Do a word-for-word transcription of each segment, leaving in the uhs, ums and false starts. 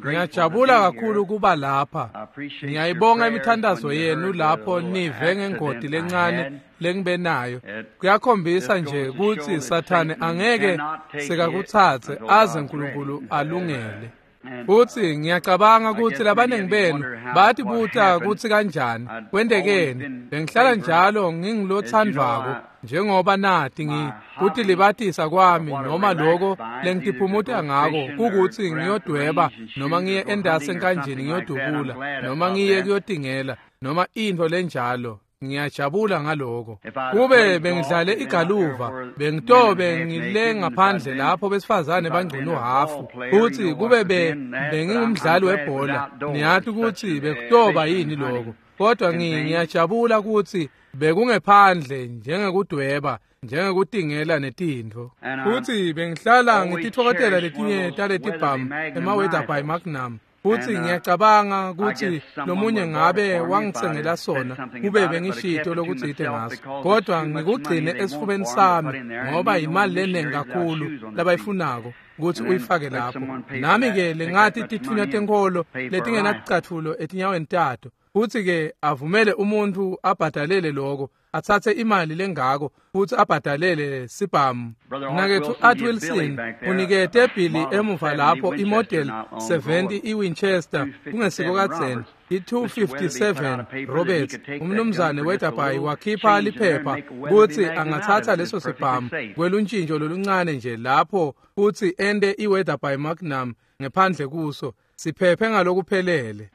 Ngiyajabula kakhulu kuba lapha. Ngiyayibonga imithandazo yenu lapho nive ngengoti lencane lengibe nayo. Kuyakhombisa nje kutsi Sathane angeke sekakutsatse aze uNkulunkulu alungele. Futsi ngiyacabanga kutsi labanengi benu batibuta kutsi kanjani kwentekeni. Bengihlala njalo ngingilothandvako njengoba nati ngi kutilibatisa kwami noma loko lengitiphumuta ngako kukutsi ngiyodweba noma ngiye endasi enkanjini ngiyodubula noma ngiye kuyotingela noma intfo lenjalo. Ngiyajabula ngaloko. Kube bengidlale igaluva bengitobe ngile ngaphandle lapho besifazane bangcunu hafu, futsi kube be bengingumdlali webhola niyati kutsi bekutoba yini lokho. Kodwa ngiyajabula kutsi bekungephandle njengekudweba, njengekutingela netintfo. Futsi bengihlala ngititfokotela letinye taletibhamu ema-Weatherby Magnum. Futsi ngiyacabanga kutsi lomunye ngabe wangitsengela sona kube bengishito lokutsite ngaso, kodwa ngikugcine esifubeni sami ngoba imali lenengi kakhulu labayifunako kutsi uyifake lapho. Nami-ke lengathi titfunywa tenkholo letingenaticatfulo etinyaweni tato, futsi-ke avumele umuntfu abhadalele loko, atsatse imali lengako futsi abhadalele sibhamu. Mnaketfu Art Wilson unikete Billy emuva lapho imodel seventy iWinchester kungesiko kadzeni i-two fifty-seven Roberts. Umnumzane Weatherby wakhipha liphepha kutsi angatsatsa leso sibhamu kweluntjintjo loluncane nje lapho futsi ente iWeatherby Magnum ngephandle kuso siphephe ngalokuphelele.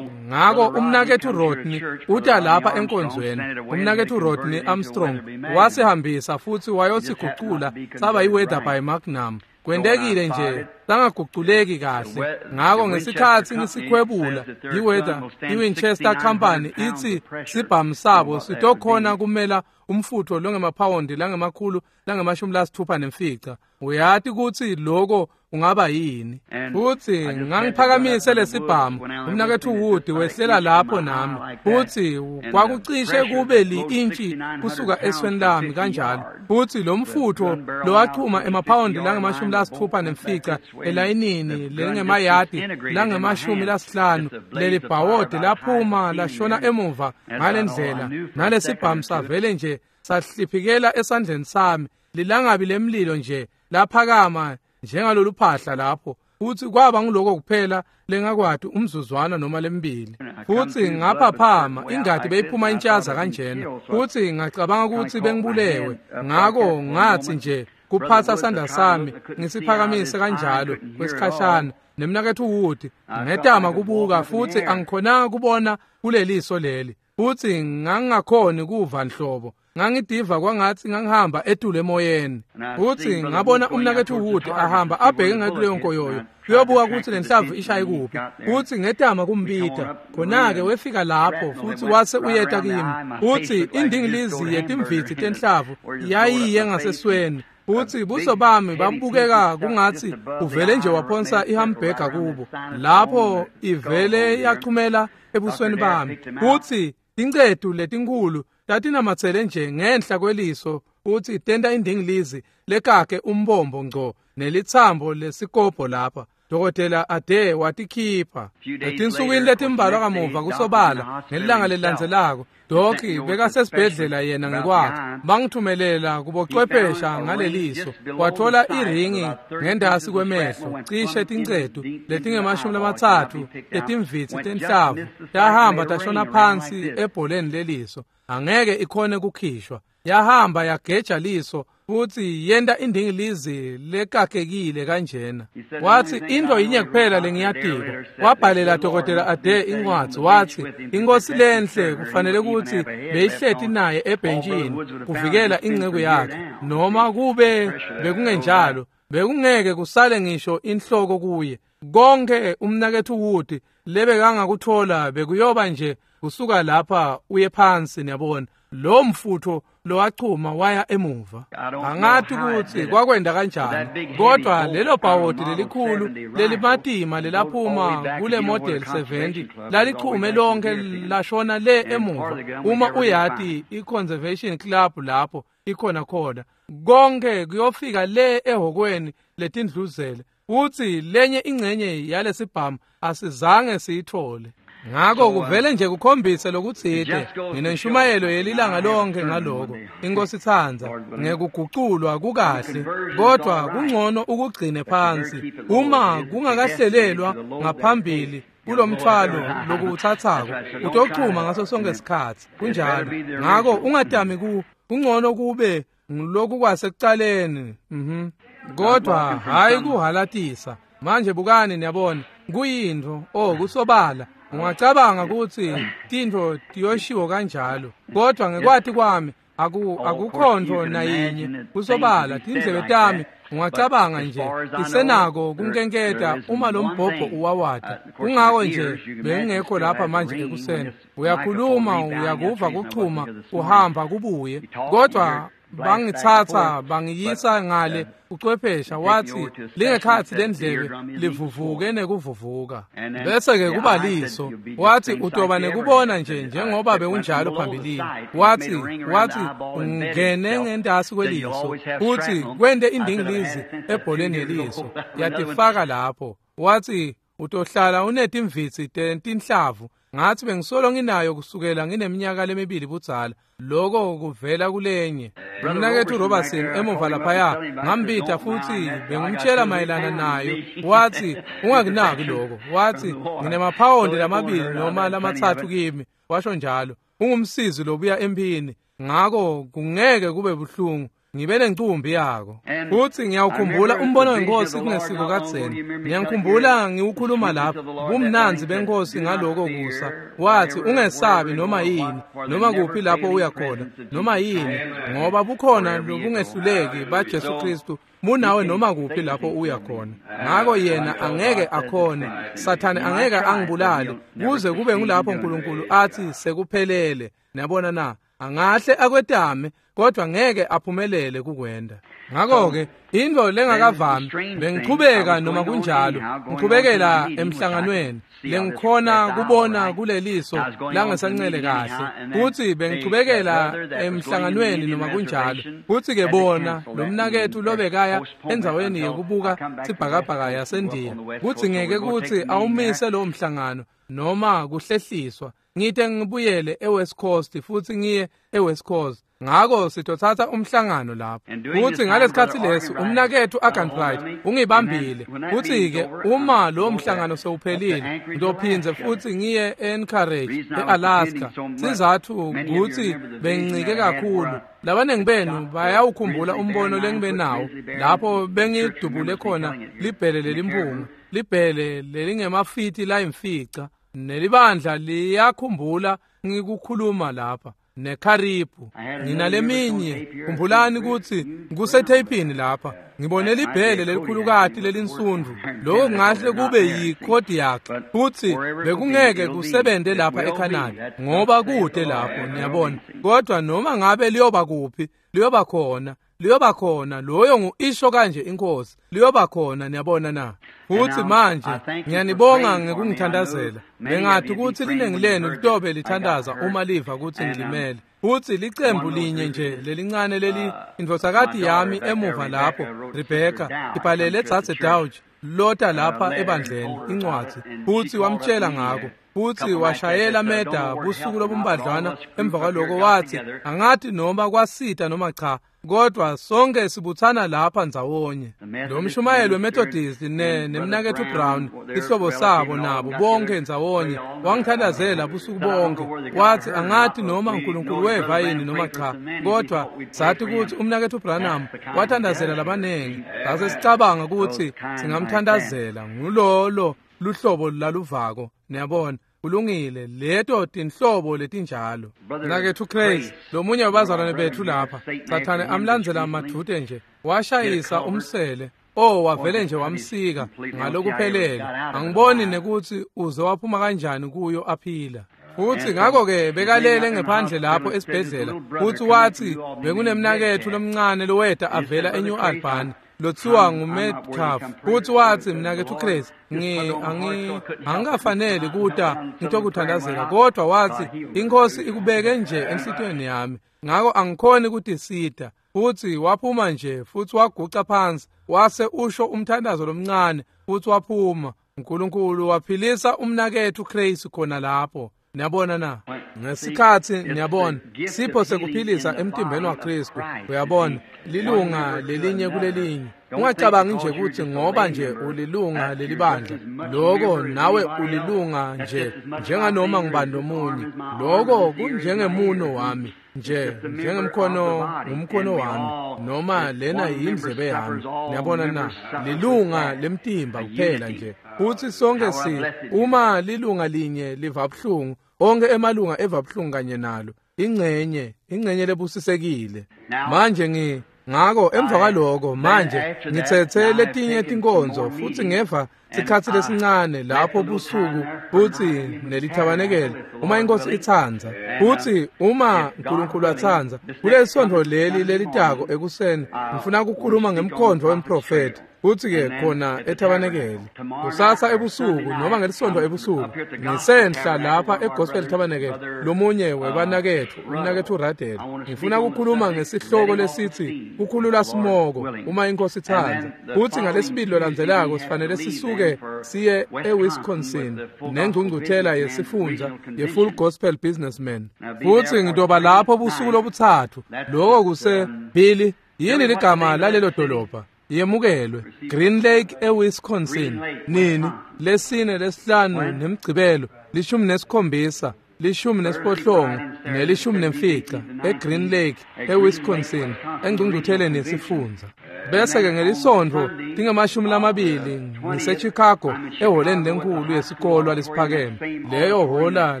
Ngako umnaketfu Rodney uta lapha enkonzweni. Umnaketfu Rodney Armstrong wasihambisa futsi wayosigucula saba yiWeatherby Magnum. Kwentekile nje sangaguculeki kahle. Ngako ngesikhatsi ngisikhwebula iWeather iWinchester Company itsi sibhamu sabo sitokhona kumela umfutfo longemaphawundi langemakhulu langemashumi lasitfupha nemfica. Uyati kutsi loko ungaba yini. Futsi ngangiphakamise lesibhamu, umnaketfu Wood wehlela lapho nami, futsi kwakucishe kube li-intshi kusuka esweni lami kanjalo. Futsi lo mfutfo lowachuma emaphawundi langemashumi lasitfupha nemfica elayinini lengemayadi langemashumi lasihlanu, leli bhawodi laphuma lashona emuva ngalendlela, nalesibhamu savele nje sahliphikela esandleni sami, lilangabi lemlilo nje laphakama njengalolu phahla lapho. Futsi kwaba ngiloko kuphela lengakwati umzuzwana noma lembili. Futsi ngaphaphama ingati beyiphuma intshaza kanjena, futsi ngacabanga kutsi bengibulewe. Ngako ngatsi nje kuphatsa sandla sami ngisiphakamise kanjalo kwesikhashana, nemnaketfu Wood ngetama kubuka futsi angikhonanga kubona kuleliso leli, futsi ngangingakhoni kuva nhlobo. Ngangidiva kwangatsi ngangihamba etulu emoyeni. Futsi ngabona umnaketfu Wood ahamba abheke ngakuleyo nkoyoyo kuyobuka kutsi lenhlavu ishaye kuphi. Futsi ngetama kumbita, khona-ke wefika lapho futsi wase uyeta kimi. Futsi indingilizi yetimvitsi tenhlavu yayiye ngasesweni, futsi buso bami babukeka kungatsi uvele nje waphonsa ihambhega kubo lapho ivele yachumela ebusweni bami. Futsi tincetu letinkhulu tatinamatsele nje ngenhla kweliso futsi tenta indingilizi lekakhe umbombo ngco nelitsambo lesikobho lapha. Dokotela Ade watikhipha. Etinsukwini letimbalwa kamuva kusobala ngelanga lelilandzelako, Doki bekasesibhedlela yena ngekwakhe. Bangithumelela kubocwephesha ngaleliso. Wathola iringi ngendasi kwemehlo, cishe tincetu letingemashumi lamatsatfu letimvitsi tenhlavu tahamba tashona phansi ebholeni leliso. Angeke ikhone kukhishwa. Yahamba yageja liso futsi yenta indingilizi lekakekile kanjena. Watsi intfo yinye kuphela lengiyatiko. Wabhalela dokotela Ade incwadzi watsi inkosi lenhle kufanele kutsi beyihleti naye ebhentshini kuvikela inceku yakhe, noma kube bekungenjalo bekungeke kusale ngisho inhloko kuye. Konke umnaketfu Wood lebekangakuthola bekuyoba nje kusuka lapha uye phansi, niyabona. Lo mfutfo lowachuma waya emuva. Angathi kutsi kwakwenda kanjani, kodwa lelo bhawodi lelikhulu lelimatima lelaphuma kule model seventy lalichume lonke lashona le emuva. Uma uyati i-Conservation Club lapho ikhona khona, konke kuyofika le ehhokweni letindluzele. Futsi lenye ingcenye yalesibhamu asizange siyithole. Ngako kuvele nje kukhombise lokutsite. Nginenshumayelo yelilanga lonke ngaloko. Inkosi itsandza ngekuguculwa kukahle, kodwa kungcono ukugcine phansi uma kungakahlelelwa ngaphambili kulomthwalo lokuwutsatsako utochuma ngaso sonke isikhatsi. Kunjalo. Ngako ungatami ku kungcono kube ngiloku kwasekucaleni. Mhm. Kodwa hayi kuhalatisa. Manje bukani niyabona kuyintfo oh kusobala. Ungacabanga ukuthi tintfo tiyoshiwo kanjalo, kodwa ngekwati kwami aku akukhonto nayinye. Kusobala tindlebe tami ungacabanga nje tisenako kunkenketa uma lo mbhobho uwawata. Kungako nje bengingekho lapha manje ekuseni. Uyakhuluma uyakuva kuchuma uhamba kubuye, kodwa bangitsatsa bangiyisa ngale ucwephesha wathi lingekhathi lendlebe livuvuke nekuvuvuka. Bese ke kuba liso wathi utoba nekubona nje njengoba bekunjalo phambilini. Wathi wathi ungene ngentasi kweliso uthi kwente indingilizi ebholeni yeliso yatifaka lapho. Wathi utohlala unetimvitsi tentinhlavu. Ngathi bengisolo nginayo kusukela ngineminyaka lemibili budzala. Lokho kuvela kulenye. Mnaketfu Robertson emuva laphaya ngambita futhi bengumtshela mayelana nayo. Wathi ungakunaki lokho. Wathi nginemaphawundi lamabili noma lamatsatfu kimi. Washo njalo. Ungumsizi lobuya emphini. Ngako kungeke kube buhlungu. Ngibe nencumbi yako. Futhi ngiyawukhumbula umbono wenkosi kungesiko kadzeni. Ngiyangikhumbula ngiwukhuluma lapha bumnandzi benkosi ngaloko kusa. Wathi ungesabi noma yini, noma kuphi lapho uya khona, noma yini, ngoba bukhona lobungehluleki baJesu Kristu munawe noma kuphi lapho uya khona. Ngako yena angeke akhone, Sathane angeke angibulale kuze kube ngulapho uNkulunkulu athi sekuphelele. Niyabona na? Angahle akwetame kodwa ngeke aphumelele kukwenda. Ngakho-ke intfo lengakavami bengichubeka noma kunjalo ngichubekela emhlanganweni lengikhona kubona kuleliso langesancele kahle. Futhi bengichubekela emhlanganweni noma kunjalo. Futhi-ke bona lo mnaketfu lobekaya endzaweni yekubuka sibhakabhaka yaseNdiya kutsi ngeke kutsi awumise lowo mhlangano noma kuhlehliswa. Ngite ngibuyele eWest Coast futhi ngiye eWest Coast. Ngako sitothatha umhlangano lapho. Futhi ngalesikhatsi lesi umnaketfu Arganbright ungibambile. Futhi-ke uma lo mhlangano sewuphelile ngiyophindze futhi ngiye e-Anchorage e-Alaska. Sizathu kutsi bengincike kakhulu. Labanengi benu bayawukhumbula umbono lengibe nawo lapho bengidubule khona libhele lelimpunga, libhele lelingemafiti layimfica. Nelibandla liyakhumbula ngikukhuluma lapha neKharibu. Nginaleminye khumbulani kutsi kusetheyipini lapha. Ngibone libhele lelikhulukati lelinsundvu. Lokho kungahle kube yiKodiak futhi bekungeke kusebente lapha eCanada ngoba kude lapho niyabona. Kodwa noma ngabe liyoba kuphi liyoba khona. Liyoba khona. Loyo ngu-isho kanje inkosi. Liyoba khona niyabona na. Futhi manje ngiyanibonga ngekungithandazela. Bengathi ukuthi liningi lenu litobe lithandaza uma liva ukuthi ngilimele. Futhi licembu linye nje lelincane leli indvodzakati yami emuva lapho Rebecca ibhalele Dzadze Dauch lota lapha ebandleni incwadzi. Futhi wamtshela ngako. Futhi washayela meda busuku lobumbadlwana emva kwaloko wathi angathi noma kwasita noma cha kodwa sonke sibuthana lapha ndzawonye. Lo mshumayelo weMethodist ne nemnaketfu Brown isihlobo sabo nabo bonke ndzawonye wangithandazela busuku bonke. Wathi angathi noma uNkulunkulu weva yini noma cha kodwa sathi ukuthi umnaketfu Branham wathandazela labanengi. Sase sicabanga ukuthi singamthandazela. Ngulolo luhlobo laluvako niyabona. Kulungile leto tinhlobo letinjalo. Mnaketfu Crazy lomunye wabazalwane bethu lapha Sathane amlandzela madvute nje washayisa umsele. Oh wavele nje wamsika ngalokuphelele. Angiboni nekuthi uze waphuma kanjani kuyo aphila. Futhi ngakho-ke bekalele ngephandle lapho esibhedlela. Futhi wathi bekunemnaketfu lomncane loweta avela eNew Albany lothiwa nguMetcalf. Futhi wathi mnaketfu Chris ngi angi angikafanele kuta ngitokuthandazela kodwa wathi inkosi ikubeke nje enhlitiyweni yami ngako angikhoni ukutisita. Futsi waphuma nje futsi waguca phansi wase usho umthandazo lomncane futsi waphuma. uNkulunkulu waphilisa umnaketfu Grace khona lapho. Niyabona na? Ngesikhatsi niyabona sipho sekuphilisa emtimbeni waKristu. Uyabona lilunga lelinye kulelinye. Ungacabangi nje ukuthi ngoba nje ulilunga lelibandla lokho nawe ulilunga nje njenganoma ngubani lomunye. Lokho kunjengemuno wami nje njengemkhono ngumkhono wami noma lena yindlebe yami. Niyabona na? Lilunga lemtimba kuphela nje. Futhi sonke si uma lilunga linye liva buhlungu onke emalunga eva buhlungu kanye nalo. Ingcenye ingcenye lebusisekile. Manje ngi ngako emva kwaloko manje ngithethe letinye tinkonzo futhi ngeva sikhatsi lesincane lapho busuku futhi nelithabanekele uma inkosi itsandza futhi uma uNkulunkulu atsandza kulesonto leli lelitako ekuseni ngifuna ukukhuluma ngemkhondo wemprofeti futhi ke khona ethabanekele kusasa ebusuku noma ngelisonto ebusuku ngisenhla lapha eGospel Tabernacle lomunye webanakethu umnakethu Radel. Ngifuna ukukhuluma ngesihloko lesithi kukhulula simoko uma inkosi itsandza. Futhi ngalesibili lolandzelako sifanele sisuke siye eWisconsin nengcungcuthela yesifundza ye-Full Gospel Businessmen. Futhi ngitoba lapho busuku lobuthathu. Lokho kuse Billy yini ligama lalelo dolobha? Yemukelwe Green Lake eWisconsin. Nini? Lesine, lesihlanu nemgcibelo, lishumi nesikhombisa, lishumi nesiphohlongo nelishumi nemfica eGreen Lake eWisconsin engcungcutheleni yesifundza. Bese ke ngelisonto tingamashumi lamabili ngiseChicago eholeni lenkulu yesikolwa lesiphakeme, leyo hola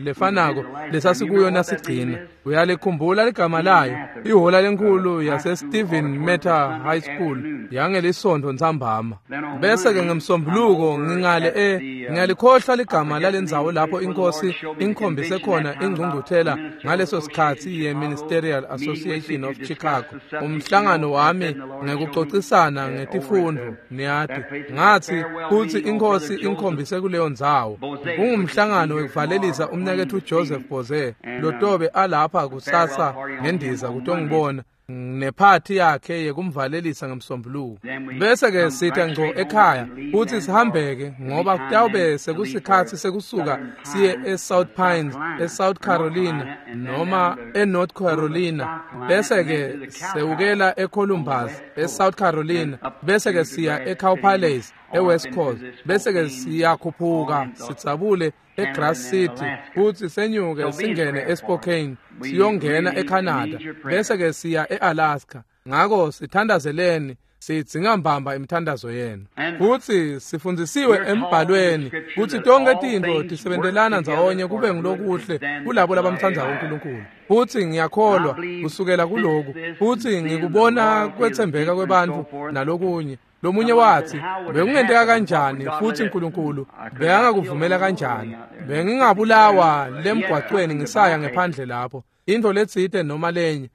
lefanako lesasikuyo nasigcina. Uyalikhumbula ligama layo? Ihola lenkulu yase Stephen Meta High School yangelisonto ntsambama. Bese ke ngemsombuluko ngingale e ngiyalikhohlwa ligama lalendzawo lapho inkosi inkhombise khona ingcungcuthela ngaleso sikhatsi ye-Ministerial Association of Chicago. Umhlangano wami ngekucocisana ngetifundo niyati ngathi futhi inkosi inkhombise kuleyo ndzawo. Kungumhlangano wekuvalelisa umnaketfu Joseph Boze lotobe alapha kusasa ngendiza kutongibona nephathi yakhe yekumvalelisa ngemsombuluko. Bese ke sitha ngco ekhaya futhi sihambeke ngoba kutawube sekusikhatsi sekusuka siye eSouth Pines eSouth Carolina noma eNorth Carolina, bese ke sewukela eColumbus eSouth Carolina, bese ke siya eCow Palace eWest Coast, bese ke siyakhuphuka sitsabule eGrass City futhi senyuke singene eSpokane siyongena eCanada, bese ke siya eAlaska. Ngako sithandazeleni, sidzinga mbamba imithandazo yenu. Futhi sifundzisiwe embhalweni kutsi tonke tintfo tisebentelana ndzawonye kube ngilokuhle kulabo labamtsandzako uNkulunkulu. Futhi ngiyakholwa kusukela kuloku, futhi ngikubona kwetsembeka kwebantfu nalokunye. Lomunye wathi bekungenteka kanjani futhi uNkulunkulu bekangakuvumela kanjani? Bengingabulawa lemgwaqweni ngisaya ngephandle lapho into letsite noma lenye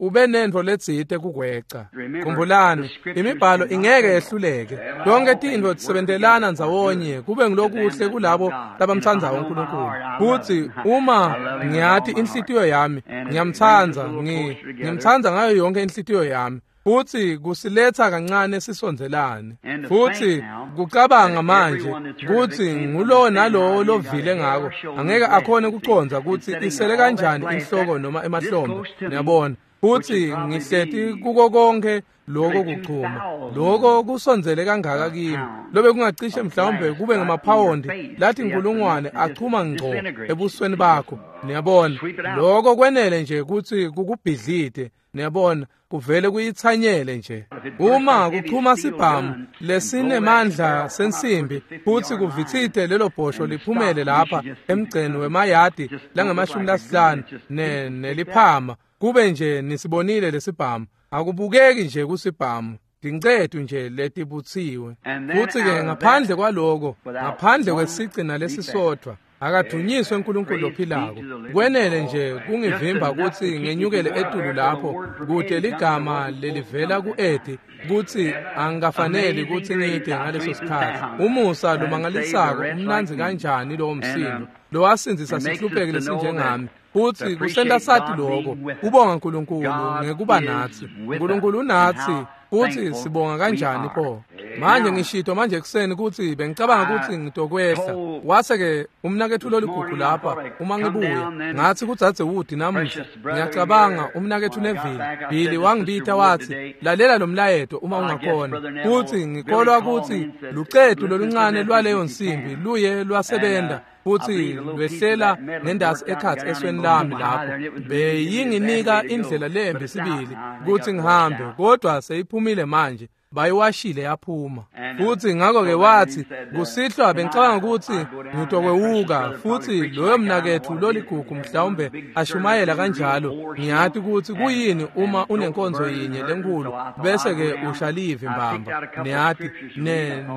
ube nento letsite kukweca. Khumbulani imibhalo ingeke yehluleke. Tonke tintfo tisebentelana ndzawonye kube ngilokuhle kulabo labamtsandzako uNkulunkulu. Futhi uma ngiyati inhlitiyo yami ngiyamtsandza, ngimtsandza ngayo yonke inhlitiyo yami. Futhi kusiletha kancane sisondzelane. Futhi kucabanga manje kutsi ngulowo nalowo lovile ngako angeke akhone kucondza kutsi isele kanjani inhloko noma emahlombe. Niyabona? Futhi ngihleti kuko konke lokho kuchuma, lokho kusondzele kangaka kimi lobe kungacishe mhlawumbe kube ngamaphawundi lathi inkulungwane achuma ngco ebusweni bakho. Niyabona? Lokho kwenele nje kutsi kukubhidlite. Niyabona? Kuvele kuyitsanyele nje. Uma kuchuma sibhamu lesinemandla sensimbi futhi kuvitsite lelo bhosho liphumele lapha emgceni wemayadi langamashumi lasihlanu ne neliphama, kube nje nisibonile lesibhamu. Akubukeki nje kusibhamu, tincetu nje letibutsiwe. Futhi ke ngaphandle kwaloko, ngaphandle kwesigcina lesisodvwa, akadunyiswe uNkulunkulu ophilako. Kwenele nje kungivimba kutsi ngenyukele etulu lapho kude ligama lelivela ku-Edi kutsi angikafaneli kutsi ngide ngaleso sikhatsi. Umusa lomangalisako umnandzi kanjani lowo msindo lowasindzisa sihlupheki lesinjengami. Futsi kusenta sati lokho kubonga uNkulunkulu ngekuba natsi. uNkulunkulu unatsi futsi sibonga kanjani pho. Manje ngishito manje ekuseni kutsi bengicabanga kutsi ngitokwehla. Wase-ke umnaketfu loligugu lapha uma ngibuya ngatsi kudzadze Wood namuhla ngiyacabanga umnaketfu Neville Billy wangibita watsi lalela lo mlayeto uma ungakhona. Futsi ngikholwa kutsi lucetu loluncane lwaleyo nsimbi luye lwasebenta futsi lwehlela ngendasi ekhatsi esweni lami lapho. Beyinginika indlela lembi sibili kutsi ngihambe, kodwa seyiphumile manje, bayiwashile yaphuma. Futsi ngakho-ke wathi kusihlwa bengicabanga kutsi ngitokwewuka futsi loyo mnaketfu loligugu mhlawumbe ashumayela kanjalo. Ngiyati kutsi kuyini uma unenkonzo yinye lenkulu bese-ke ushalivi mbamba, niyati,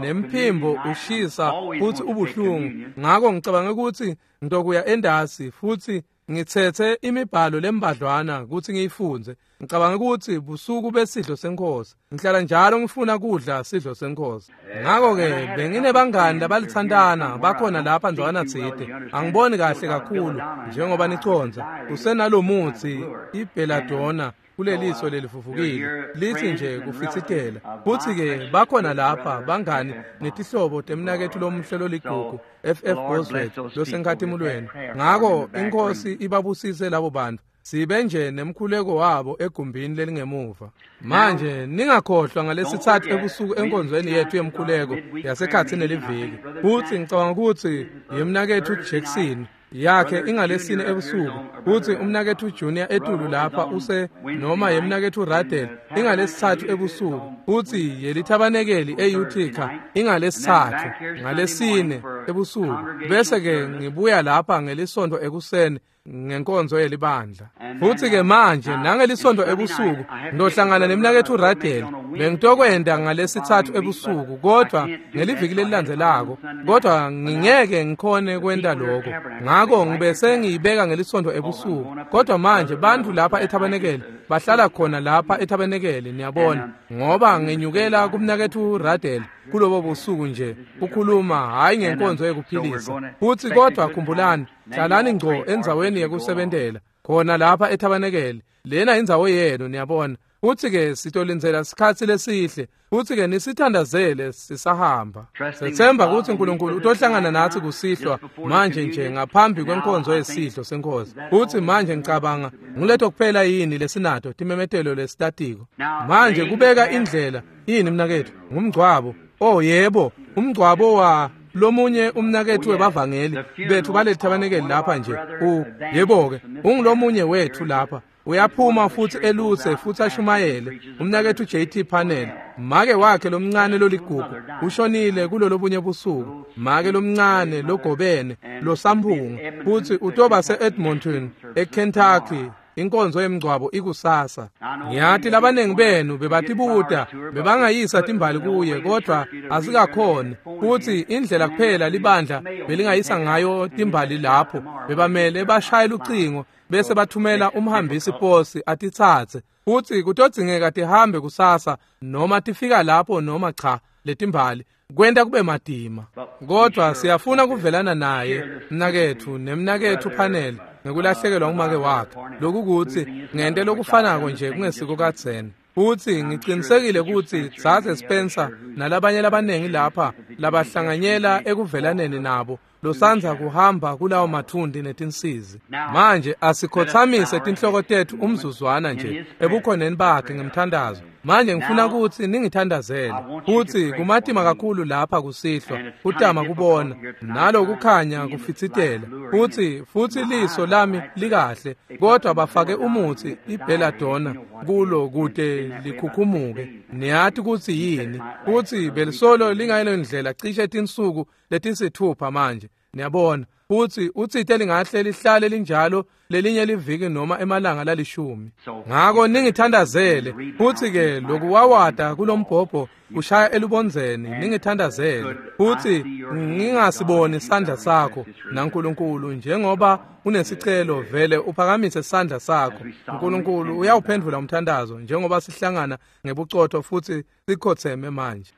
nemphimbo ushisa futsi ubuhlungu. Ngakho ngicabanga kutsi ngitokuya endasi futsi ngithethe imibhalo lembadlwana kutsi ngiyifundze. Ngicabanga kutsi busuku besidlo senkosi ngihlala njalo ngifuna kudla sidlo senkosi. Ngakho-ke benginebangani labalithandana bakhona lapha ndzawana tsite. Angiboni kahle kakhulu njengoba niconza kusenalomutsi ibheladona kuleliso lelivuvukile lithi nje kufitsitela. Futsi-ke bakhona lapha bangani netihlobo temnaketfu lomuhle loligugu F F Bosworth losenkhatimulweni. Ngakho inkosi ibabusise labo bantu. Sibe nje nemkhuleko wabo egumbini lelingemuva. Manje ningakhohlwa ngalesithathu ebusuku enkonzweni yethu yemkhuleko yasekhatsini neliviki. Futsi ngicabanga kutsi yemnaketfu Jackson yakhe ingalesine ebusuku, futsi umnaketfu Junior etulu lapha use noma yemnaketfu Radel ingalesithathu ebusuku, futsi yelithabanekeli eUtica ingalesithathu ngalesine ebusuku. Bese-ke ngibuya lapha ngelisonto ekuseni ngenkonzo yelibandla. Futsi-ke manje nangelisonto ebusuku ngiyohlangana nemnaketfu Radel. Bengitokwenda ngalesithathu ebusuku kodwa ngeliviki lelilandzelako, kodwa ngingeke ngikhone kwenta lokho. Ngakho ngibese ngiyibeka ngelisonto ebusuku. Kodwa manje bantfu lapha ethabanekeli bahlala khona lapha ethabanekeli, niyabona, ngoba ngenyukela kumnaketfu Radel kulobo busuku nje kukhuluma hhayi ngenkonzo yekuphilisa. Futsi kodwa khumbulani, hlalani ngco endzaweni yekusebentela khona lapha ethabanekeli. Lena indzawo yenu, niyabona. Futsi-ke sitolindzela sikhatsi lesihle, futsi-ke nisithandazele sisahamba. Sethemba kutsi uNkulunkulu utohlangana natsi kusihlwa manje nje ngaphambi kwenkonzo yesidlo senkosi. Futsi manje ngicabanga nguleto kuphela yini lesinato timemetelo lesitatiko. Manje kubeka indlela yini mnaketfu? Ngumgcwabo. Oh yebo, umgcwabo wa lomunye umnaketfu webavangeli bethu balethabanekeli lapha nje. U yebo-ke ungulomunye wethu lapha. Uyaphuma futsi elutse futsi ashumayele. Umnaketfu J T Panel, make wakhe lomncane loligugu ushonile kulolobunye busuku. Make lomncane logobene losamphunga futsi utoba se-Edmonton eKentucky. Inkonzo yemgcwabo ikusasa. Ngiyati labaningi benu bebatibuta bebangayisa timbali kuye, kodwa asikakhoni. Futsi indlela kuphela libandla belingayisa ngayo timbali lapho bebamele bashaye lucingo bese bathumela umhambisi posi atitsatse. Futsi kutodzingeka tihambe kusasa noma tifika lapho noma cha letimbali kwenta kube matima. Kodwa siyafuna kuvelana naye mnaketfu nemnaketfu Panel ngekulahlekelwa ngumake wakhe. Lokhu kutsi ngente lokufanako nje kungesiko kadzeni. Futsi ngicinisekile kutsi Dzadze Spencer nalabanye labaningi lapha labahlanganyela ekuvelaneni nabo losandza kuhamba kulawo mathundi netinsizi. Manje asikhothamise tinhloko tetfu umzuzwana nje ebukhoneni bakhe ngemthandazo. Manje ngifuna kutsi ningithandazele. Futsi kumatima kakhulu lapha kusihlwa kutama kubona nalokukhanya kufitsitela. Futsi futsi liso lami likahle, kodwa bafake umutsi ibheladona kulo kute likhukhumuke. Niyati kutsi yini? Futsi belisolo lingayilo ndlela cishe tinsuku letisithupha manje, niyabona. Futsi utsite lingahle lihlale linjalo lelinye liviki noma emalanga lalishumi. Ngakho ningithandazele. Futsi-ke lokuwawata kulombhobho kushaya elubondzeni, ningithandazele. Futsi ngingasiboni sandla sakho naNkulunkulu njengoba unesicelo vele uphakamise sandla sakho. uNkulunkulu uyawuphendvula umthandazo njengoba sihlangana ngebucotho futsi sikhotseme manje.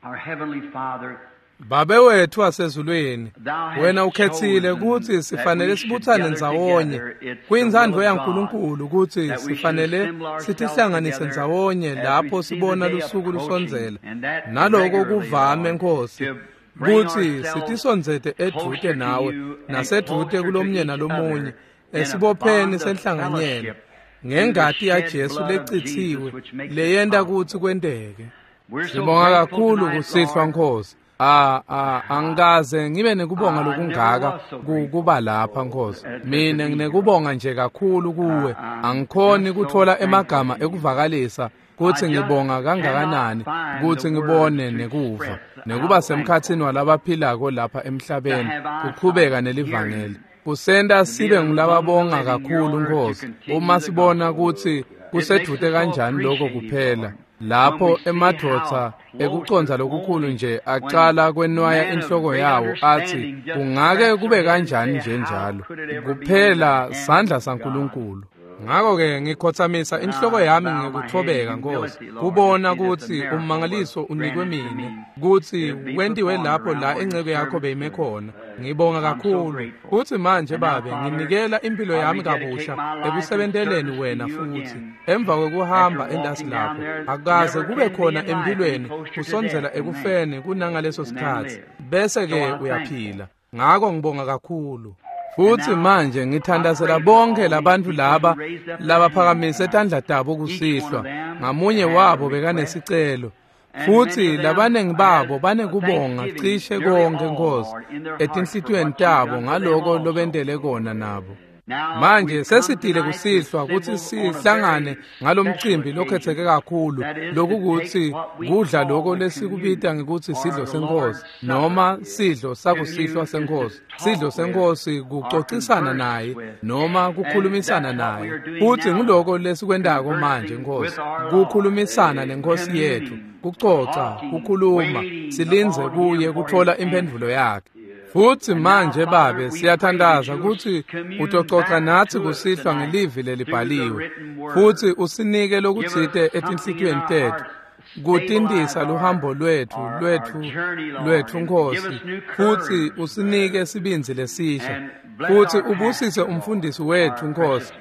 Babe wethu wasezulwini, wena ukhetsile kutsi sifanele sibutsane ndzawonye kuyintsandvo yaNkulunkulu kutsi sifanele sitihlanganise ndzawonye lapho sibona lusuku lusondzela. Naloko kuvame, Nkosi, kutsi sitisondzete edvute nawe nasedvute kulomnye nalomunye esibopheni senhlanganyelo ngengati yaJesu lecitsiwe leyenta kutsi kwenteke. Sibonga kakhulu kusihlwa, Nkosi. Ah ah angikaze ngibe nekubonga lokungaka kuba lapha, Nkosi. Mina nginekubonga nje kakhulu kuwe. Angikhoni kuthola emagama ekuvakalisa kutsi ngibonga kangakanani kutsi ngibone nekuva nekuba semkhatsini walabaphilako lapha emhlabeni kuqhubeka nelivangeli. Kusenta sibe ngulababonga kakhulu, Nkosi, uma sibona kutsi kusedvute kanjani lokho kuphela. Lapho emadvodza ekucondza lokukhulu nje acala kwenwaya inhloko yawo athi kungake kube kanjani nje njalo kuphela sandla saNkulunkulu. Ngakho-ke ngikhothamisa inhloko yami ngekuthobeka, Nkosi, kubona kutsi ummangaliso unikwe mine kutsi wentiwe lapho la inceke yakho beyime khona. Ngibonga kakhulu kutsi manje, Babe, nginikela impilo yami kabusha ekusebenteleni wena futhi emva kwekuhamba entasi lapho akaze kube khona empilweni kusondzela ekufeni kunangaleso sikhatsi bese-ke uyaphila. Ngako ngibonga kakhulu. Futhi manje ngithandazela bonke labantu laba labaphakamise tandla tabo kusihlwa. Ngamunye wabo bekanesicelo. Futhi labanengi babo banekubonga cishe konke, Nkosi, etinhlitiyweni tabo ngaloko lobentele kona nabo. Manje sesitile kusihlwa kutsi sihlangane ngalomcimbi lokhetseke kakhulu, lokukutsi kudla loko lesikubita ngekutsi sidlo senkosi noma sidlo sakusihlwa senkosi. Sidlo senkosi kucocisana naye noma kukhulumisana naye. Futsi nguloko lesikwentako manje, Nkosi, kukhulumisana nenkosi yethu, kucoca, kukhuluma, silindze kuye kutfola imphendvulo yakhe. Futhi manje, Babe, siyathandaza kutsi utococa natsi kusihlwa ngelivi lelibhaliwe futhi usinike lokutsite etinhlitiyweni tetfu kutintisa luhambo lwetfu lwetfu lwetfu, Nkosi, futhi usinike sibindzi lesisha futhi ubusise umfundisi wetfu, Nkosi,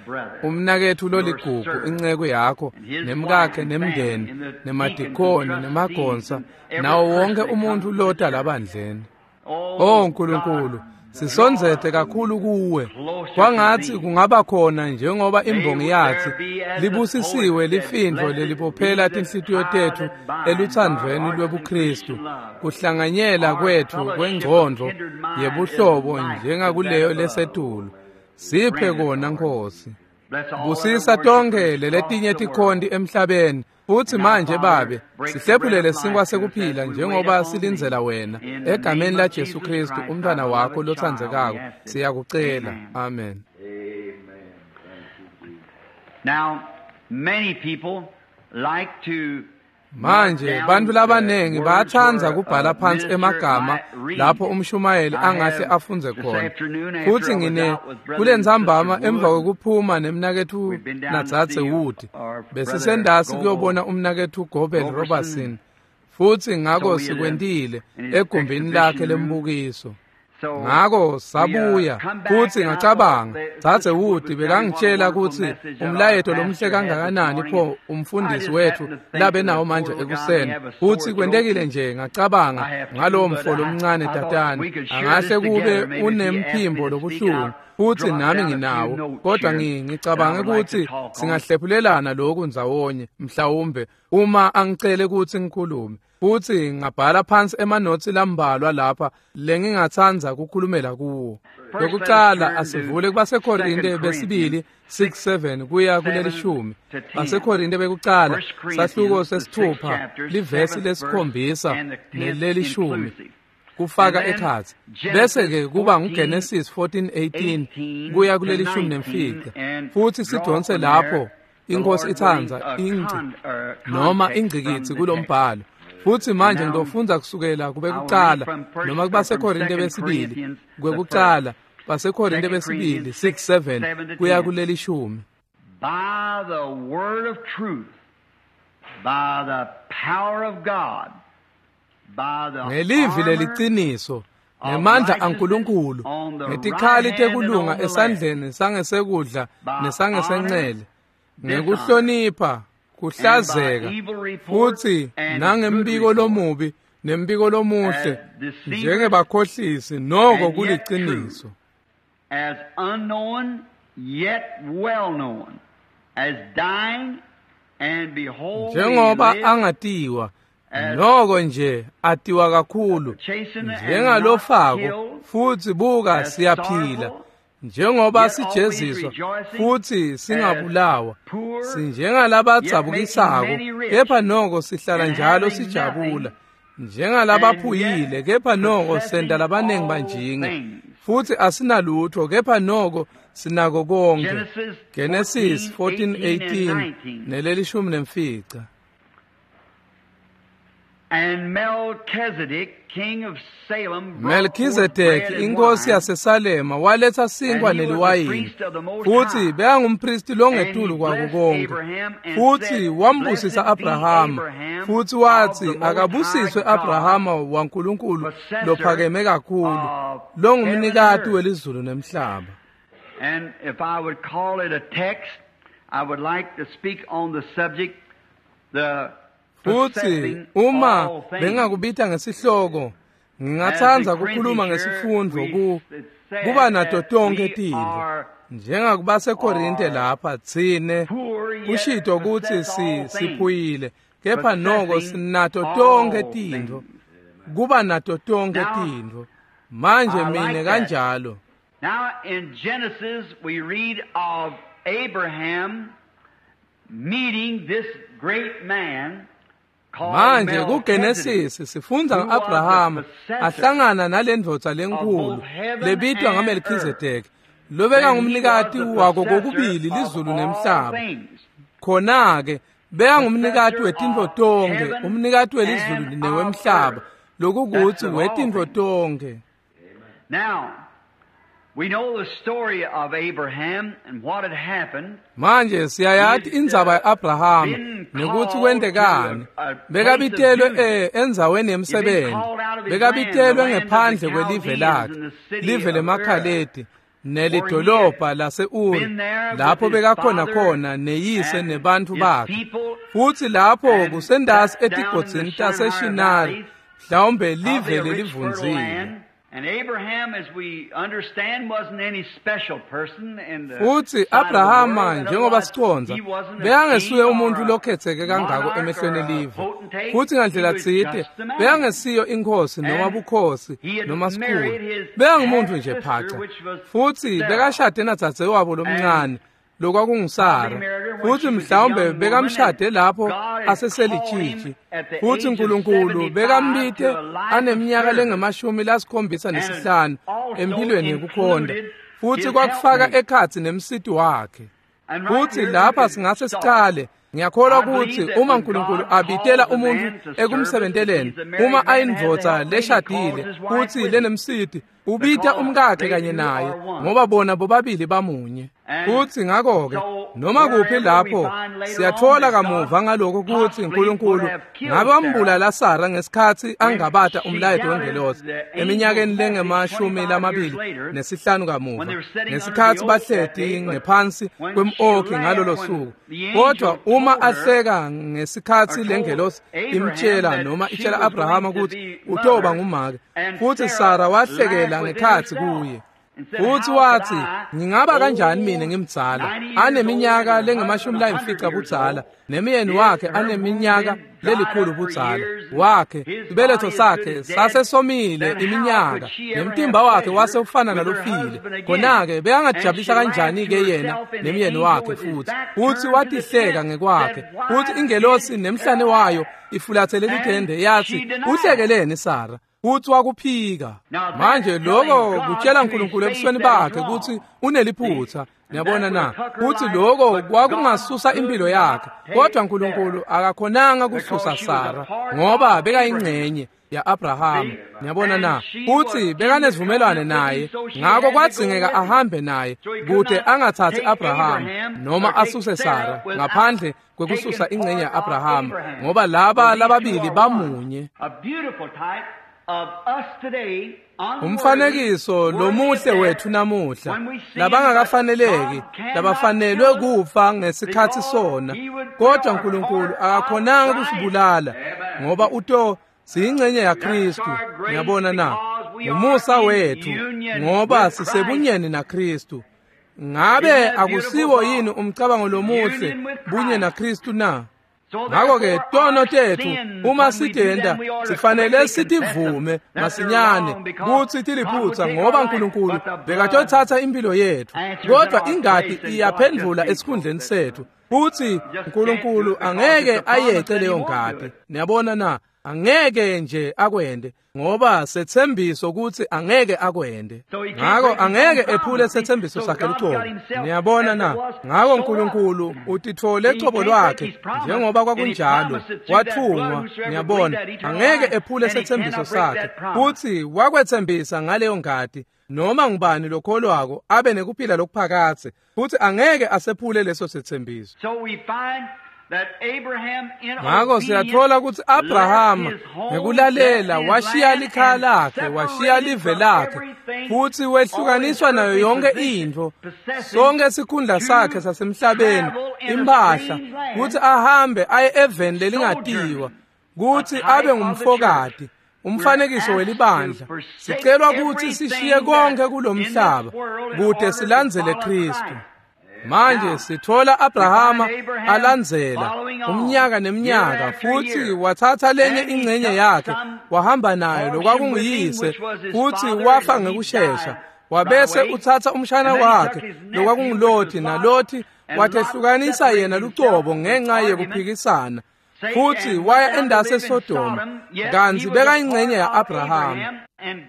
umnaketfu loligugu, inceko yakho, nemkakhe, nemndeni, nemadikoni, nemagonsa, nawo wonke umuntfu lota labandleni. Oh Nkulunkulu, sisondzete kakhulu kuwe. Kwangatsi kungaba khona njengoba imbongi yathi, libusisiwe lifindvo lelibophela tinhlitiyo tetfu elutsandvweni lwebuKristu. Kuhlanganyela kwetfu kwengcondvo yebuhlobo njengakuleyo lesetulu. Siphe kona, Nkosi. Busisa tonkhe leletinye tikhonti emhlabeni. Futhi manje, Babe, sihlephulele sinkwa sekuphila njengoba silindzela wena. Egameni la Jesu Kristu, umntwana wakho lotsandzekako, siyakucela. Amen. Now, many people like to Manje bantfu labanengi bayatsandza kubhala phansi emagama lapho umshumayeli angahle afundze khona. Futhi ngine kulentsambama emva kwekuphuma nemnaketfu nadzadze Wood, besisendasi kuyobona umnaketfu Gobel Robertson. Futhi ngako sikwentile egumbini lakhe lembukiso. Ngako sabuya futhi ngacabanga, dzadze Wood bekangitshela kutsi umlayeto lomhle kangakanani pho umfundisi wethu labe nawo manje ekuseni. Futhi kwentekile nje ngacabanga ngalowo mfo lomncane tatane angahle kube unemphimbo lobuhlungu futhi nami nginawo, kodwa ngicabange kutsi singahlephulelana lokhu ndzawonye mhlawumbe uma angicele kutsi ngikhulume. Futhi ngabhala phansi emanotsi lambalwa lapha lengingatsandza kukhulumela kuwo. Lokucala asivule kubaseKorinte besibili six seven kuya kulelishumi. BaseKorinte bekucala sahluko sesithupha livesi lesikhombisa nelelishumi kufaka ekhatsi. Bese ke kuba nguGenesis fourteen eighteen kuya kulelishumi nemfica. Futhi sidonse lapho inkosi itsandza ingci noma ingcikitsi kulombhalo. Futhi manje ngidofundza kusukela kube kucala noma kubaseKorinte besibili kwekucala baseKorinte besibili six seven kuya kulelishumi. By the word of truth, by the power of God, Ngelivi leliciniso, ngemandla aNkulunkulu, ngetikhali tekulunga esandleni sangesekudla nesangesencele, ngekuhlonipha, kuhlazeka, futhi nangembiko lomubi nembiko lomuhle, njengebakhohlisi noko kuliciniso. As unknown yet well known, as dying and behold, njengoba angatiwa noko nje atiwa kakhulu, njengalofako futhi buka siyaphila, njengoba sijeziswa futhi singabulawa, sinjengalabadzabukisako kepha noko sihlala njalo sijabula, njengalabaphuyile kepha noko senta labanengi banjinge, futhi asinalutho kepha noko sinako konke. Genesis fourteen eighteen nelelishumi nemfica. And Melchizedek, king of Salem, Melchizedek inkosi yaseSalema waletha sinkwa neliwayini, futhi bekangumpristi longetulu kwako konke, futhi wambusisa Abrahama, futhi wathi akabusiswe Abrahama waNkulunkulu lophakeme kakhulu, longumnikati welizulu nemhlaba. And if I would call it a text, I would like to speak on the subject, the futhi uma bengakubita ngesihloko, ngingatsandza kukhuluma ngesifundvo ku kuba nato tonke tintfo, njengakubaseKorinte lapha tsine kushito kutsi si siphuyile kepha noko sinato tonke tintfo, kuba nato tonke tintfo. Manje mine kanjalo. Now in Genesis we read of Abraham meeting this great man. Manje kuGenesis sifundza ngeAbraham ahlangana nalendvodza lenkulu lebitwa ngaMelchizedek, lobeka ngumnikati wako kokubili lizulu nemhlaba. Khona-ke beka ngumnikati wetintfo tonkhe, umnikati welizulu newemhlaba, lokukutsi wetintfo tonkhe. Now we know the story of Abraham and what had happened. Manje siyayati indzaba yaAbraham nekuthi kwentekani. Bekabitelwe endzaweni yemsebenzi, bekabitelwe ngephandle kwelive lakhe, live lemaKhaledi nelidolobha lase-Uri, lapho bekakhona khona neyise nebantfu bakhe, futhi lapho kusendasi etigodzini taseShinari, mhlawumbe live lelivundzile. And Abraham, as we understand, wasn't any special person in the Futhi Abrahama njengoba siconza bekangesuye umuntu lokhetheke kangako emehlweni elive, futhi ngandlela tsite bekangesiyo inkosi noma bukhosi noma sikhulu, bekangumuntu nje phaca, futhi bekashade nadzadzewabo lomncane lokwakunguSara, futhi mhlawumbe bekamshade lapho aseselijiji, futhi uNkulunkulu bekambite aneminyaka lengemashumi lasikhombisa nesihlanu empilweni yekukhonda, futhi kwakufaka ekhatsi nemsiti wakhe. Futhi lapha singase sicale. Ngiyakholwa ukuthi uma uNkulunkulu abitela umuntu ekumsebenteleni, uma ayindvodza leshadile futhi lenemsiti, ubita umkakhe kanye naye, ngoba bona bobabili bamunye. Futhi ngakho-ke noma kuphi lapho siyathola kamuva ngalokho ukuthi uNkulunkulu ngabe wambulala Sara ngesikhathi angabata umlayeto wengelosi eminyakeni lengemashumi lamabili nesihlanu kamuva, ngesikhathi bahleti ngephansi kwem-oki ngalolo suku. Kodwa uma ahleka ngesikhathi lengelosi imtshela noma itshela Abrahama ukuthi utoba ngumake, futhi Sara wahlekela ngekhathi kuye. Futhi wathi, ngingaba kanjani mina ngimdzala, aneminyaka lengemashumi layimfica budzala, nemyeni wakhe aneminyaka lelikhulu budzala wakhe, sibeletho sakhe sasesomile iminyaka, nemtimba wakhe wase ufana nalofile. Khona-ke bekangajabulisa kanjani-ke yena nemyeni wakhe? Futhi futhi watihleka ngekwakhe, futhi ingelosi nemhlane wayo ifulathele lithende yathi, uhlekeleni Sara? Futsi wakuphika. Manje lokho kutshela uNkulunkulu ebusweni bakhe kutsi uneliphutha. Niyabona na? Kutsi lokho kwakungasusa impilo yakhe, kodwa uNkulunkulu akakhonanga kususa Sara ngoba bekayingcenye ya-Abrahama. Niyabona na? Futsi bekanesivumelwano naye, ngako kwadzingeka ahambe naye kute angathathi Abrahama noma asuse Sara ngaphandle kwekususa ingcenye ya-Abrahama, ngoba laba lababili bamunye. Umfanekiso lomuhle wethu namuhla, labangakafaneleki, labafanelwe kufa ngesikhatsi sona, kodwa uNkulunkulu akakhonanga kusibulala ngoba uto siyingcenye yaKristu. Niyabona na? Umusa wethu ngoba sisebunyeni naKristu. Ngabe akusiwo yini umcabango lomuhle bunye naKristu na? Ngakho-ke tono tethu uma sitenta sifanele sitivume masinyane kutsi tiliphutsa, ngoba uNkulunkulu bekatothatha impilo yethu, kodwa ingati iyaphendvula esikhundleni sethu, futsi uNkulunkulu angeke ayece leyo ngati. Niyabona na? Angeke nje akwende, ngoba setsembiso kutsi angeke akwende. Ngako angeke ephule setsembiso sakhe lucobo. Niyabona na? Ngako uNkulunkulu utitfole cobo lwakhe njengoba kwakunjalo, wathungwa. Niyabona, angeke ephule setsembiso sakhe, futsi wakwetsembisa ngaleyo ngati noma ngubani lokholwako abe nekuphila lokuphakadze, futsi angeke asephule leso setsembiso. Ngako siyatfola kutsi Abrahama ngekulalela washiya likhaya lakhe, washiya live lakhe, futsi wehlukaniswa nayo yonke intfo, sonke sikhundla sakhe sasemhlabeni, imphahla, kutsi ahambe aye eveni lelingatiwa, kutsi abe ngumfokati, umfanekiso welibandla. Sicelwa kutsi sishiye konke kulomhlaba kute silandzele Kristu. Manje sithola Abrahama alandzela umnyaka neminyaka, futsi wathatha lenye ingcenye yakhe wahamba nayo lokwakunguyise, futsi wafa ngekushesha. Wabese utsatsa umshana wakhe lokwakunguLothi, naLothi watehlukanisa yena lucobo ngenxa yekuphikisana, futsi waya endase eSodoma, kantsi bekayingcenye ya-Abrahama.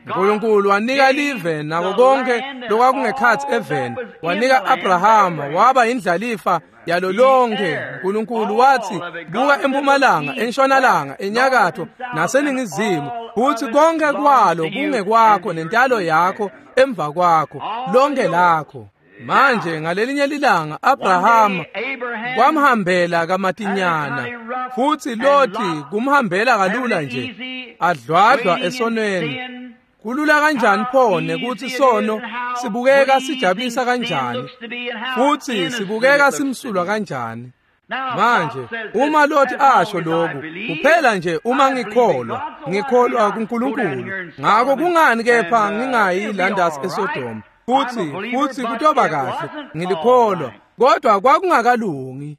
uNkulunkulu wanika live nako konke lokwakungekhatsi eveni, wanika Abrahama waba indlalifa yalo lonke. uNkulunkulu watsi, buka empumalanga, entshonalanga, enyakatho naseningizimu, futsi konke kwalo kungekwakho nentalo yakho emva kwakho, lonke lakho. Manje ngalelinye lilanga Abrahama kwamhambela kamatinyana, futsi Loti kumhambela kalula nje, adlwadlwa esonweni. Kulula kanjani pho nekutsi sono sibukeka sijabulisa kanjani, futsi sibukeka simsulwa kanjani. Manje uma Loti asho lokhu, kuphela nje uma ngikholwa, ngikholwa kuNkulunkulu, ngako kungani kepha ngingayi landasi eSodoma? Futsi futsi kutoba kahle, ngilikholwa, kodwa kwakungakalungi.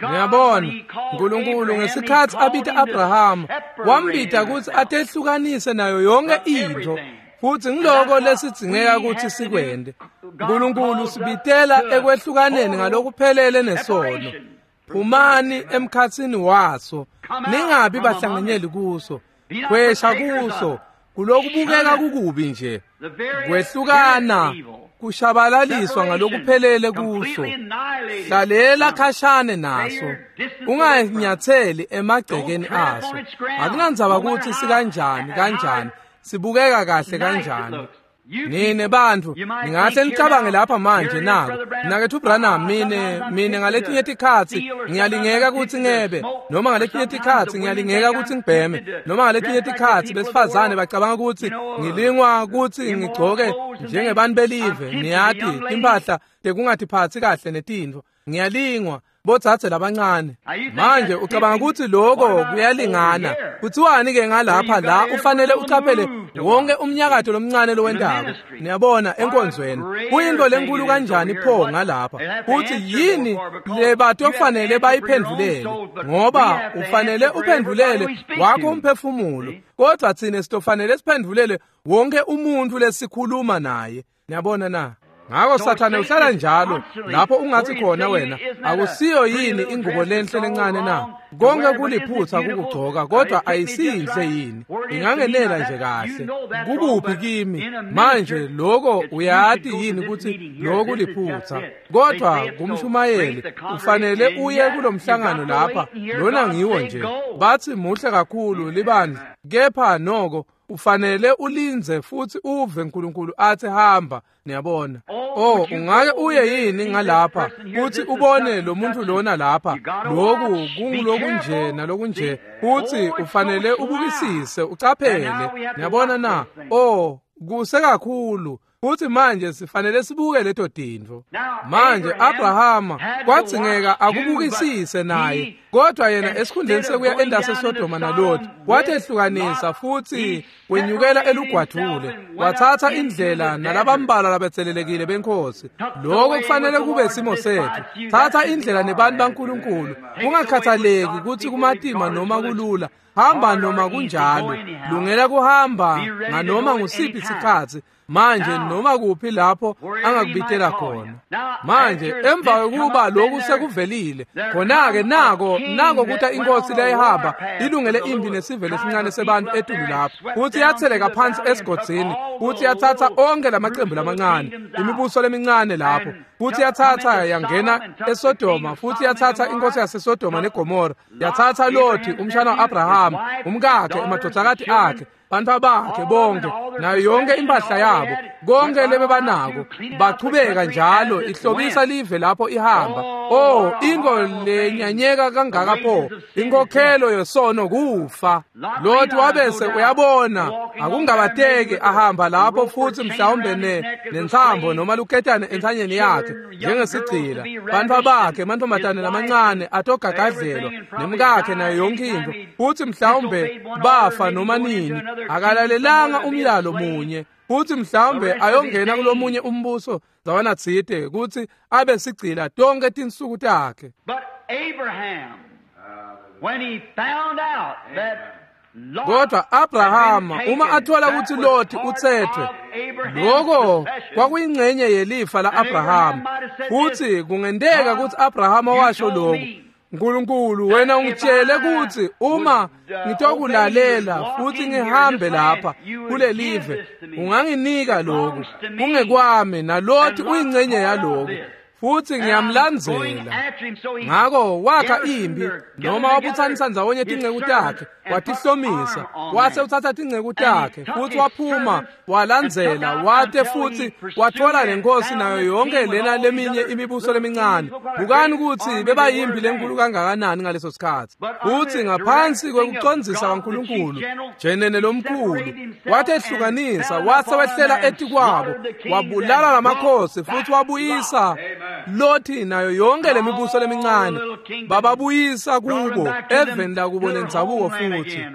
Niyabona, uNkulunkulu ngesikhatsi abita Abrahama, wambita kutsi atehlukanise nayo yonke intfo, futsi ngiloko lesidzingeka kutsi sikwente. uNkulunkulu sibitela ekwehlukaneni ngalokuphelele nesono. Phumani emkhatsini waso, ningabi bahlanganyeli kuso, khwesha kuso, kulokubukeka kukubi nje. Kwehlukana kushabalaliswa ngalokuphelele kuso. Hlalela khashane naso, unganyatheli emagcekeni aso. Akunandzaba kutsi sikanjani kanjani, sibukeka kahle kanjani. Nine bantfu ningahle nicabange lapha manje nako, mnaketfu Branham, mine mine ngaletinye tikhatsi ngiyalingeka kutsi ngebe, noma ngaletinye tikhatsi ngiyalingeka kutsi ngibheme, noma ngaletinye tikhatsi besifazane bacabanga kutsi ngilingwa kutsi ngigcoke njengebantu belive, niyati timphahla tekungatiphatsi kahle netintfo, ngiyalingwa botsatse labancane. Manje ucabanga kutsi lokho kuyalingana? Kutsiwani ke ngalapha la ufanele ucaphele wonke umnyakato lomncane lowentako? Niyabona enkonzweni kuyinto lenkulu kanjani pho ngalapha, kutsi yini lebatofanele bayiphendvulele, ngoba ufanele uphendvulele wakho umphefumulo, kodwa tsine sitofanele siphendvulele wonke umuntu lesikhuluma naye. Niyabona na? Ngako Sathane uhlala njalo lapho ungathi khona wena akusiyo yini ingubo lenhle lencane na? Konke kuliphutha kukugcoka, kodwa ayisiyinhle yini? Ingangenela nje kahle. Kukuphi kimi? Manje lokho uyati yini ukuthi lokhu kuliphutha? Kodwa kumshumayeli ufanele uye kulomhlangano lapha, lona ngiwo nje. Bathi muhle kakhulu libandla, kepha noko ufanele ulinze futhi uve uNkulunkulu athi hamba. Niyabona? Oh, ungake uye yini ngalapha futhi ubone lo muntu lona lapha, lokhu kungulokunje nalokunje, futhi ufanele ubukisise ucaphele. Niyabona na? Oh, kusekakhulu. Futhi manje sifanele sibuke leto tintfo. Manje Abrahama kwadzingeka akubukisise naye, kodwa yena esikhundleni sekuya endase Sodoma naLoti watehlukanisa futhi wenyukela elugwadvule, wathatha indlela nalabambalwa labetselelekile benkosi. Lokho kufanele kube simo sethu. Thatha indlela nebantu baNkulunkulu, kungakhathaleki ukuthi kumatima noma kulula. Hamba noma kunjalo, lungela kuhamba nganoma ngusiphi isikhathi. Manje noma kuphi lapho angakubitela khona. Manje emva kokuba lokhu sekuvelile, khona-ke nako nako kuthi inkosi leyihamba ilungele impi nesive lesincane sebantu etulu lapho, futhi yatheleka phansi esigodzini, futhi yathatha onke lamaqembu lamancane, imibuso lemincane lapho, futhi yathatha yangena eSodoma, futhi yathatha inkosi yaseSodoma neGomora, yathatha Loti umshana wa-Abrahama, umkakhe, emadodakati akhe, bantu bakhe bonke, nayo yonke impahla yabo, konke lebebanako, bachubeka njalo ihlobisa live lapho ihamba. Oh, into lenyanyeka kangaka pho, inkokhelo yesono kufa. Loti wabese uyabona akungabateki ahamba lapho futhi mhlawumbe ne nentsambo noma luketane entsanyeni yakhe njengesigcila, bantu bakhe mantombazane lamancane atogagadlelwa nemkakhe nayo yonke into, futhi mhlawumbe bafa noma nini. Akalalelanga umyalo munye, futhi mhlawumbe ayongena kulomunye umbuso zawana tsite ukuthi abe sigcila tonke tinsuku takhe. But Abraham, when he found out that Kodwa Abrahama uma athola ukuthi Loti uthethwe, lokho kwakuyingxenye yelifa la-Abrahama. Futhi kungenteka ukuthi Abrahama washo lokhu: Nkulunkulu, wena ungitshele ukuthi uma ngitokulalela futhi ngihambe lapha kulelive, unganginika lokhu, kungekwami, naLoti uyingxenye yalokhu, futhi ngiyamlandzela. Ngako wakha impi noma wabuthanisa ndzawonye tinceku takhe, watihlomisa, wase uthatha tinceku takhe futhi waphuma walandzela, wate futhi wathola lenkosi nayo yonke lena leminye imibuso lemincane. Bukani ukuthi bebayimpi lenkulu kangakanani ngaleso sikhathi. Futhi ngaphansi kwekucondzisa kwaNkulunkulu jenene lomkhulu watehlukanisa, wase wehlela etikwabo, wabulala lamakhosi futhi wabuyisa Loti nayo yonke lemibuso lemincane, bababuyisa kubo eveni lakubo lendzabuko. Futhi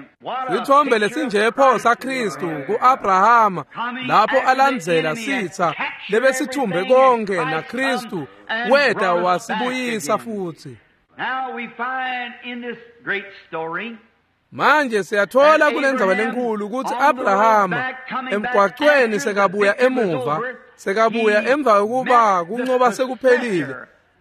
isithombe lesinje pho saKristu kuAbrahama lapho alandzela sitha lebesithumbe konke, naKristu weda wasibuyisa futhi. Now we find in this great story Manje siyathola kulendzaba lenkulu ukuthi Abrahama emgwaqweni sekabuya emuva, sekabuya emva kokuba kuncoba sekuphelile,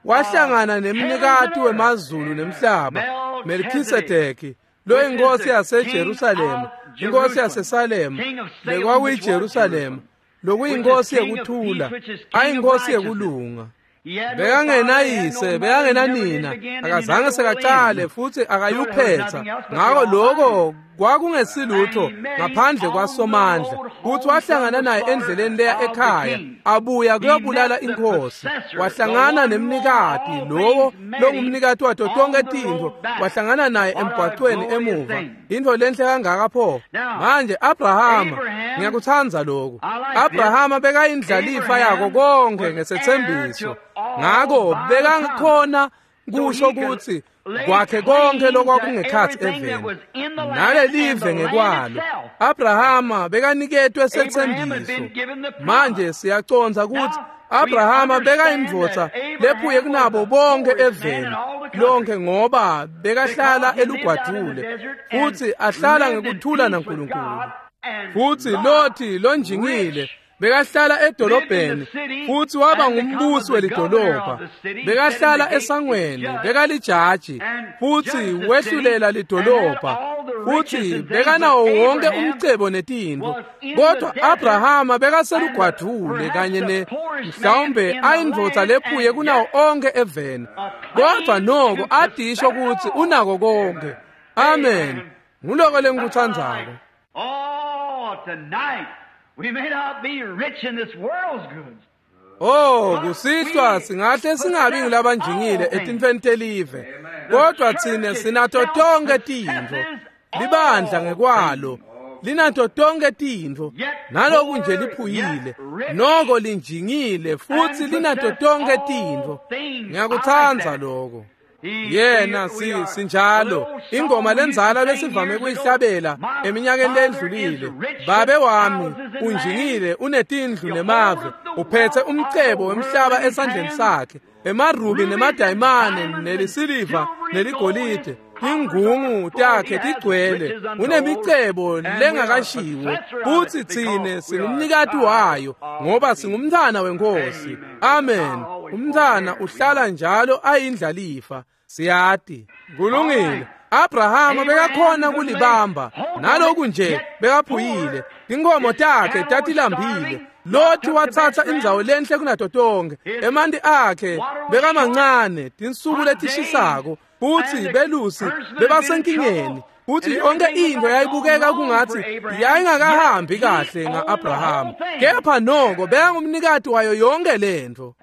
wahlangana nemnikati wemazulu nemhlaba, Melkisedeki, lo inkosi yaseJerusalema, inkosi yaseSalema, lekwakuyiJerusalema, lokuyinkosi yekuthula, ayinkosi yekulunga. Bekangenayise, bekangenanina, akazange sekacale futhi akayuphetha. Ngako lokho kwakungesilutho ngaphandle kwaSomandla. Futhi wahlangana naye endleleni leya ekhaya, abuya kuyobulala inkosi. Wahlangana nemnikati, lowo longumnikati wato tonke tintfo, wahlangana naye emgwaqweni emuva. Intfo lenhle kangaka pho. Manje Abrahama, ngiyakutsandza lokhu. Abrahama bekayindlalifa yako konke ngesetsembiso. Ngako bekakhona kusho ukuthi kwakhe konke lokwakungekhathi eveni nalelive ngekwalo. Abrahama bekaniketwe setsembiso. Manje siyacondza ukuthi Abrahama bekayindvodza lephuye kunabo bonke eveni lonke, ngoba bekahlala elugwadvule futhi ahlala ngekuthula naNkulunkulu. Futhi Loti lonjingile Bekahlala edolobheni futhi waba ngumbusi welidolobha. Bekahlala esangweni, bekalijaji futhi wehlulela lidolobha. Futhi bekanawo wonke umcebo netintfo. Kodwa Abrahama bekaselugwadvule kanye ne mhlawumbe ayindvodza lephuye kunawo onke eveni. Kodwa noko adisho kutsi unako konke. Amen. Nguloko lengikutsandzako. Oh, tonight we may not be rich in this world's goods. Oh, kusihlwa singahle singabi ngulabanjingile etintfweni telive. Kodwa tsine sinato tonke tintfo. Libandla ngekwalo linato tonke tintfo. Naloku nje liphuyile, noko linjingile futhi linato tonke tintfo. Ngiyakutsandza lokho. Yena si sinjalo ingoma lenzala besivame kuyihlabela eminyakeni lendlulile. Babe wami unjingile, unetindlu nemave, uphethe umcebo wemhlaba esandleni sakhe, emarubi nemadayimane nelisiliva neligolide, ingungu takhe tigcwele, unemicebo lengakashiwo, futhi tsine singumnikati wayo ngoba singumntwana wenkosi. Amen. Umntwana uhlala njalo ayindlalifa. Siyati. Kulungile. Abrahama bekakhona kulibamba, naloku nje bekaphuyile, tinkomo takhe tatilambile. Loti watsatsa indzawo lenhle kunato tonke, emanti akhe bekamancane, tinsuku letishisako, futhi belusi bebasenkingeni, futhi yonke into yayibukeka kungathi yayingakahambi kahle nga-Abrahama. Kepha noko bekangumnikati wayo yonke lentfo.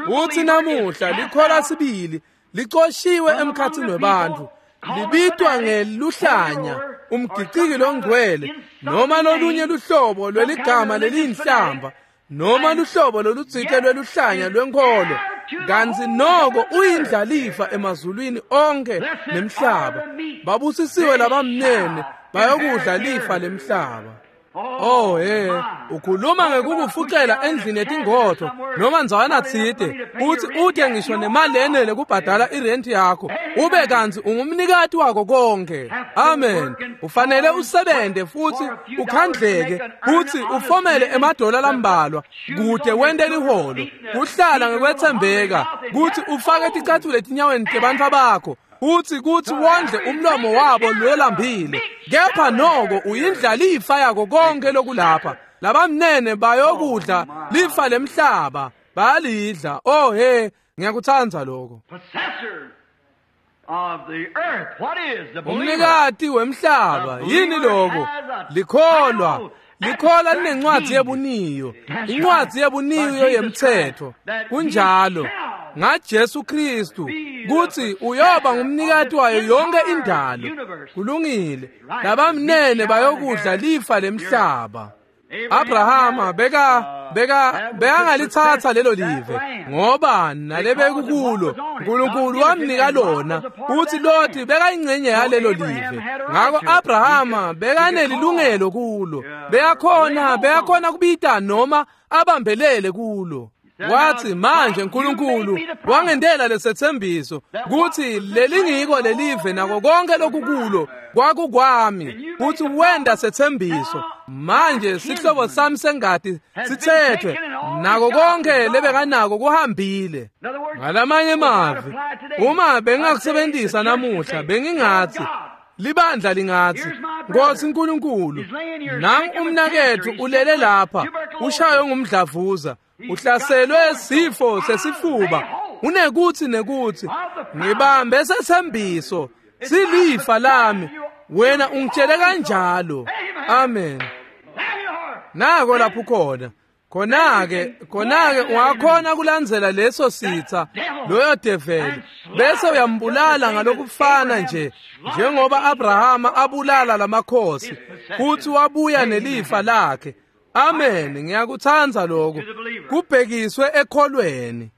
Uthi namuhla likholwa sibili licoshiwe emkhatsini webantfu, libitwa ngeluhlanya, umgiciki longcwele, noma lolunye luhlobo lweligama leliyinhlamba, noma luhlobo lolutsite lweluhlanya lwenkholo, kantsi noko uyindlalifa emazulwini onke nemhlaba. Babusisiwe labamnene bayokudla lifa lemhlaba. Oh he, ukhuluma ngekukufucela endlini yetingodvo noma ndzawana tsite, utsi ute ngisho nemali lenele kubhadala irenti yakho, ube kantsi ungumnikati wako konke. Amen. Ufanele usebente futhi ukhandleke futhi ufomele emadola lambalwa kute wente liholo, kuhlala ngekwetsembeka kutsi ufake ticatfulo etinyaweni tebantfu bakho, uthi kuthi wondle umlomo wabo lolambile. Kepha noko uyindlalifa yako konke lokulapha. Labamnene bayokudla lifa lemhlaba, bayalidla. Oh he, ngiyakutsandza lokho. Umnikati wemhlaba yini lokho? Likholwa. Likholwa linencwadi yebuniyo, incwadi yebuniyo yemthetho. Kunjalo ngaJesu Kristu kuthi uyoba ngumnikati wayo yonke indalo. Kulungile. Labamnene bayokudla lifa lemhlaba. Abrahama beka beka bekangalithatha lelo live ngoba nalebekukulo uNkulunkulu wamnika lona, uthi Loti bekayingcenye yalelo live. Ngako Abrahama bekanelilungelo kulo, beyakhona beyakhona kubita noma abambelele kulo. Wathi manje uNkulunkulu wangendela lesethembiso kuthi lelingiko lelive nako konke lokukulo kwakukwami, kuthi wenda sethembiso. Manje sihlobo sami sengati sithethwe, nako konke lebekanako kuhambile. Ngalamanye emavi, uma bengingakusebenzisa namuhla bengingathi libandla lingathi, Nkosi uNkulunkulu, nangu umnaketfu ulele lapha, ushaywe ngumdlavuza, uhlaselwe sifo sesifuba, unekuthi nekuthi, ngibambe sethembiso, silifa lami, wena ungitshele kanjalo. Amen. Nako lapho khona. Khona-ke, khona-ke ungakhona kulandzela leso sitha, loyo develi, bese uyambulala ngalokufana nje njengoba Abrahama abulala lamakhosi futhi wabuya nelifa lakhe. Amen. Ngiyakutsandza lokho. Kubhekiswe ekholweni.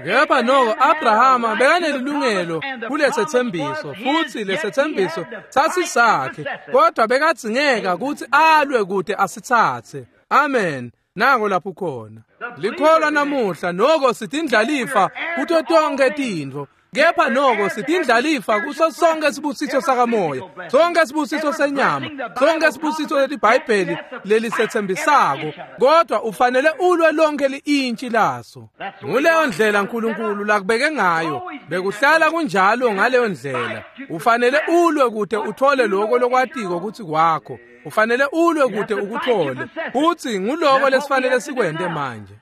Kepha noko Abrahama bekanelilungelo kulesethembiso, futhi lesethembiso sasisakhe, kodwa bekadzingeka kutsi alwe kude asitsatse. Amen. Nako lapho khona. Likholwa namuhla noko sitindlalifa kuto tonke tintfo. Kepha noko sitindlalifa kuso sonke sibusiso sakamoya, sonke sibusiso senyama, sonke sibusiso leliBhayibheli lelisethembisako, kodwa ufanele ulwe lonke li-intshi laso. Nguleyo ndlela uNkulunkulu lakubeke ngayo, bekuhlala kunjalo ngaleyo ndlela. Ufanele ulwe kude uthole lokho lokwatiko ukuthi kwakho. Ufanele ulwe kude ukuthole. Futhi nguloko lesifanele sikwente manje.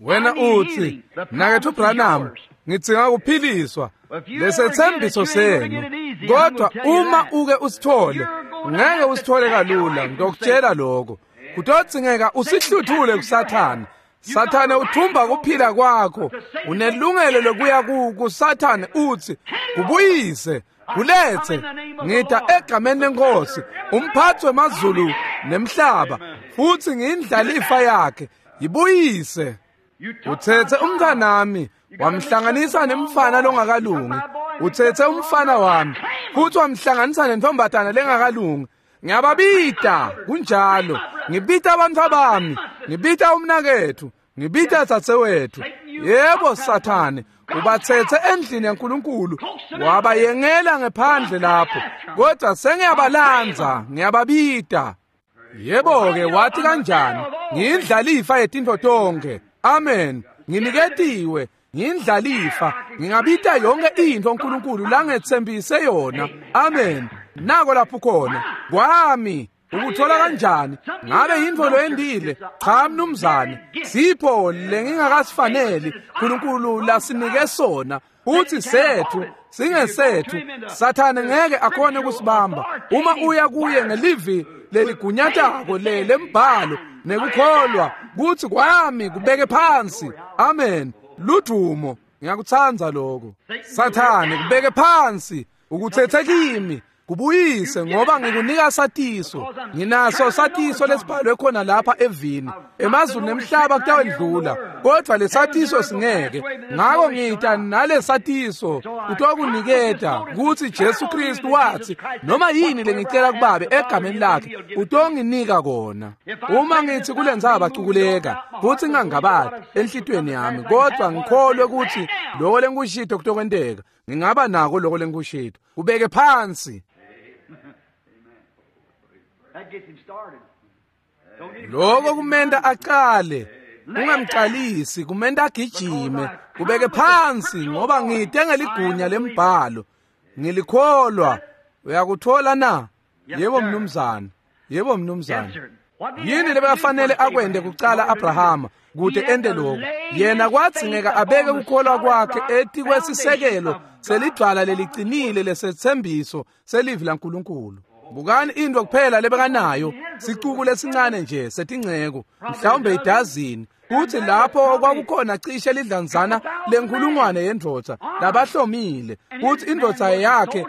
Wena uthi, Mnaketfu Branham, ngidzinga kuphiliswa, lesethembiso senu. Kodwa uma uke usithole, ngeke usithole kalula, ngiyokutshela lokho. Kutodzingeka usihluthule kuSathane. Sathane uthumba kuphila kwakho. Unelungelo lokuya kuSathane uthi, kubuyise, kulethe, ngita egameni lenkosi, umphathi wemazulu nemhlaba, futhi ngiyindlalifa yakhe, yibuyise. Uthethe umntanami wamhlanganisa nemfana longakalungi. Uthethe umfana wami futhi wamhlanganisa nentombatana lengakalungi. Ngiyababita kunjalo. Ngibita abantu bami, ngibita umnakethu, ngibita dzadzewethu. Yebo Sathane, ubathethe endlini yaNkulunkulu wabayengela ngephandle lapho, kodwa sengiyabalanza, ngiyababita. Yebo ke wathi kanjani? Ngiyindlalifa yetintfo tonke. Amen. Nginiketiwe, ngiyindlalifa, ngingabita yonke into uNkulunkulu langetsembise yona. Amen. Nako lapho khona. Kwami ukuthola kanjani? Ngabe yintfo loyendile? Cha mnumzane, sipho lengingakasifaneli uNkulunkulu lasinike sona. Uthi sethu singesethu. Sathane ngeke akhone kusibamba. Uma uya kuye ngelivi leligunyatako le lembhalo nekukholwa kuthi kwami kubeke phansi. Amen. Ludumo. Ngiyakutsandza lokho. Sathane kubeke phansi, ukuthethe kimi, kubuyise, ngoba ngikunika satiso. Nginaso satiso lesibhalwe khona lapha evini. Emazulu nemhlaba kutawendlula, kodwa lesatiso singeke. Ngako ngita nalesatiso utokuniketa kutsi Jesu Kristu wathi noma yini lengicela kubabe egameni lakhe utonginika kona. Uma ngithi kulendzaba cukuleka futhi ngingangabati enhlitiyweni yami, kodwa ngikholwe kutsi lokho lengikushito kutokwenteka, ngingaba nako lokho lengikushito. Ubeke phansi. Lokho kumenta aqale, ungamqalisi, kumenta agijime. Kubeke phansi, ngoba ngite ngeligunya lembhalo, ngilikholwa. Uyakuthola na? Yebo mnumzane, yebo mnumzane. Yini lebefanele akwende kucala Abrahama kute ente lokho? Yena kwadzingeka abeke kukholwa kwakhe etikwesisekelo selidvwala lelicinile lesethembiso selivi laNkulunkulu. Bukani into kuphela lebekanayo, sicuku lesincane nje setingceko, mhlawumbe idazini. Kuthi lapho kwakukhona cishe lidlanzana lenkulungwane yendvodza labahlomile. Kuthi indvodza yakhe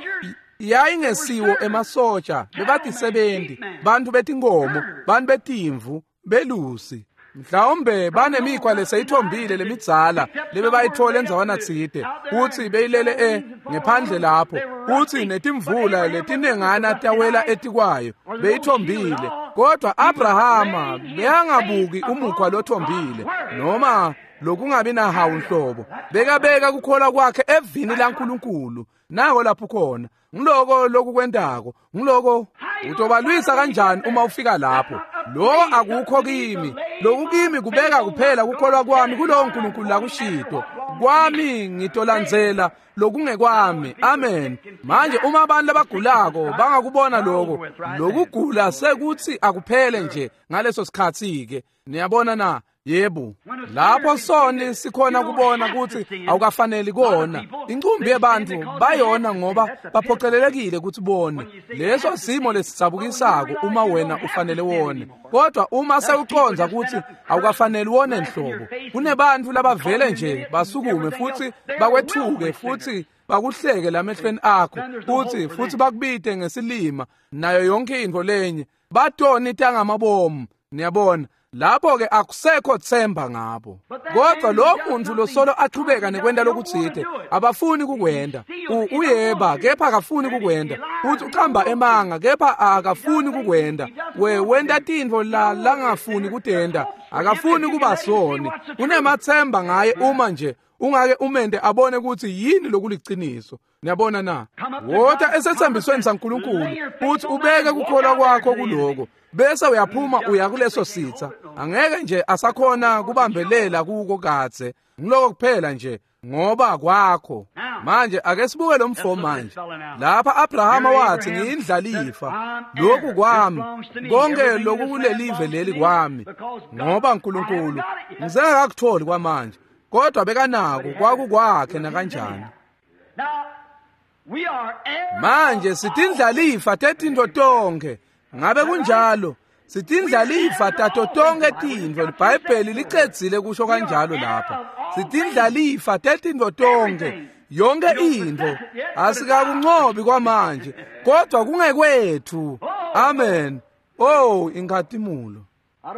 yayingesiwo emasotsha, bebatisebenzi, bantu betinkomo, bantu betimvu, belusi. Mhlawumbe banemikhwa leseyithombile lemidzala lebebayithola endzawana tsite, kutsi beyilele e ngephandle lapho, kutsi netimvula letinengana tawela etikwayo, beyithombile. Kodwa Abrahama beyangabuki umukhwa lothombile noma lokungabi nahawu nhlobo. Bekabeka kukholwa kwakhe evini laNkulunkulu. Nako lapho khona. Ngiloko lokukwentako, ngiloko utobalwisa kanjani uma ufika lapho. Lo akukho kimi, lokukimi kubeka kuphela kukholwa kwami kulowo uNkulunkulu lakushito. Kwami ngitolandzela lokungekwami. Amen. Manje uma abantu labagulako bangakubona lokho, lokugula sekuthi akuphele nje ngaleso sikhathi ke. Niyabona na? Yebo. Lapho soni sikhona kubona ukuthi awukafaneli kona. Incumbi yebantu bayona ngoba baphoqelelekile ukuthi bone. Leso simo lesidzabukisako uma wena ufanele wone. Kodwa uma sewuconza ukuthi awukafaneli wone nhlobo, kunebantu labavele nje basukume futhi bakwethuke futhi bakuhleke lamehlweni akho, futhi futhi bakubite ngesilima nayo yonke into lenye. Batoni tangamabomu. Niyabona? Lapho ke akusekho themba ngabo. Kodwa lo muntu losolo aqhubeka nekwenda lokutsite, abafuni kukwenda. Uyeba kepha akafuni kukwenda. Uthi uqamba emanga kepha akafuni kukwenda. We wenda tintfo la langafuni kutenda, akafuni kuba soni. Unemathemba ngaye uma nje ungake umente abone ukuthi yini lokuliciniso. Niyabona na? Wota esethembisweni saNkulunkulu uthi ubeke kukholwa kwakho kuloko, bese uyaphuma uya kuleso sitha. Angeke nje asakhona kubambelela kuko kadze, ngiloko kuphela nje ngoba kwakho. Manje ake sibuke lo mfo manje. Lapha Abrahama wathi ngiyindlalifa, lokhu kwami, konke lokukulelive leli kwami, ngoba uNkulunkulu ngisengakakutholi kwamanje, kodwa bekanako kwakukwakhe nakanjani. Manje sitindlalifa tetintfo tonkhe. Ngabe kunjalo? Sitindlalifa tato tonkhe tintfo. IBhayibheli licedzile kusho kanjalo lapha. Sitindlalifa tetintfo tonkhe, yonke intfo. Asikakuncobi kwamanje, kodwa kungekwethu. Amen. Oh, inkhatimulo.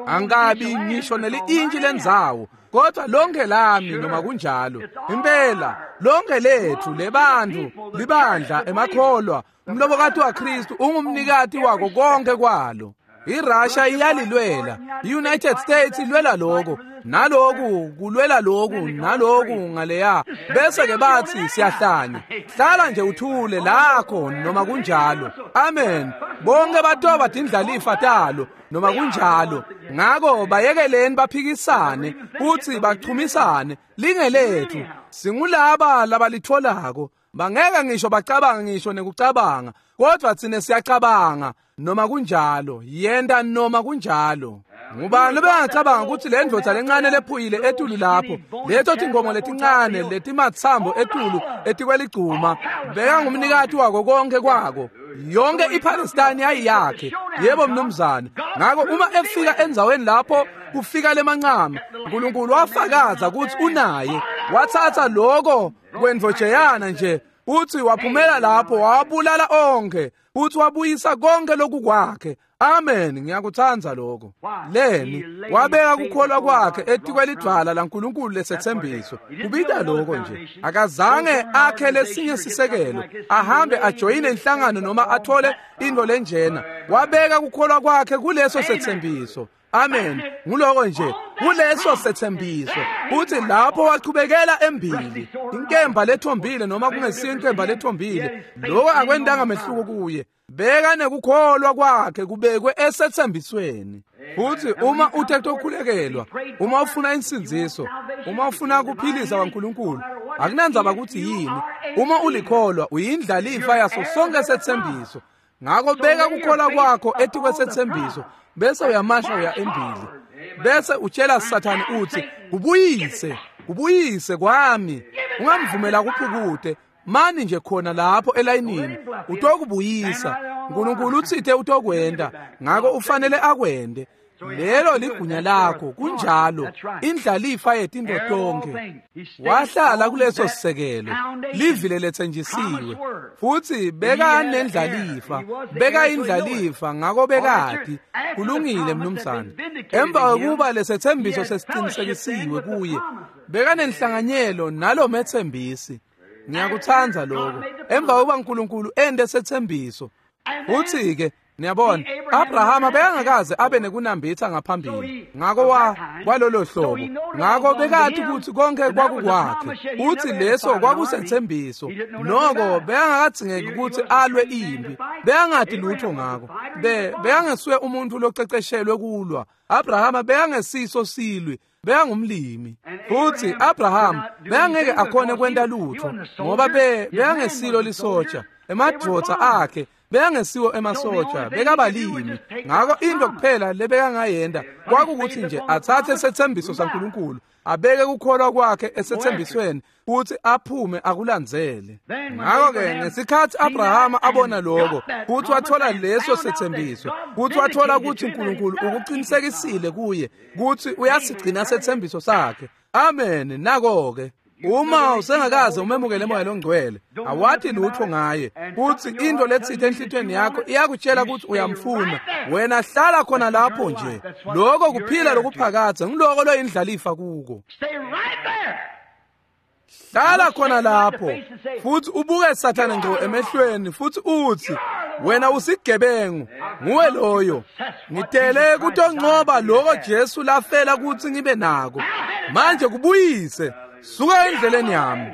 Angabi ngisho neli-intshi lendzawo, kodwa lonke lami noma kunjalo. Impela lonke lethu lebantu, libandla, emakholwa, umlobokati waKristu ungumnikati wako konke kwalo. IRussia iyalilwela, iUnited States ilwela lokho, naloku kulwela loku, naloku ngaleya, bese ke bathi siyahlanya. Hlala nje uthule lakho noma kunjalo. Amen. Bonke batoba tindlalifa talo noma kunjalo. Ngako bayekeleni baphikisane futhi bachumisane, lingelethu. Singulaba labalitholako. Bangeke ngisho bacabanga ngisho nekucabanga, kodwa thina siyacabanga noma kunjalo. Yenda noma kunjalo. Ngubani lobengacabanga ukuthi le ndvodza lencane lephuyile etulu lapho, leto tingomo letincane letimatsambo etulu etikweligcuma, bekangumnikati wako konke kwako. Yonke iPalestine yayiyakhe. Yebo mnumzane. Ngako uma efika endzaweni lapho kufika lemancama, uNkulunkulu wafakaza ukuthi unaye. Wathatha lokho kwendvojeyana nje, uthi waphumela lapho wabulala onke, uthi wabuyisa konke lokukwakhe. Amen. Ngiyakuthanda lokho. Leni wabeka kukholwa kwakhe etikwelidvwala laNkulunkulu lesethembiso. Kubita lokho nje. Akazange akhe lesinye sisekelo, ahambe ajoyine inhlangano noma athole into lenjena. Wabeka kukholwa kwakhe kuleso sethembiso. Amen. Nguloko nje, kuleso sethembiso. Uthi lapho wachubekela embili, inkemba lethombile noma kungesiyo inkemba lethombile, lokho akwendanga mehluko kuye. Beka nekukholwa kwakhe kubekwe esethembisweni. Futhi uma uthe ukukhulekelwa, uma ufuna insindziso, uma ufuna ukuphilisa kwaNkulunkulu, akunandzaba ukuthi yini, uma ulikholwa uyindlalifa yaso sonke sethembiso. Ngako beka kukholwa kwakho etikwesethembiso, bese uyamasha uya embili, bese utshela Sathane uthi ubuyise, ubuyise kwami. Ungamvumela kuphukute, mani nje khona lapho elayinini utokubuyisa. uNkulunkulu uthithe utokwenda, ngako ufanele akwende. Lelo ligunya lakho, kunjalo. Indlalifa yetintfo tonkhe. Wahlala kuleso sisekelo, livile lethenjisiwe, futhi beka nendlalifa, beka indlalifa, ngako bekati. Kulungile mnumzane. Emva kokuba lesethembiso sesiqinisekisiwe kuye, beka nenhlanganyelo nalo methembisi. Ngiyakuthanda lokho. Emva kokuba uNkulunkulu ende sethembiso, uthi ke niyabona, Abrahama bekangakaze abe nekunambitha ngaphambili, ngako wa kwalolo hlobo. Ngako bekathi ukuthi konke kwakukwakhe, uthi leso kwakusethembiso. Noko bekangakadzingeki ukuthi alwe impi, bekangati lutho ngako. Be bekangesuye umuntu loceceshelwe kulwa. Abrahama bekangesiso silwi, bekangumlimi. Futhi Abraham bekangeke akhone kwenta lutho ngoba be bekangesilo lisotsha. Emadvodza akhe bekangesiwo emasotsha, bekabalimi. Ngako into kuphela lebekangayenda kwakukuthi nje athathe sethembiso saNkulunkulu, abeke kukholwa kwakhe esethembisweni, futhi aphume akulandzele. Ngako ke ngesikhathi Abrahama abona lokho, futhi wathola leso sethembiso, futhi wathola ukuthi uNkulunkulu ukuqinisekisile kuye ukuthi uyasigcina sethembiso sakhe. Amen. Nako ke uma usengakaze umemukele moya longcwele, awathi lutho ngaye, futhi into letsithe enhlitweni yakho iyakutshela ukuthi uyamfuna, wena hlala khona lapho nje. Lokho kuphila lokuphakadze, ngiloko loyindlalifa kuko. Hlala khona lapho futhi ubuke Sathane ngqo emehlweni futhi uthi, wena usigebengu, nguwe loyo. Ngitele kutonqoba lokho Jesu lafela ukuthi ngibe nako. Manje kubuyise, Suka endleleni yami.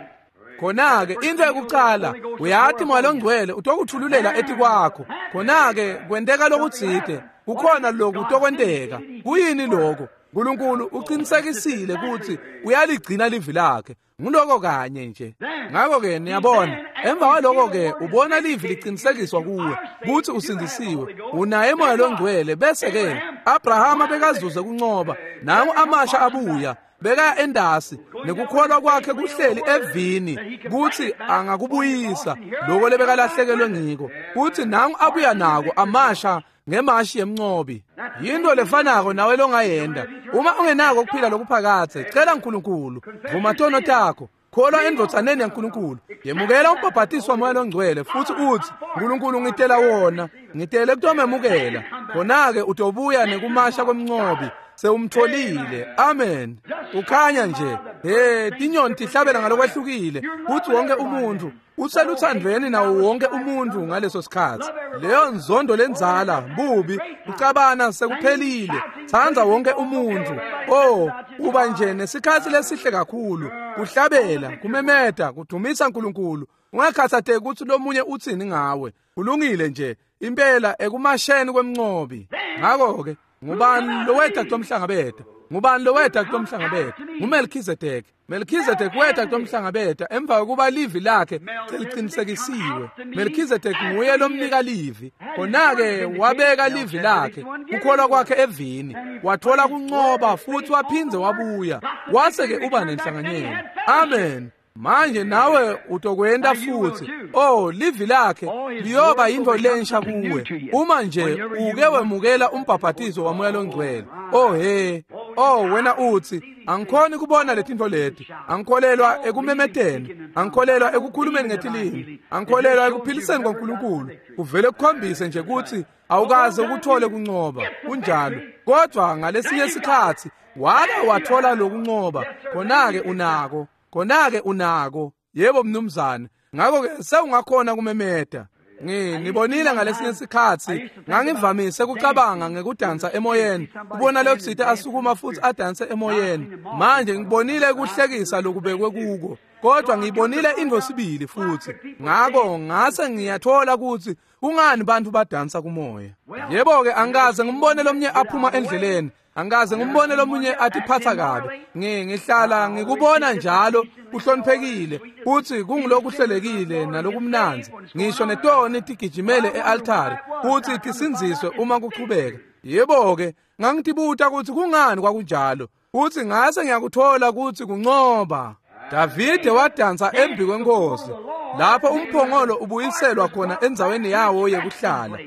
Khona-ke into yokucala uyati Moya loNgcwele utokuthululela etikwakho. Khona-ke kwenteka lokutsite, kukhona loku kutokwenteka. Kuyini lokho? uNkulunkulu uqinisekisile ukuthi uyaligcina livi lakhe. Nguloko kanye nje. Ngakho-ke niyabona, emva kwaloko-ke ubona livi liqinisekiswa kuwe ukuthi usindisiwe, unaye Moya loNgcwele. Bese-ke Abrahama bekazuze kuncoba, nangu amasha abuya bekaya endasi nekukholwa kwakhe kuhleli evini kuthi angakubuyisa lokho lebekalahlekelwe ngiko, kuthi nangu abuya nako amasha ngemashi yemncobi. Yinto lefanako nawe longayenda uma ungenako ukuphila lokuphakadze. Cela uNkulunkulu, vuma tono takho, kholwa endvodzaneni yaNkulunkulu, yemukela umbhabhatiso waMoya loNgcwele futhi uthi, uNkulunkulu ngitela wona, ngitele kutomemukela. Khona-ke utobuya nekumasha kwemncobi, sewumtholile. Amen. Ukhanya nje, hey, tinyoni tihlabela ngalokwehlukile kuthi wonke umuntu useluthandweni nawo wonke umuntu ngaleso sikhathi. Leyo nzondo lenzala bubi ucabana sekuphelile. Tsandza wonke umuntu. Oh, uba nje nesikhathi lesihle kakhulu, kuhlabela, kumemeta, kudumisa uNkulunkulu. Ungakhathatheki ukuthi lomunye uthini ngawe. Kulungile nje impela ekumasheni kwemncobi. Ngakho-ke ngubani loweta kutomhlangabeta? Ngubani loweta kutomhlangabeta? NguMelkhizedeki. Melkhizedeki weta kutomhlangabeta emva kokuba livi lakhe seliqinisekisiwe. Melkhizedeki nguye lomnika livi. Khona-ke wabeka livi lakhe, kukholwa kwakhe evini, wathola kuncoba futhi waphindze wabuya. Wase-ke uba nenhlanganyelo. Amen. Manje nawe utokwenda futhi. Oh, livi lakhe liyoba yinto lensha kuwe uma nje uke wemukela umbhabhatiso waMoya loNgcwele. Oh he, oh wena uthi angikhoni kubona letinto leti, angikholelwa ekumemeteni, angikholelwa ekukhulumeni ngetilimi, angikholelwa ekuphiliseni kwaNkulunkulu. Uvele kukhombise nje ukuthi awukaze ukuthole kuncoba. Kunjalo. Kodwa ngalesinye isikhathi wake wathola lokuncoba, khona-ke unako. Khona-ke unako. Yebo mnumzane. Ngakho-ke sewungakhona kumemeta. Ngibonile ngalesinye isikhathi ngangivamise ukucabanga ngekudansa emoyeni, kubona lotsite asukuma futhi adanse emoyeni. Manje ngibonile ukuhlekisa lokubekwe kuko, kodwa ngibonile into sibili futhi. Ngakho ngase ngiyathola ukuthi kungani bantu badansa kumoya. Yebo-ke angikaze ngimbone lomnye aphuma endleleni, angikaze ngimbone lomunye atiphatha kabi. Ngihlala ngikubona njalo kuhloniphekile futhi kungulokuhlelekile nalokumnandzi. Ngisho netoni tigijimele e-altari futhi tisindziswe uma kuchubeka. Yebo-ke ngangitibuta ukuthi kungani kwakunjalo, futhi ngase ngiyakuthola ukuthi kuncoba. Davide wadansa embi kwenkosi lapho umphongolo ubuyiselwa khona endzaweni yawo yekuhlala.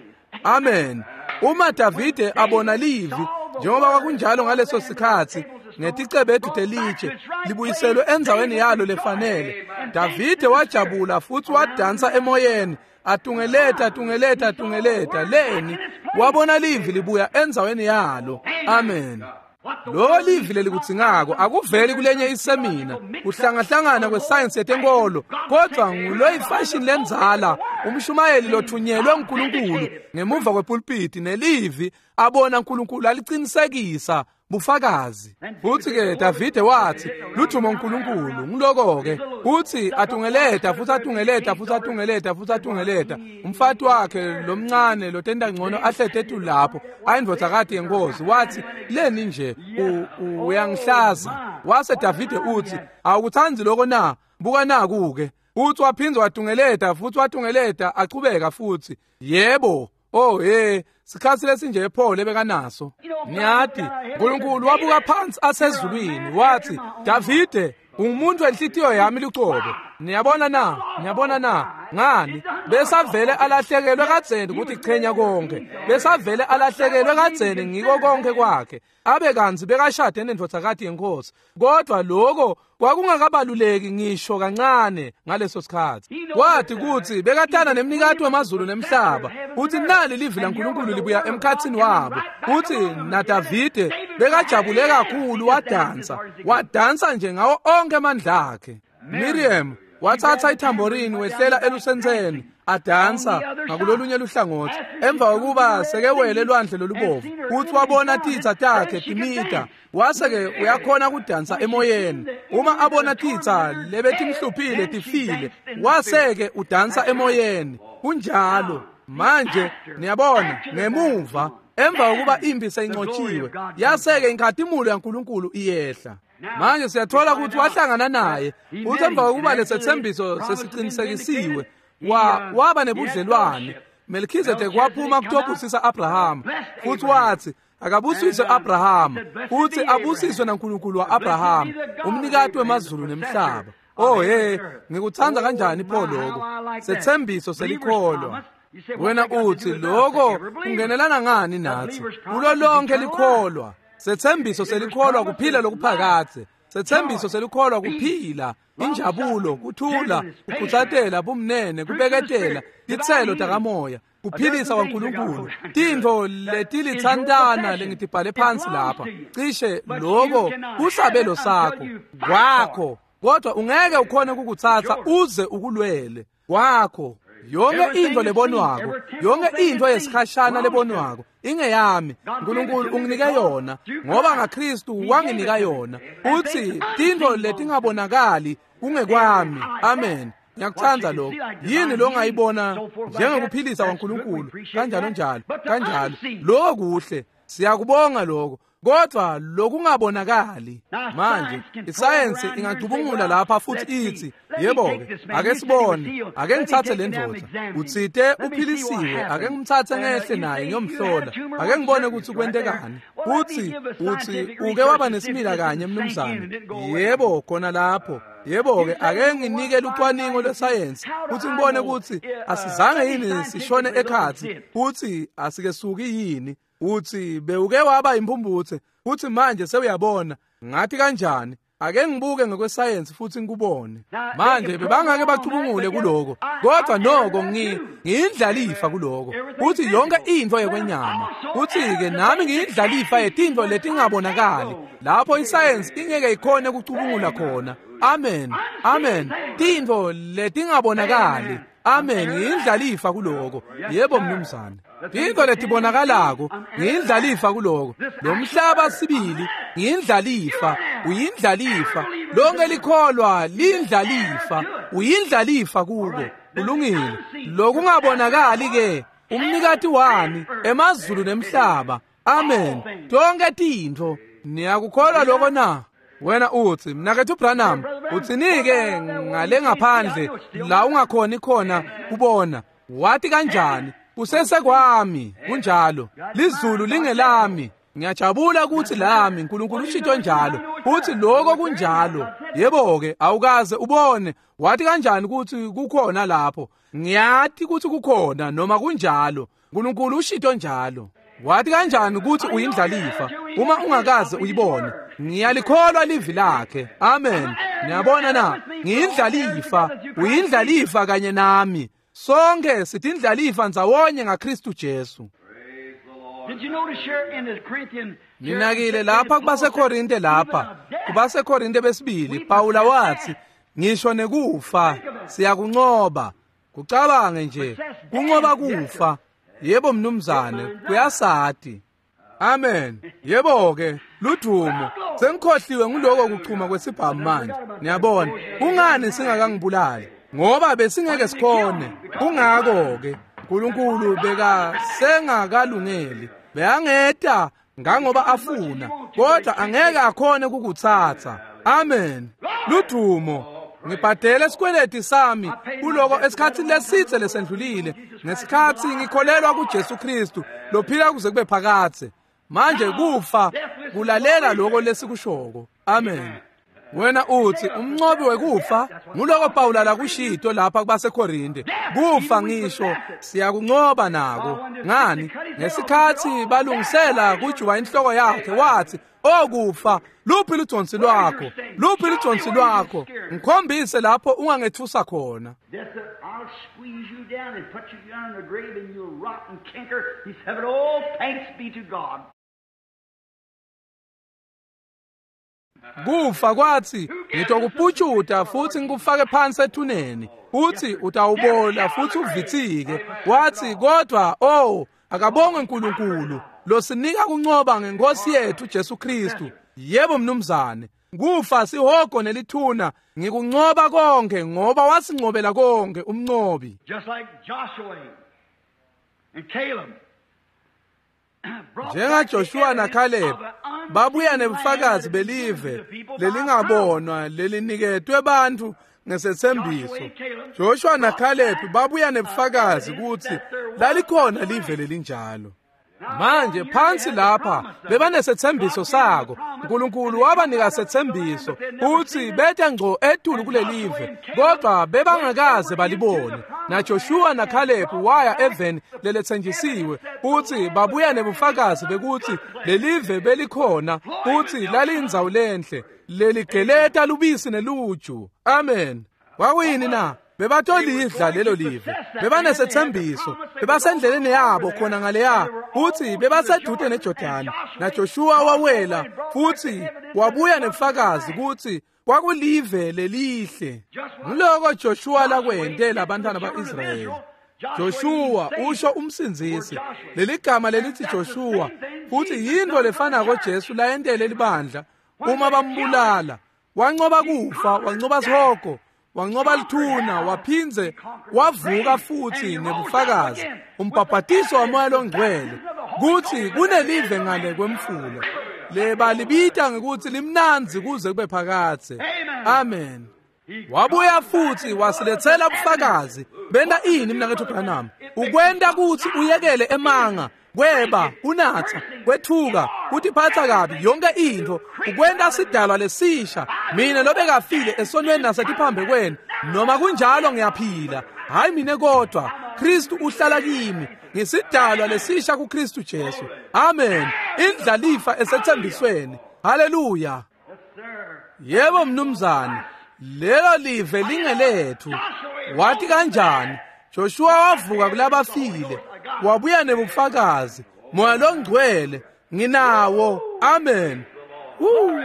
Amen. Uma Davide abona livi njengoba kwakunjalo ngaleso sikhathi ngeticebethu telitshe libuyiselwe endzaweni yalo lefanele, Davide wajabula futhi wadansa emoyeni, atungeleta atungeleta atungeleta leni wabona livi libuya endzaweni yalo. Amen. Lo livi lelikudzingako akuveli kulenye isemina, kuhlangahlangana kwesayensi yetenkolo, kodwa nguloyifashion lenzala, umshumayeli lothunyelwe uNkulunkulu ngemuva kwepulpiti nelivi abona uNkulunkulu aliqinisekisa bufakazi. Futhi-ke Davide wathi ludumo uNkulunkulu. Ngiloko-ke uthi atungeleta futhi atungeleta futhi atungeleta futhi atungeleta. Umfati wakhe lomncane lotenda ngcono ahlete etulu lapho ayindvodzakati yenkosi, wathi leni nje uyangihlaza. Wase Davide uthi awukutsandzi loko na? Buka naku-ke. Uthi waphindze watungeleta futhi watungeleta achubeka futhi. Yebo. Oh hey, sikhathi lesinje ePaul ebekanaso. Niyati, uNkulunkulu wabuka phansi asezulwini wathi, Davide, ungumuntu enhlitiyo yami lucobo. Niyabona na? Niyabona na? Ngani? Besavele alahlekelwe kadzeni ukuthi chenya konke. Besavele alahlekelwe kadzeni ngiko konke kwakhe. Abe kantsi bekashade nendvodzakati yenkosi. Kodwa lokho kwakungakabaluleki ngisho kancane ngaleso sikhathi. Wathi kuthi bekathanda nemnikati wemazulu nemhlaba. Uthi nali livi laNkulunkulu libuya emkhathini wabo. Uthi naDavide bekajabule kakhulu wadansa. Wadansa nje ngawo onke amandla akhe. Miriam Watsatsa ithamborini wehlela elusentseni adansa ngakulolunye luhlangothi. Emva kokuba sekewele lwandle lolubovu futhi wabona titsa takhe timita, wase-ke uyakhona kudansa emoyeni. Uma abona titsa lebetimhluphile tifile, wase-ke udansa emoyeni. Kunjalo. Manje niyabona ngemuva emva kokuba impi seyinqotshiwe, yase-ke inkhatimulo yaNkulunkulu iyehla. Manje siyathola ukuthi wahlangana naye futhi emva kokuba lesethembiso sesiqinisekisiwe wa waba nebudlelwane. Melchizedek waphuma kutobusisa Abraham futhi wathi akabusiswe Abraham futhi abusiswe naNkulunkulu wa-Abraham, umnikati wemazulu nemhlaba. Oh hey, ngikuthanda kanjani pho lokho sethembiso selikholwa. Wena uthi lokho kungenelana ngani nathi? Kulo lonke likholwa sethembiso selikholwa kuphila lokuphakathe. Sethembiso selikholwa kuphila, injabulo, kuthula, kukhutsatela, bumnene, kubeketela, titselo takamoya, kuphilisa kwaNkulunkulu. Tintfo letilitsantana lengitibhale phansi lapha, cishe lokho kusabelo sakho kwakho, kodwa ungeke ukhone ukukutsatsa uze ukulwele kwakho. Yonke into lebonwako, yonke into yesikhashana lebonwako ingeyami. uNkulunkulu unginike yona ngoba ngaKristu wanginika yona. Uthi tintfo letingabonakali kungekwami. Amen. Ngiyakuthanda lokho. Yini lo ongayibona njengekuphilisa kwaNkulunkulu kanjalo njalo kanjalo? Lokho kuhle, siyakubonga lokho. Kodwa lokungabonakali manje, isayensi ingacubungula lapha futhi ithi yebo-ke, ake sibone, ake ngithathe le ndoda, uthite uphilisiwe, ake ngimthathe ngehle naye ngiyomhlola, ake ngibone ukuthi kwentekani. Uthi uthi uke waba nesimila kanye mnumzane. Yebo, khona lapho. Yebo-ke, ake nginike lucwaningo lwesayensi futhi ngibone ukuthi asizange yini sishone ekhathi futhi asikesuki yini. Uthi bewuke waba impumputhe futhi manje sewuyabona. Ngathi kanjani? Ake ngibuke ngokwesayensi futhi ngikubone. Manje bebangake bacubungule kuloko, kodwa noko ngi ngiyindlalifa kuloko. Uthi yonke into yekwenyama. Uthi-ke nami ngiyindlalifa yetintfo letingabonakali lapho isayensi ingeke ikhone ukucubungula khona. Amen. Amen. Tintfo letingabonakali. Amen. Ngiyindlalifa kuloko. Yebo mnumzane. Tintfo letibonakalako ngiyindlalifa kuloko. Lo mhlaba sibili ngiyindlalifa, uyindlalifa. Lonke likholwa lindlalifa, uyindlalifa kuko. Kulungile. Lokungabonakali ke umnikati wami emazulu nemhlaba. Amen. Tonke tintfo niyakukholwa lokho na? Wena uthi mnakethu Branham, uthinike ngale ngaphandle la ungakhoni khona kubona? Wathi kanjani? Kusesekwami. Kunjalo. Lizulu lingelami. Ngiyajabula ukuthi lami uNkulunkulu ushito njalo. Uthi lokho kunjalo. Yebo-ke, awukaze ubone. Wathi kanjani ukuthi kukhona lapho? Ngiyathi ukuthi kukhona noma kunjalo. uNkulunkulu ushito njalo. Wathi kanjani ukuthi uyindlalifa uma ungakaze uyibone? Ngiyalikholwa livi lakhe. Amen. Niyabona na? Ngiyindlalifa, uyindlalifa kanye nami. Sonke sitindlalifa ndzawonye ngaKristu Jesu. Ninakile lapha kubaseKorinte lapha, kubaseKorinte besibili, Pawula wathi, ngisho nekufa siyakuncoba. Kucabange nje, kuncoba kufa. Yebo mnumzane, kuyasati. Amen. Yebo-ke, ludumo. Sengikhohliwe nguloko kuchuma kwesibhamu manje. Niyabona, kungani singakangibulali? Ngoba besingeke sikhone. Kungako-ke uNkulunkulu beka sengakalungeli. Beyangeta ngangoba afuna, kodwa angeke akhone ukukutsatsa. Amen. Ludumo. Ngibhadele isikweleti sami kuloko esikhathini lesitse lesendlulile, ngesikhathi ngikholelwa kuJesu Kristu lophila kuze kube phakathe. Manje kufa kulalela lokho lesikushoko. Amen. Wena uthi umnqobi wekufa nguloko Pawula lakushito lapha kubaseKorinte. Kufa ngisho siyakunqoba nako. Ngani? Ngesikhathi balungisela kujuba inhloko yakhe wathi, okufa luphi lujonsi lwakho? Luphi lujonsi lwakho? Ngikhombise lapho ungangethusa khona. I'll squeeze you down and put you down in the grave and you'll rot and canker. He said, oh, thanks be to God. Kufa kwathi ngitokuputshuta futhi ngikufake phansi ethuneni, uthi utawubola futhi uvithike. Wathi kodwa oh akabongwe uNkulunkulu losinika kuncoba ngenkosi yethu Jesu Kristu. Yebo mnumzane, kufa sihogo nelithuna ngikuncoba konke ngoba wasincobela konke umncobi. Just like Joshua and Caleb. Njenga Joshua na Caleb babuya nebufakazi belive lelingabonwa leliniketwe bantu ngesethembiso. Joshua na Caleb babuya nebufakazi ukuthi lalikhona live lelinjalo. Manje phansi lapha bebanesethembiso sako. uNkulunkulu wabanika sethembiso uthi betha ngco etulu kulelive, kodwa bebangakaze balibone. Na Joshua na Caleb waya eveni lelethenjisiwe, uthi babuya nebufakazi bekuthi lelive belikhona, uthi lalindzawo lenhle leligeleta lubisi neluju. Amen. Kwakuyini na? Bebatolidla lelo live, bebanesethembiso, bebasendleleni yabo khona ngaleya, futhi bebasedude neJordani. Na Joshua wawela futhi wabuya nebufakazi ukuthi kwakulive lelihle. Ngiloko Joshua lakwente labantwana ba-Israyeli. Joshua usho umsindzisi. Leligama lelithi Joshua futhi yinto lefanako Jesu layentele libandla uma bambulala. Wancoba kufa, wancoba sihogo, wancoba lithuna, waphindze wavuka futhi nebufakazi umbhabhatiso wamoya longcwele kuthi kunelive ngale kwemfula lebalibita ngekuthi limnandzi kuze kube phakadze. Amen. Wabuya futhi wasilethela ubufakazi. Benta ini mnakethu Branham? Ukwenta kuthi uyekele emanga, kweba, kunatha, kwethuka, kutiphatha kabi, yonke into, ukwenta sidalwa lesisha. Mina lobekafile esonweni nasetiphambekweni, noma kunjalo ngiyaphila. Hayi mina kodwa, Kristu uhlala kimi. Ngisidalwa lesisha kuKristu Jesu. Amen. Indlalifa esethembisweni. Haleluya. Yebo mnumzane, lelo live lingelethu. Wathi kanjani? Joshua wavuka kulabafile, wabuya nebufakazi. Moya longcwele nginawo. Amen. Woo,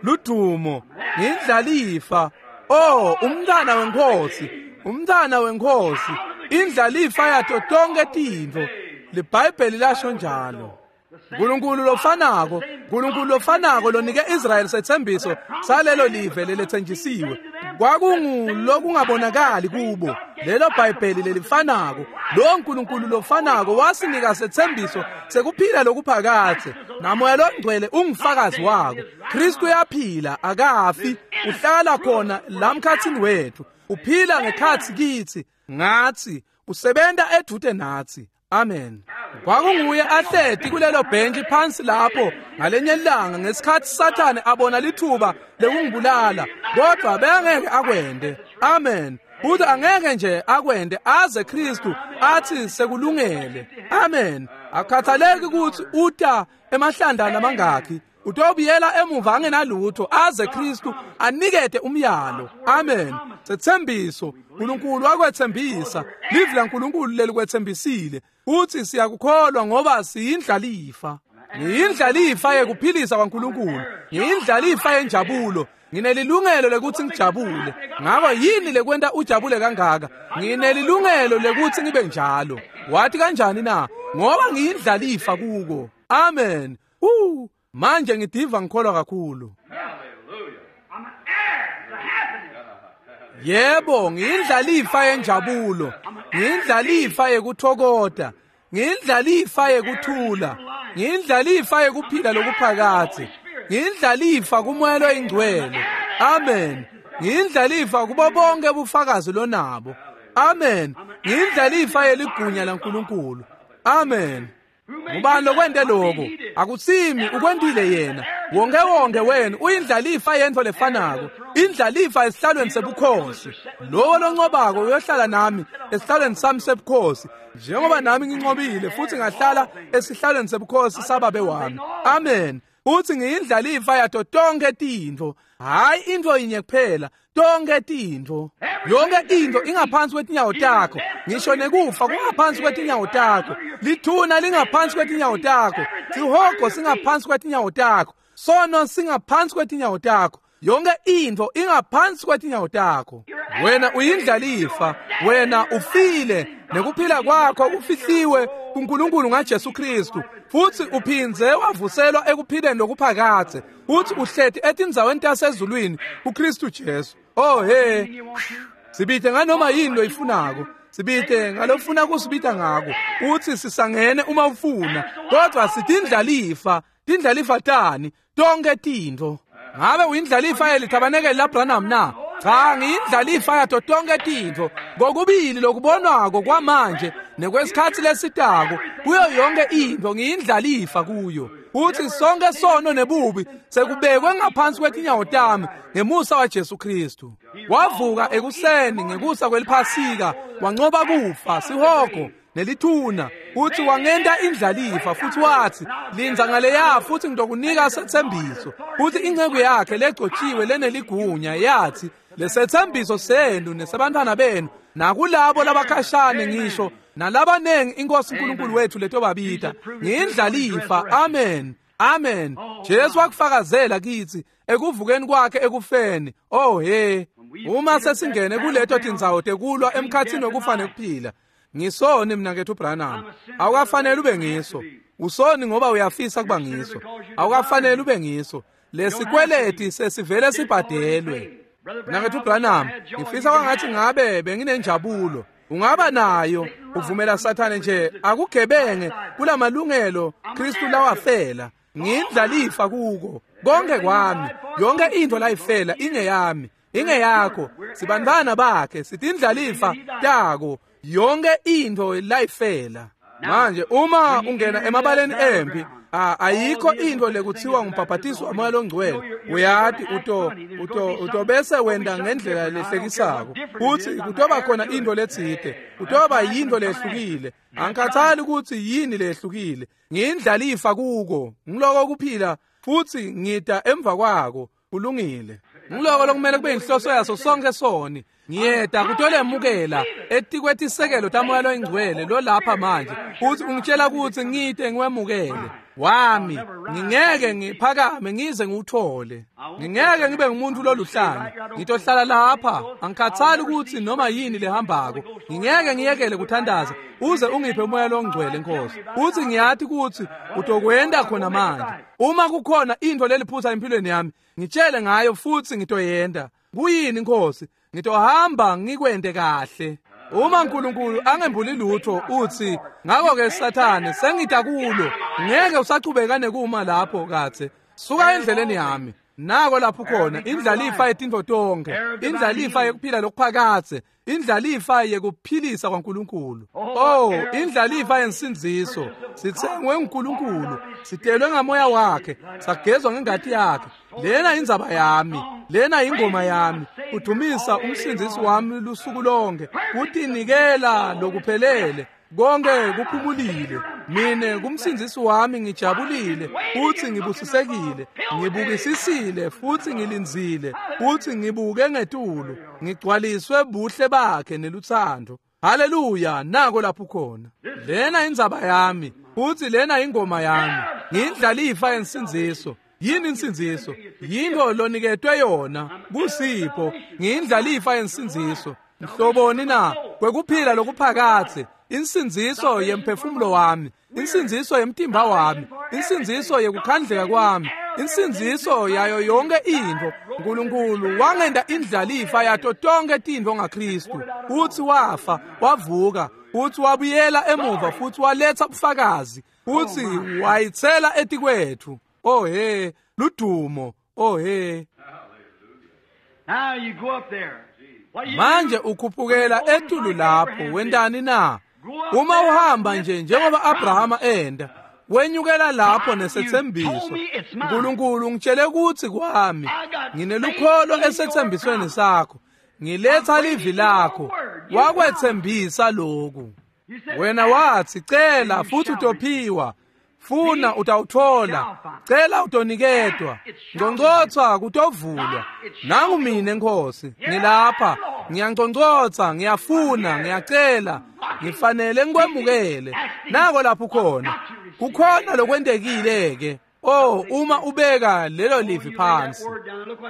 ludumo, ngindlalifa. Oh, umntana wenkosi, umntana wenkosi, indlalifa yato tonke tintfo. LiBhayibheli lasho njalo. uNkulunkulu lofanako, uNkulunkulu lofanako lonike Israel sethembiso salelo live lelethenjisiwe. Kwakungulokungabonakali kubo. Lelo Bhayibheli lelifanako, lo uNkulunkulu lofanako wasinika sethembiso sekuphila lokuphakadze. Namoya longcwele ungufakazi wako. Kristu uyaphila, akafi, uhlala khona la mkhathini wethu. Uphila ngekhathi kithi, ngathi, usebenta edude nathi. Amen. Kwakunguye ahleti kulelo bhentshi phansi lapho ngalenye ilanga ngesikhathi Sathane abona lithuba lekungibulala, kodwa bengeke akwende. Amen. Futhi angeke nje akwende aze Kristu athi sekulungele. Amen. Akukhathaleki ukuthi uta emahlanda lamangakhi, utobuyela emuva angenalutho aze Kristu anikete umyalo. Amen. Sethembiso uNkulunkulu wakwethembisa, livi laNkulunkulu lelikwethembisile. Uthi siyakukholwa ngoba siyindlalifa. Ngiyindlalifa yekuphilisa kwaNkulunkulu, ngiyindlalifa yenjabulo. Nginelilungelo lekuthi ngijabule. Ngakho yini lekwenta ujabule kangaka? Nginelilungelo lekuthi ngibe njalo. Wathi kanjani na? Ngoba ngiyindlalifa kuko. Amen. Uh, manje ngidiva ngikholwa kakhulu. Yebo, ngiyindlalifa yenjabulo, ngiyindlalifa yekuthokota, ngiyindlalifa yekuthula, ngiyindlalifa yekuphila lokuphakadze, ngiyindlalifa kumoya loyingcwele. Amen. Ngiyindlalifa kubo bonke bufakazi lonabo. Amen. Ngiyindlalifa yeligunya laNkulunkulu. Amen. Ngubani lokwente lokho? Akusimi, ukwentile yena. Wonke wonke wena uyindlalifa yento lefanako, indlalifa esihlalweni sebukhosi. Lowo loncobako uyohlala nami esihlalweni sami sebukhosi, njengoba nami ngincobile futhi ngahlala esihlalweni sebukhosi sababe wami. Amen. Uthi ngiyindlalifa yato tonke tintfo, hayi intfo yinye kuphela, tonke tintfo. Yonke into ingaphansi kwetinyawo takho, ngisho nekufa kungaphansi kwetinyawo takho, lithuna lingaphansi kwetinyawo takho, sihogo singaphansi kwetinyawo takho, Sono singaphansi kwetinyawo takho. Yonke into ingaphansi kwetinyawo takho. Wena uyindlalifa, wena ufile, nekuphila kwakho kufihliwe kuNkulunkulu ngaJesu Kristu, futhi uphindze wavuselwa ekuphileni lokuphakadze, futhi uhleti etindzaweni tasezulwini kuKristu Jesu. Oh he, sibite nganoma yini loyifunako, sibite ngalofuna kusibita ngako, uthi sisangene uma ufuna, kodwa sitindlalifa. Tindlalifa tani tonke tintfo. Ngabe uyindlalifa yelithabanekeli laBranham na? Cha, ngiyindlalifa yato tonke tintfo, kokubili lokubonwako kwamanje nekwesikhatsi lesitako. Kuyo yonke intfo ngiyindlalifa kuyo. Uthi sonke sono nebubi sekubekwe ngaphansi kwetinyawo tami ngemusa waJesu Kristu. Wavuka ekuseni ngekusa kweliphasika, wancoba kufa, sihogo nelithuna. Uthi wangenta indlalifa, futhi wathi lindza ngaleya futhi ngitokunika sethembiso. Uthi inceku yakhe legcotshiwe leneligunya yathi lesethembiso senu nesebantwana benu nakulabo labakhashane ngisho nalabanengi inkosi uNkulunkulu wethu letobabita. Ngiyindlalifa. Amen, amen. Jesu wakufakazela kithi ekuvukeni kwakhe ekufeni. Oh he, uma sesingene kuleto tindzawo tekulwa emkhathini wokufa nekuphila. Ngisoni mina kethu Branham. Awukafanele ube ngiso. Usoni ngoba uyafisa kuba ngiso. Awukafanele ube ngiso. Lesikweleti sesivele sibhadelwe. Mina kethu Branham, ngifisa kwangathi ngabe benginenjabulo. Ungaba nayo, uvumela Sathane nje akugebenge kulamalungelo Kristu lawafela. Ngindlalifa kuko konke kwami. Yonke into layifela ingeyami, ingeyakho. Sibantwana bakhe, sitindlalifa tako. Yonke into layifela. Manje uma ungena emabaleni empi, ayikho into lekuthiwa ngumbhabhatiso wamoya longcwele. Uyati uto uto utobese wenda ngendlela lehlekisako. Uthi kutoba khona into letsite, kutoba yinto lehlukile. Angikhathali ukuthi yini lehlukile. Ngiyindlalifa kuko. Ngiloko kuphila futhi ngida emva kwako. Kulungile. Ngiloko lokumele kube inhloso yaso sonke soni. Ngiyeda kutolemukela etikwetisekelo tamoya loyingcwele lo lapha manje. Uthi ungitshela ukuthi ngide ngiwemukele wami. Ngingeke ngiphakame ngize ngiwuthole. Ngingeke ngibe ngumuntu loluhlanya. Ngitohlala lapha, angikhathali ukuthi noma yini lehambako. Ngingeke ngiyekele kuthandaza uze ungiphe umoya longcwele Nkosi. Uthi ngiyathi ukuthi utokwenda khona manje. Uma kukhona into leliphutha empilweni yami, ngitshele ngayo futhi ngitoyenda. Kuyini Nkosi? Ngitohamba ngikwende kahle. Uma uNkulunkulu angembuli lutho uthi ngakho ke Sathane sengida kulo, ngeke usachubeka nekuma lapho kathe. Suka endleleni yami. Nako lapho khona indlalifa yetintfo tonke, indlalifa yekuphila lokuphakadze, indlalifa yekuphilisa kwaNkulunkulu. Oh, indlalifa yensindziso. Sithengwe nguNkulunkulu, sitelwe ngamoya wakhe, sagezwa ngengati yakhe. Lena indzaba yami, lena ingoma yami. Udumisa umsindzisi wami lusuku lonke, kutinikela lokuphelele. Konke kuphumulile. Mine kumsindzisi wami ngijabulile, futhi ngibusisekile, ngibukisisile futhi ngilindzile, futhi ngibuke ngetulu, ngigcwaliswe buhle bakhe neluthando. Haleluya, nako lapho khona. Lena indzaba yami, futhi lena ingoma yami. Ngiyindlalifa yensindziso. Yini insindziso? Yinto loniketwe yona kusipho. Ngiyindlalifa yensindziso. Mhloboni na kwekuphila lokuphakadze. Insindziso yemphefumulo wami, insindziso yemtimba wami, insindziso yekukhandleka kwami, insindziso yayo yonke intfo. uNkulunkulu wangenda indlalifa yato tonke tintfo ngaKristu. Uthi wafa, wavuka, uthi wabuyela emuva futhi waletha ubufakazi, uthi wayithela etikwethu. Oh he, ludumo. Oh he. Now you go up there. Manje ukhuphukela etulu lapho wendani na? Uma uhamba nje njengoba Abrahama enda, wenyukela lapho nesethembiso. uNkulunkulu ngitshele ukuthi kwami nginelukholo esethembisweni sakho. Ngiletha livi lakho. Wakwethembisa lokhu. Wena wathi cela futhi utophiwa. Funa utawuthola, cela utoniketwa, ngcongcotsa kutovulwa. Nangu mine Nkosi, ngilapha, ngiyanconcotsha, ngiyafuna, ngiyacela, ngifanele ngikwemukele. Nako lapho khona, kukhona lokwentekile ke. Oh, uma ubeka lelo livi phansi.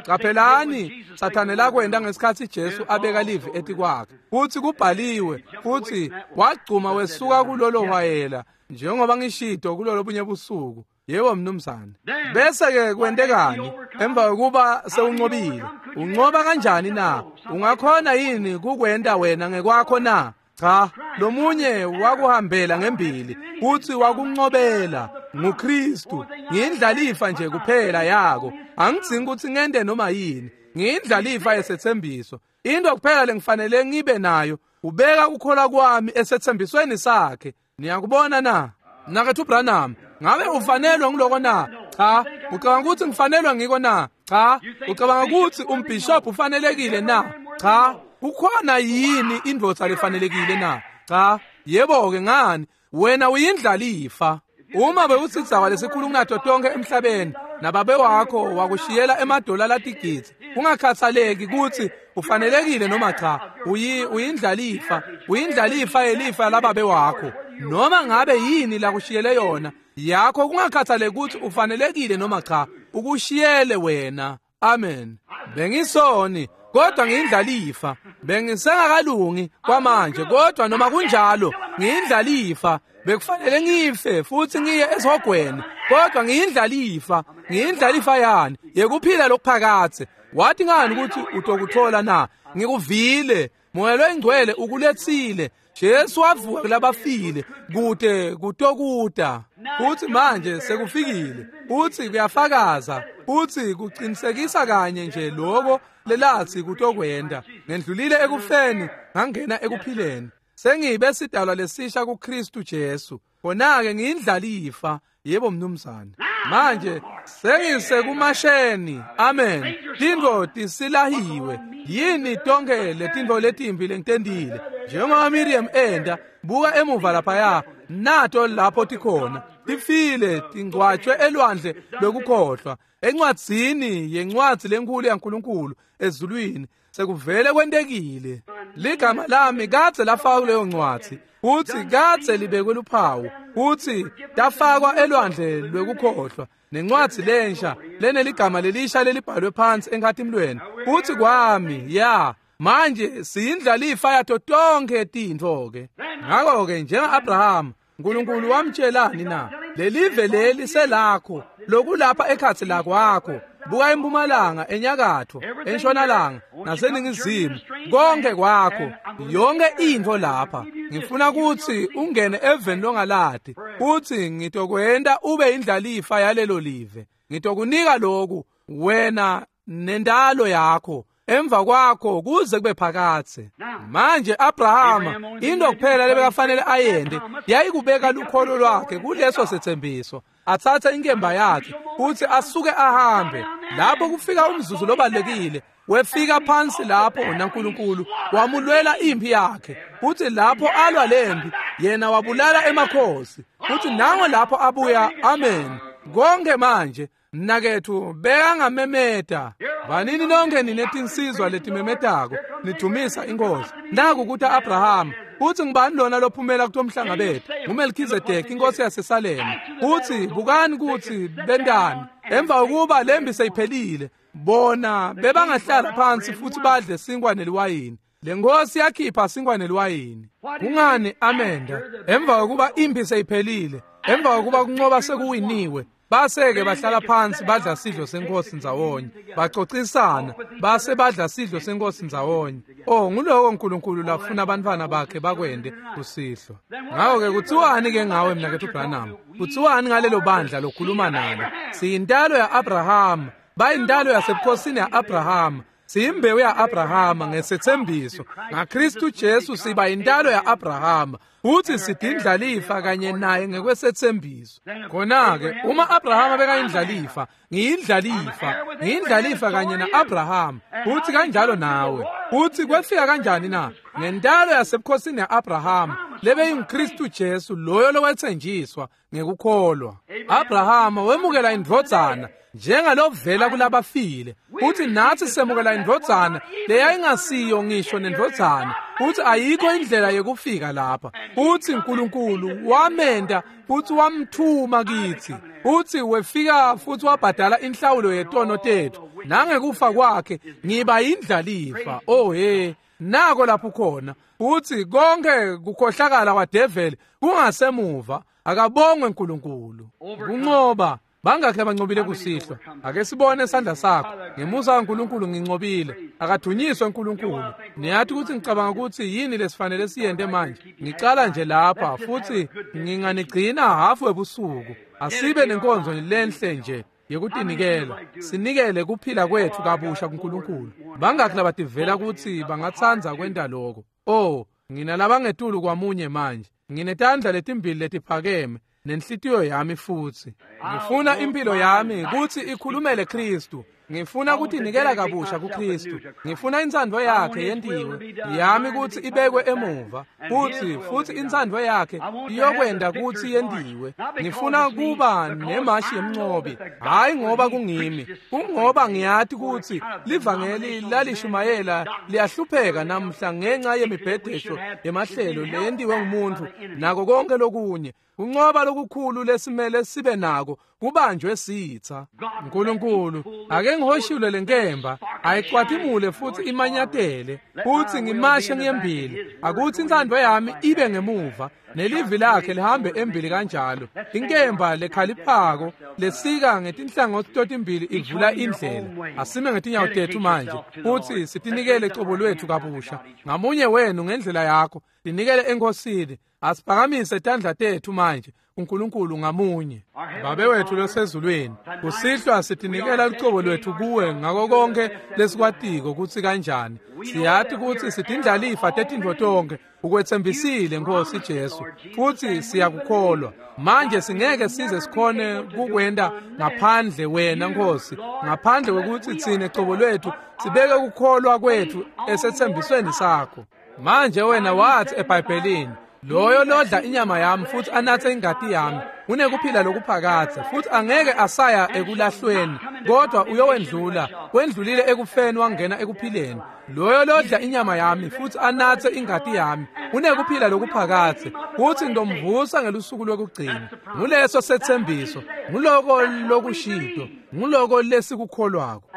Qaphelani, Sathane lakwenda ngesikhathi Jesu abeka livi etikwakhe. Futhi kubhaliwe, futhi wagcuma wesuka kulolo hwayela, njengoba ngishito kulolo bunye busuku. Yebo mnumzane. Bese ke kwentekani emva kokuba sewunqobile? Unqoba kanjani na? Ungakhona yini kukwenda wena ngekwakho na? Cha, lomunye wakuhambela ngembili futhi wakunqobela nguKristu. Ngiyindlalifa nje kuphela yako. Angidzingi ukuthi ngende noma yini. Ngiyindlalifa yesethembiso. Into kuphela lengifanele ngibe nayo ubeka ukukholwa kwami esethembisweni sakhe. Niyakubona na? Mnakethu Branham, ngabe ufanelwe ngiloko na? Cha. Ucabanga ukuthi ngifanelwe ngiko na? Cha. Ucabanga ukuthi umbishop ufanelekile na? Cha. Kukhona yini indvodza lefanelekile na? Cha. Yebo ke ngani? Wena uyindlalifa. Uma bewusidzawa lesikhulu kunato tonke emhlabeni nababe wakho wakushiyela emadola latigidzi, kungakhathaleki ukuthi ufanelekile noma cha, uyi uyindlalifa, uyindlalifa yelifa lababe wakho. Noma ngabe yini la kushiyele yona yakho, kungakhathaleki ukuthi ufanelekile noma cha, ukushiyele wena. Amen. Bengisoni kodwa ngiyindlalifa. Bengisengakalungi kwamanje kodwa noma kunjalo ngiyindlalifa. Bekufanele ngife futhi ngiye esihogweni kodwa ngiyindlalifa. Ngiyindlalifa yani yekuphila lokuphakathe. Wathi ngani ukuthi utokuthola na? Ngikuvile, Moya loyingcwele ukulethile. Jesu wavuka kulabafile kude kutokuta. Futhi manje sekufikile. Futhi kuyafakaza. Futhi kuqinisekisa kanye nje lokho lelathi kutokwenda. Ngendlulile ekufeni ngangena ekuphileni. Sengibe sidalwa lesisha kuKristu Jesu. Khona-ke ngiyindlalifa. Yebo mnumzane. Manje sengisekumasheni. Amen. Tintfo tisilahiwe. Yini tonke letintfo letimbi lengitendile? Njengoba Miriam enda, buka emuva laphaya, nato lapho tikhona. Tifile tingcwatshwe elwandle lokukhohlwa. Encwadzini yencwadzi lenkulu yaNkulunkulu ezulwini sekuvele kwentekile. Ligama lami kadze lafakwa kuleyo ncwadzi, futhi kadze libekwe luphawu, futhi tafakwa elwandle lwekukhohlwa. Nencwadzi lensha leneligama lelisha lelibhalwe phansi enkhatimlweni. Futhi kwami ya manje siyindlalifa yato tonke tintfo ke. Ngakho ke njenga-Abraham, uNkulunkulu wamtshelani na? Lelive leli selakho, lokulapha ekhathi lakwakho. Buka impumalanga, enyakatho, entshonalanga naseningizimu, konke kwakho, yonke intfo lapha. Ngifuna ukuthi ungene eveni longaladi, futhi ngitokwenda ube indlalifa yalelo live. Ngitokunika lokhu wena nendalo yakho emva kwakho kuze kube phakathe. Manje Abrahama into kuphela lebekafanele ayende yayikubeka lukholo lwakhe kuleso sethembiso, athathe inkemba yakhe futhi asuke ahambe. Lapho kufika umzuzu lobalekile, wefika phansi lapho naNkulunkulu wamulwela impi yakhe. Futhi lapho alwa lempi yena wabulala emakhosi. Futhi nango lapho abuya. Amen. Konke manje mnakethu bekangamemeta. Vanini nonke ninetinsizwa letimemetako nidumisa inkosi. Naku kuthi Abraham, uthi ngibani lona lophumela kutomhlangabethu? NguMelkhizedeki inkosi yaseSalem. Uthi bukani kuthi bendani emva kokuba lembi seyiphelile, bona bebangahlala phansi futhi badle sinkwa neliwayini. Le nkosi yakhipha sinkwa neliwayini. Kungani amenda emva kokuba impi seyiphelile, emva kokuba kunqoba sekuwiniwe? Base-ke bahlala phansi badla sidlo senkosi ndzawonye, bacocisana, base badla sidlo senkosi ndzawonye. Oh, nguloko uNkulunkulu lafuna abantwana bakhe bakwende kusihlwa. Ngakho-ke kuthiwani-ke ngawe mnakethu Branham? Kuthiwani ngalelo bandla lokhuluma nalo? Siyintalo ya-Abrahama, bayintalo yasebukhosini ya-Abrahama. Siyimbewu ya-Abrahama ngesethembiso. NgaKristu Jesu siba intalo ya-Abrahama, futhi sidindlalifa kanye naye ngekwesethembiso. Khona-ke uma Abrahama bekayindlalifa, ngiyindlalifa, ngiyindlalifa kanye na-Abrahama, futhi kanjalo nawe. Futhi kwefika kanjani na? Ngentalo yasebukhosini ya-Abrahama lebeyinguKristu Jesu, loyo lowethenjiswa ngekukholwa. Abrahama wemukela indvodzana njengalovela kulabafile, futhi nathi semukela indvodzana leyayingasiyo ngisho nendvodzana, Futsi ayikho indlela yekufika lapha. Futsi uNkulunkulu wamenta futsi wamthuma kitsi. Futsi wefika futsi wabhadala inhlawulo yetono tetfu. Nangekufa kwakhe ngiba indlalifa. Oh he, nako lapho khona. Futsi konke kukhohlakala kwadeveli kungasemuva. Akabongwe uNkulunkulu. Kunqoba. Bangakhe abancobile kusihlwa. Ake sibone isandla sakho. Ngemusa kaNkulunkulu ngincobile. Akadunyiswe uNkulunkulu. Niyathi ukuthi ngicabanga ukuthi yini lesifanele siyente manje. Ngicala nje lapha futhi nginganigcina hafu ebusuku. Asibe nenkonzo lenhle nje yekutinikela. Sinikele kuphila kwethu kabusha kuNkulunkulu. Bangakhe labativela ukuthi bangatsandza kwenta lokho. Oh, nginalabangetulu kwamunye manje. Nginetandla letimbili letiphakeme nenhlitiyo yami futsi. Ngifuna impilo yami kutsi ikhulumele Kristu. Ngifuna kutinikela kabusha kuKristu. Ngifuna intsandvo yakhe yentiwe yami kutsi ibekwe emuva. Futsi futsi intsandvo yakhe iyokwenda kutsi yentiwe. Ngifuna kuba nemashi yemncobi. Hayi ngoba kungimi, kungoba ngiyati kutsi livangeli lalishumayela liyahlupheka namhla ngenxa yemibhedesho yemahlelo leyentiwe ngumuntu nako konke lokunye. Kunqoba lokukhulu lesimele sibe nako kubanjwe sitha. uNkulunkulu ake ngihoshule lenkemba ayicwatimule futsi imanyatele futsi ngimashe ngiyembili. Akuthi intsandvo yami ibe ngemuva nelivi lakhe lihambe embili kanjalo. Inkemba lekhaliphako lesika ngetinhlangothi totimbili ivula indlela. Asime ngetinyawo tetfu manje futsi sitinikele cobo lwetfu kabusha. Ngamunye wenu ngendlela yakho tinikele eNkosini. Asiphakamise tandla tetfu manje uNkulunkulu ngamunye. Babe wethu losezulwini, kusihlwa sitinikela lucobo lwetfu kuwe ngako konke lesikwatiko kutsi kanjani. Siyati kutsi sitindlalifa tetintfo tonkhe ukwetsembisile Nkosi Jesu, futsi siyakukholwa. Manje singeke size sikhone kukwenta ngaphandle wena Nkosi, ngaphandle kwekutsi tsine cobo lwetfu sibeke kukholwa kwetfu esetsembisweni sakho. Manje wena wathi eBhayibhelini, loyo lodla inyama yami futhi anathe ingati yami unekuphila lokuphakadze, futhi angeke asaya ekulahlweni, kodwa uyowendlula wendlulile ekufeni wangena ekuphileni. Loyo lodla inyama yami futhi anathe ingati yami unekuphila lokuphakadze, futhi ngitomvusa ngelusuku lokugcina. Nguleso setsembiso, nguloko lokushito, nguloko lesikukholwako.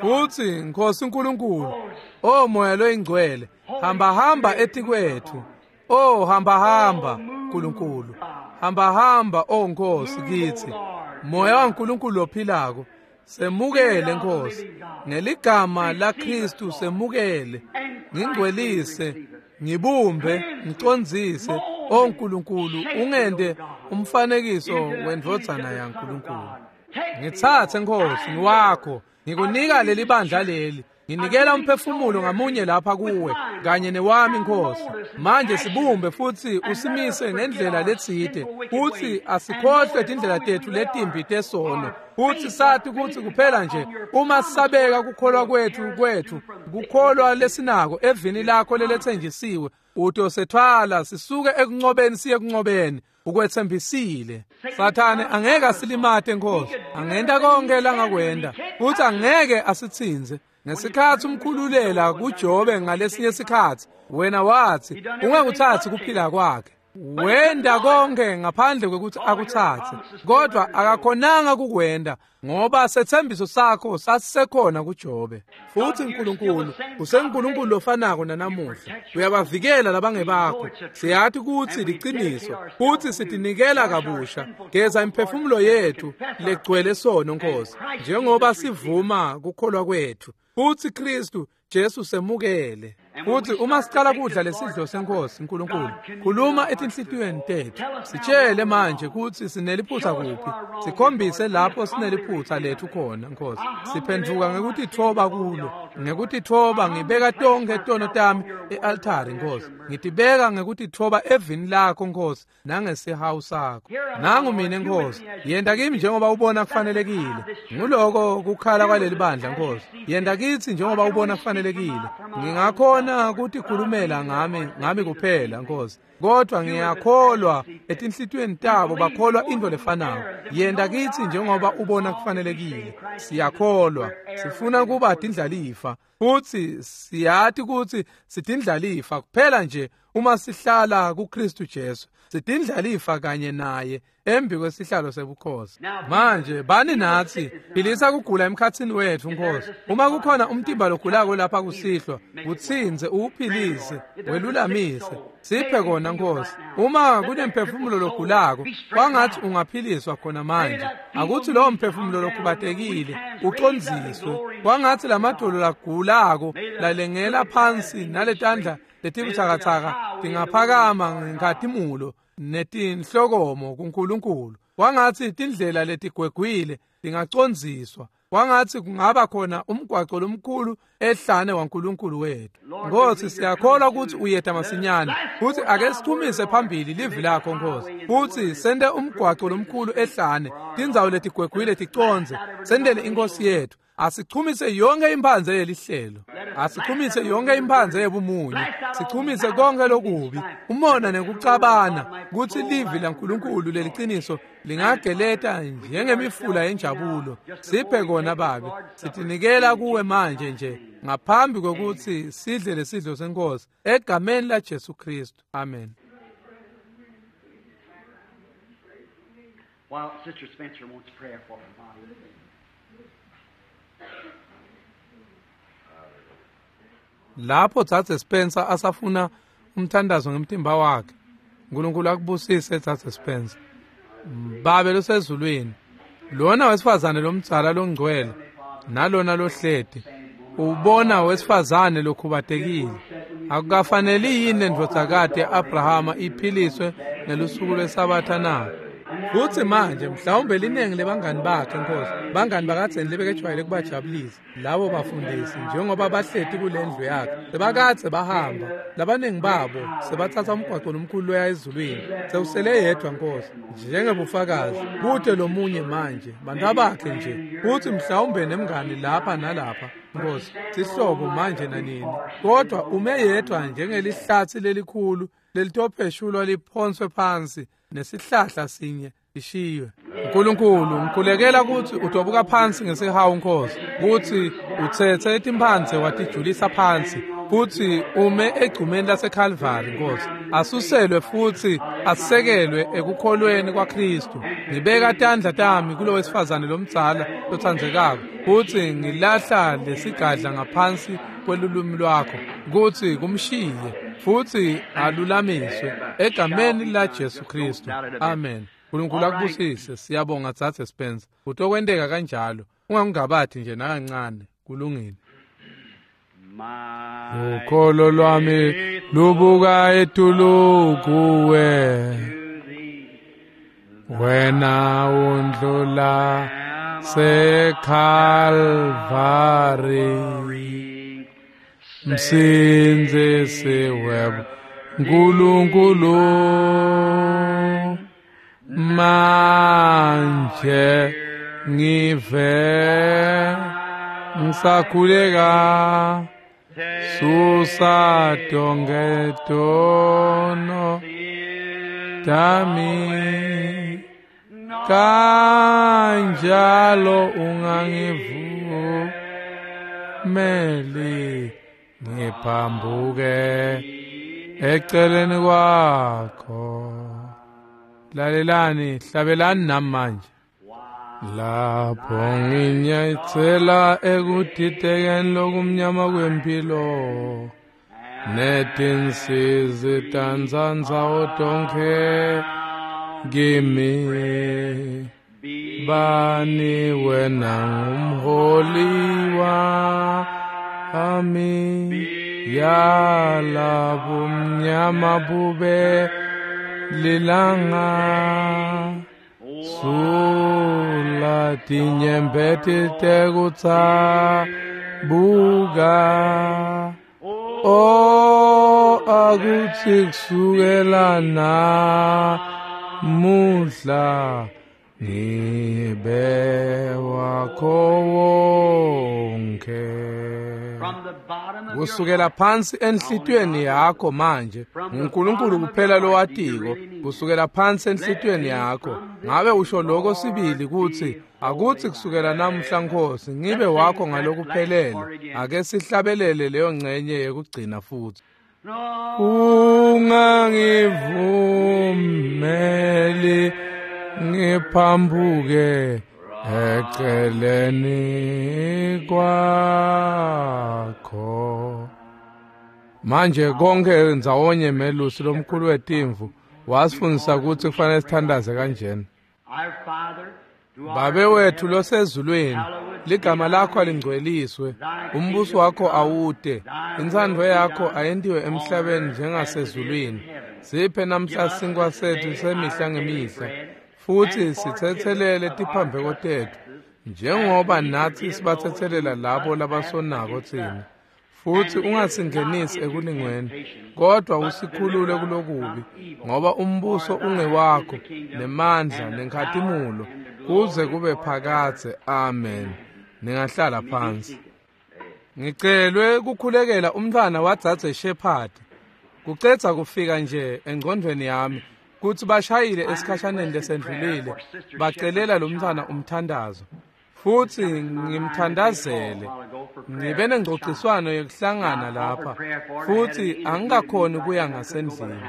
Futhi Nkosi uNkulunkulu, o Moya loyingcwele, hamba hamba etikwethu. Oh hamba hamba uNkulunkulu, hamba hamba oh Nkosi kithi. Moya waNkulunkulu lophilako, semukele Nkosi ngeligama la Kristu, semukele. Ngingcwelise, ngibumbe, ngicondzise oh Nkulunkulu, ungente umfanekiso wendvodzana yaNkulunkulu. Ngitsatse Nkosi, ngiwakho, ngikunika leli bandla leli. Nginikela umphefumulo ngamunye lapha kuwe kanye newami Nkosi. Manje sibumbe futhi usimise ngendlela letsite, futhi asikhohlwe tindlela tetfu letimbi tesono, futhi sathi kutsi kuphela nje uma sisabeka kukholwa kwetfu kwetfu kukholwa lesinako evini lakho leletsenjisiwe, utosethwala sisuke ekuncobeni siye ekuncobeni. Ukwetsembisile. Sathane angeke asilimate Nkosi, angenta konke langakwenda, futhi angeke asitsinze. Ngesikhathi umkhululela kuJobe ngalesinye sikhathi, wena wathi ungakuthathi kuphila kwakhe. Wenda konke ngaphandle kwekuthi akutsatse, kodwa akakhonanga kukwenda ngoba setsembiso sakho sasisekhona kuJobe. Futhi uNkulunkulu usenguNkulunkulu lofanako nanamuhla, uyabavikela labangebakho. Siyathi kutsi liqiniso, futhi sitinikela kabusha. Geza imphefumulo yethu legcwele sono Nkosi, njengoba sivuma kukholwa kwethu. Futhi Kristu Jesu semukele. Futhi uma sicala kudla lesidlo senkosi uNkulunkulu, khuluma etinhlitiyweni tethu. Sitshele manje kutsi sineliphutsa kuphi, sikhombise lapho sineliphutsa lethu khona Nkosi. Siphenduka ngekutitfoba kulo, ngekutitfoba ngibeka tonke tono tami e-altari Nkosi. Ngitibeka ngekutitfoba evini lakho Nkosi nangesihawu sakho. Nangu mina Nkosi, yenta kimi njengoba ubona kufanelekile. Nguloko kukhala kwaleli bandla Nkosi. Yenta kitsi njengoba ubona kufanelekile. Ngingakhona kutikhulumela ngami ngami kuphela Nkosi, kodwa ngiyakholwa etinhlitiyweni tabo bakholwa into lefanako. Yenta kitsi njengoba ubona kufanelekile. Siyakholwa. Sifuna kuba tindlalifa futsi siyati kutsi sitindlalifa kuphela nje uma sihlala kuKristu Jesu. Sitindlalifa kanye naye embi kwesihlalo sebukhosi. Manje bani natsi, philisa kugula emkhatsini wetfu Nkosi. Uma kukhona umtimba logulako lapha kusihlwa, utsintse uwuphilise, welulamise. Siphe kona Nkosi. Uma kunemphefumulo logulako, kwangathi ungaphiliswa khona manje. Akuthi lowo mphefumulo lokhubatekile ucondziswe. Kwangathi lamadolo lagulako lalengela phansi naletandla letibutsakatsaka tingaphakama ngenkhatimulo netinhlokomo kuNkulunkulu. Kwangathi tindlela letigwegwile tingacondziswa. Kwangathi kungaba khona umgwaco lomkhulu ehlane waNkulunkulu wethu. Nkosi, siyakholwa ukuthi uyeta masinyane, futhi ake sithumise phambili livi lakho Nkosi, futhi sente umgwaco lomkhulu ehlane, tindzawo letigwegwile ticondze, sendele inkosi yethu. Asichumise yonke imphanze yelihlelo, asichumise yonke imphanze yebumunye, sichumise konke lokubi, umona nekucabana, kutsi livi laNkulunkulu leliciniso lingageleta njengemifula yenjabulo. Siphe kona Babe, sitinikela kuwe manje nje ngaphambi kwekutsi sidle lesidlo senkosi, egameni la Jesu Kristu, amen. While Sister Spencer wants prayer for her body. Lapho Dzadze Spencer asafuna umthandazo ngemtimba wakhe, uNkulunkulu akubusise Dzadze Spencer. Babe losezulwini, lona wesifazane lomdzala longcwele nalona lohleti, ubona wesifazane lokhubatekile. Akukafaneli yini lendvodzakati ya-Abrahama iphiliswe ngelusuku lwesabatha na? Futsi manje mhlawumbe linengi lebangani bakhe Nkosi, bangani bakadzeni lebekejwayele kubajabulisa labo bafundisi njengoba bahleti kulendlu yakhe, sebakadze bahamba, labaningi babo sebatsatsa umgwaco lomkhulu loya ezulwini. Sewusele yedwa Nkosi njengebufakazi, kute lomunye manje, bantu bakhe nje, futsi mhlawumbe nemngani lapha nalapha Nkosi, sihlobo manje nanini, kodwa ume yedwa njengelihlatsi lelikhulu lelitopheshulwa liphonswe phansi nesihlahla sinye lishiywe. uNkulunkulu, ngikhulekela kutsi utobuka phansi ngesihawu Nkosi, kutsi utsetse timphandze watijulisa phansi, futsi ume egcumeni laseKalvari Nkosi, asuselwe futsi asekelwe ekukholweni kwaKristu. Ngibeka tandla tami kulo wesifazane lomdzala lotsandzekako, futsi ngilahla lesigadla ngaphansi kwelulwimi lwakho kutsi kumshiye futsi alulamiswe egameni la Jesu Kristu, amen. uNkulunkulu akubusise. Siyabonga Dzadze Spencer. Kutokwenteka kanjalo, ungangabati nje nakancane. Kulungile. Ukholo lwami lubuka etulu kuwe, wena undlula seKalvari, Msindzisi webo Nkulunkulu, manje ngive ngisakhuleka, susa tonke tono tami, kanjalo ungangivumeli ngiphambuke eceleni kwakho. Lalelani, hlabelani nami manje. Lapho nginyatsela ekudidekeni lokumnyama kwempilo, netinsizi tandzandzawo tonkhe kimi, bani wena ngumholi wami, yalabumnyama bube lilanga, sula tinyembeti tekutsabuka. O akutsi kusukela namuhla Ngibe wakho wonke. Kusukela phansi enhlitiyweni yakho manje, uNkulunkulu kuphela lowatiko, kusukela phansi enhlitiyweni yakho. Ngabe usho lokho sibili kutsi akuthi kusukela namuhla Nkosi ngibe wakho ngalokuphelele. Ake sihlabelele leyo ngcenye yekugcina futhi. Ungangivumeli ngiphambuke eceleni kwakho. Manje konke ndzawonye melusi lomkhulu wetimvu wasifundisa ukuthi kufanele sithandaze kanjena. Babe wethu losezulwini, ligama lakho alingcweliswe, umbuso wakho awude, intsandvo yakho ayentiwe emhlabeni njengasezulwini. Siphe namhla sinkwa sethu semihla ngemihla, futhi sithethelele tiphambeko tethu njengoba nathi sibathethelela labo labasonako thina. Futhi ungasingenisi ekulingweni, kodwa usikhulule kulokubi, ngoba umbuso ungewakho nemandla nenkhatimulo kuze kube phakadze. Amen. Ningahlala phansi. Ngicelwe kukhulekela umntwana wadzadze Shepherd. Kucetha kufika nje engcondvweni yami kutsi bashayile esikhashaneni lesendlulile bacelela lo mntwana umthandazo, futhi ngimthandazele. Ngibe nengcociswano yekuhlangana lapha futhi angikakhoni kuya ngasendlini,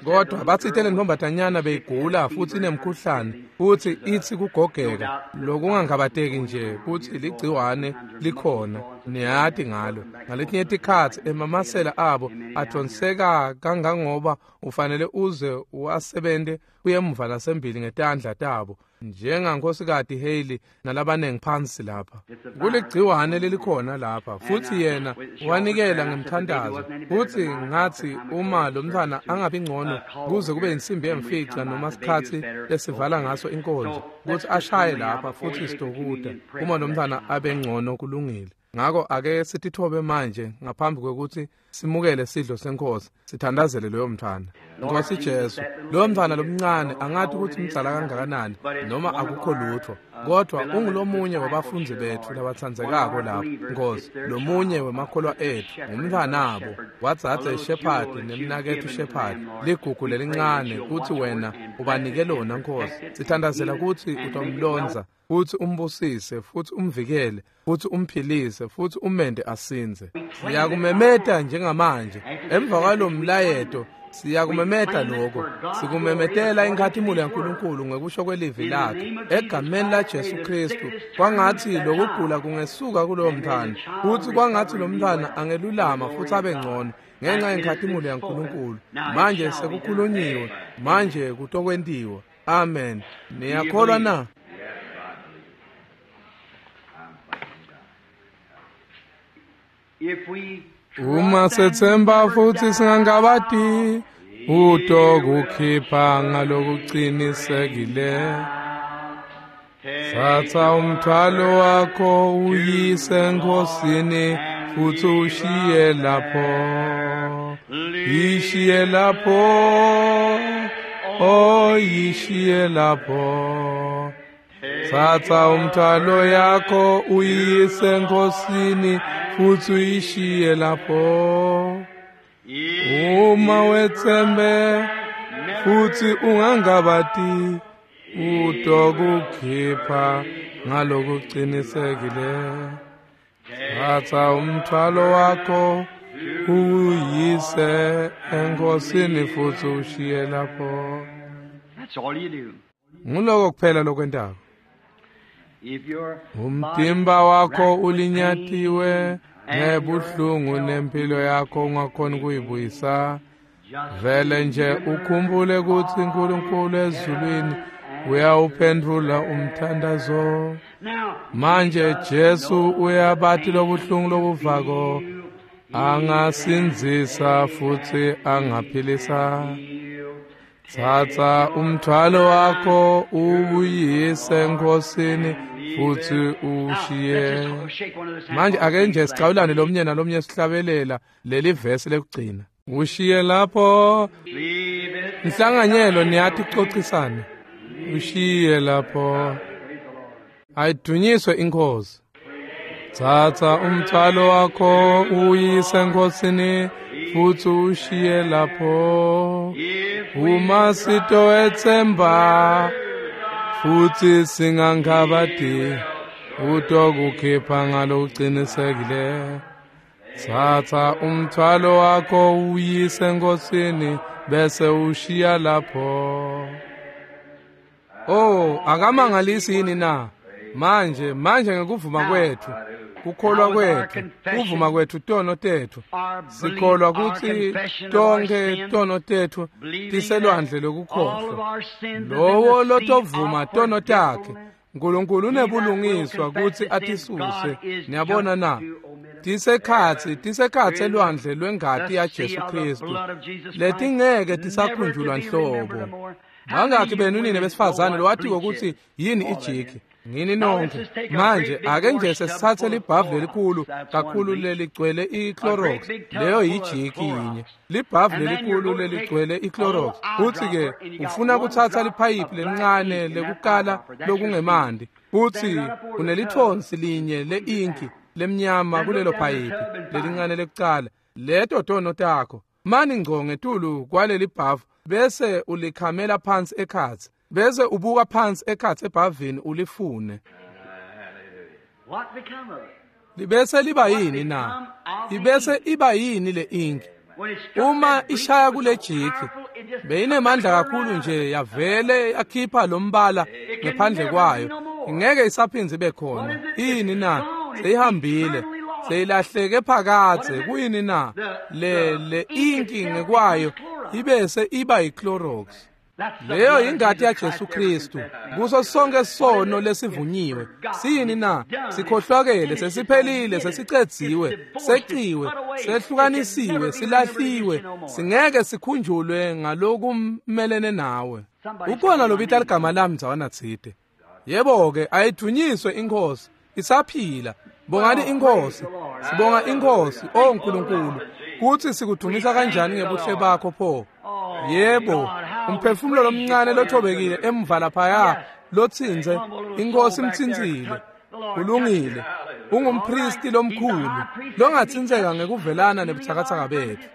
kodwa batsite le ntombatanyana beyigula futhi inemkhuhlane futhi ithi kugogeka lokungangabateki nje kutsi ligciwane likhona, niyati ngalo. Ngaletinye tikhatsi emamasela abo adonseka kangangoba ufanele uze uwasebente uyemuva nasembili ngetandla tabo, njengankosikati Haley nalabanengi phansi lapha. Kuligciwane lelikhona lapha, futhi yena wanikela ngemthandazo. Futhi ngathi uma lo mntwana angabi ngcono kuze kube insimbi yemfica noma sikhatsi lesivala ngaso inkonzo, kuthi ashaye lapha futhi sitokuda uma lo mntwana abe ngcono kulungile. Ngako ake sitithobe manje ngaphambi kwekuthi simukele sidlo senkosi, sithandazele loyo mntwana. Nkosi Jesu, loyo mntwana lomncane angathi ukuthi mdzala kangakanani noma akukho lutho, kodwa ungulomunye wabafundzi bethu labatsandzekako lapha Nkosi, lomunye wemakholwa ethu, ngumntwanabo wadzadze Shepherd nemnaketfu Shepherd, ligugu lelincane kutsi wena ubanike lona Nkosi. Sithandazela kutsi utomlondza futhi umbusise futhi umvikele futhi umphilise futhi umente asinze. Siyakumemeta njengamanje emva kwalomlayeto, siyakumemeta lokho, sikumemetela inkhatimulo yaNkulunkulu ngekusho kwelivi lakhe egameni la Jesu Kristu. Kwangathi lokugula kungesuka kulowo mntwana, futhi kwangathi lo mntwana angelulama futhi abe ngcono ngenxa yenkhatimulo yaNkulunkulu. Manje sekukhulunyiwe, manje kutokwentiwa. Amen. Niyakholwa na? Uma sethemba futhi singangabati, utokukhipha ngalokuqinisekile. Thatha umthwalo wakho uyise enkosini futhi ushiye lapho, ishiye lapho, oh ishiye lapho. Thatha umthwalo yakho uyise enkosini futhi uyishiye lapho. Uma wethembe futhi ungangabati, utokukhipha ngalokuqinisekile. Thatha umthwalo wakho uyise enkosini futhi ushiye lapho. Nguloko kuphela lokwentako. Umtimba wakho ulinyatiwe ngebuhlungu nempilo yakho ungakhoni kuyibuyisa, vele nje ukhumbule ukuthi uNkulunkulu ezulwini uyawuphendula umthandazo. Manje Jesu uyabathi lobuhlungu lobuvako, angasinzisa futhi angaphilisa. Thatha umthwalo wakho uyise enkosini futhi ushiye. Manje ake nje sicawulane lomnye nalomnye sihlabelela leli vesi lekugcina. Ushiye lapho. Inhlanganyelo niyathi kucocisana. Ushiye lapho. Ayidunyiswe inkosi. Thatha umthwalo wakho uyise enkosini futhi ushiye lapho. Uma sitowethemba futhi singangabadi utokukhipha ngalokuqinisekile. Thatha umthwalo wakho uyise enkosini bese ushiya lapho. Oh, akamangalisi yini na? Manje, manje ngekuvuma kwethu, kukholwa kwethu, kuvuma kwethu tono tethu. Sikholwa ukuthi tonke tono tethu tiselwandle lokukhohlwa. Lowo lotovuma tono takhe, uNkulunkulu unebulungiswa ukuthi atisuse. Niyabona na? Tisekhatsi, tisekhatsi elwandle lwengati yaJesu Kristu. Letingeke tisakhunjulwa nhlobo. Bangakhi benu nini besifazane lowatiko ukuthi yini ijiki? Ngini nonke. Manje ake nje sesithathe libhavu lelikhulu kakhulu leligcwele iClorox. Leyo yijiki yinye. Libhavu lelikhulu leligcwele iClorox. Uthi ke ufuna kuthatha liphayiphi lelincane lekukala lokungemandi. Uthi unelithonsi linye leinki lemnyama kulelo phayiphi lelincane lekucala. Leto tono takho. Mani ngco ngetulu kwaleli bhavu bese ulikhamela phansi ekhatsi. Bese ubuka phansi ekhatsi ebhavini ulifune. Libese liba yini na? Ibese iba yini le inki? Uma ishaya kule jiki beyinemandla kakhulu nje yavele yakhipha lombala ngephandle kwayo. Ingeke isaphindze ibe khona. Yini na? Seyihambile. Seyilahleke phakadze. Kuyini na? Le le inki ngekwayo ibese iba yiClorox. Leyo ingati yaJesu Kristu kuso sonke sono lesivunyiwe. Siyini na? Sikhohlwakele, sesiphelile, sesicedziwe, seciwe, sehlukanisiwe, silahliwe, singeke sikhunjulwe ngalokumelene nawe. Ukhona lobita ligama lami ndzawana tsite. Yebo ke, ayidunyiswe inkosi, isaphila. Bongani inkosi, sibonga inkosi, oh uNkulunkulu, kuthi sikudumisa kanjani ngebuhle bakho pho. Yebo, umphefumulo lomncane lothobekile emva laphaya lotsinze inkosi imtsintsile. Ulungile, ungumpristi lomkhulu longatsintseka ngekuvelana nebuthakathaka bethu.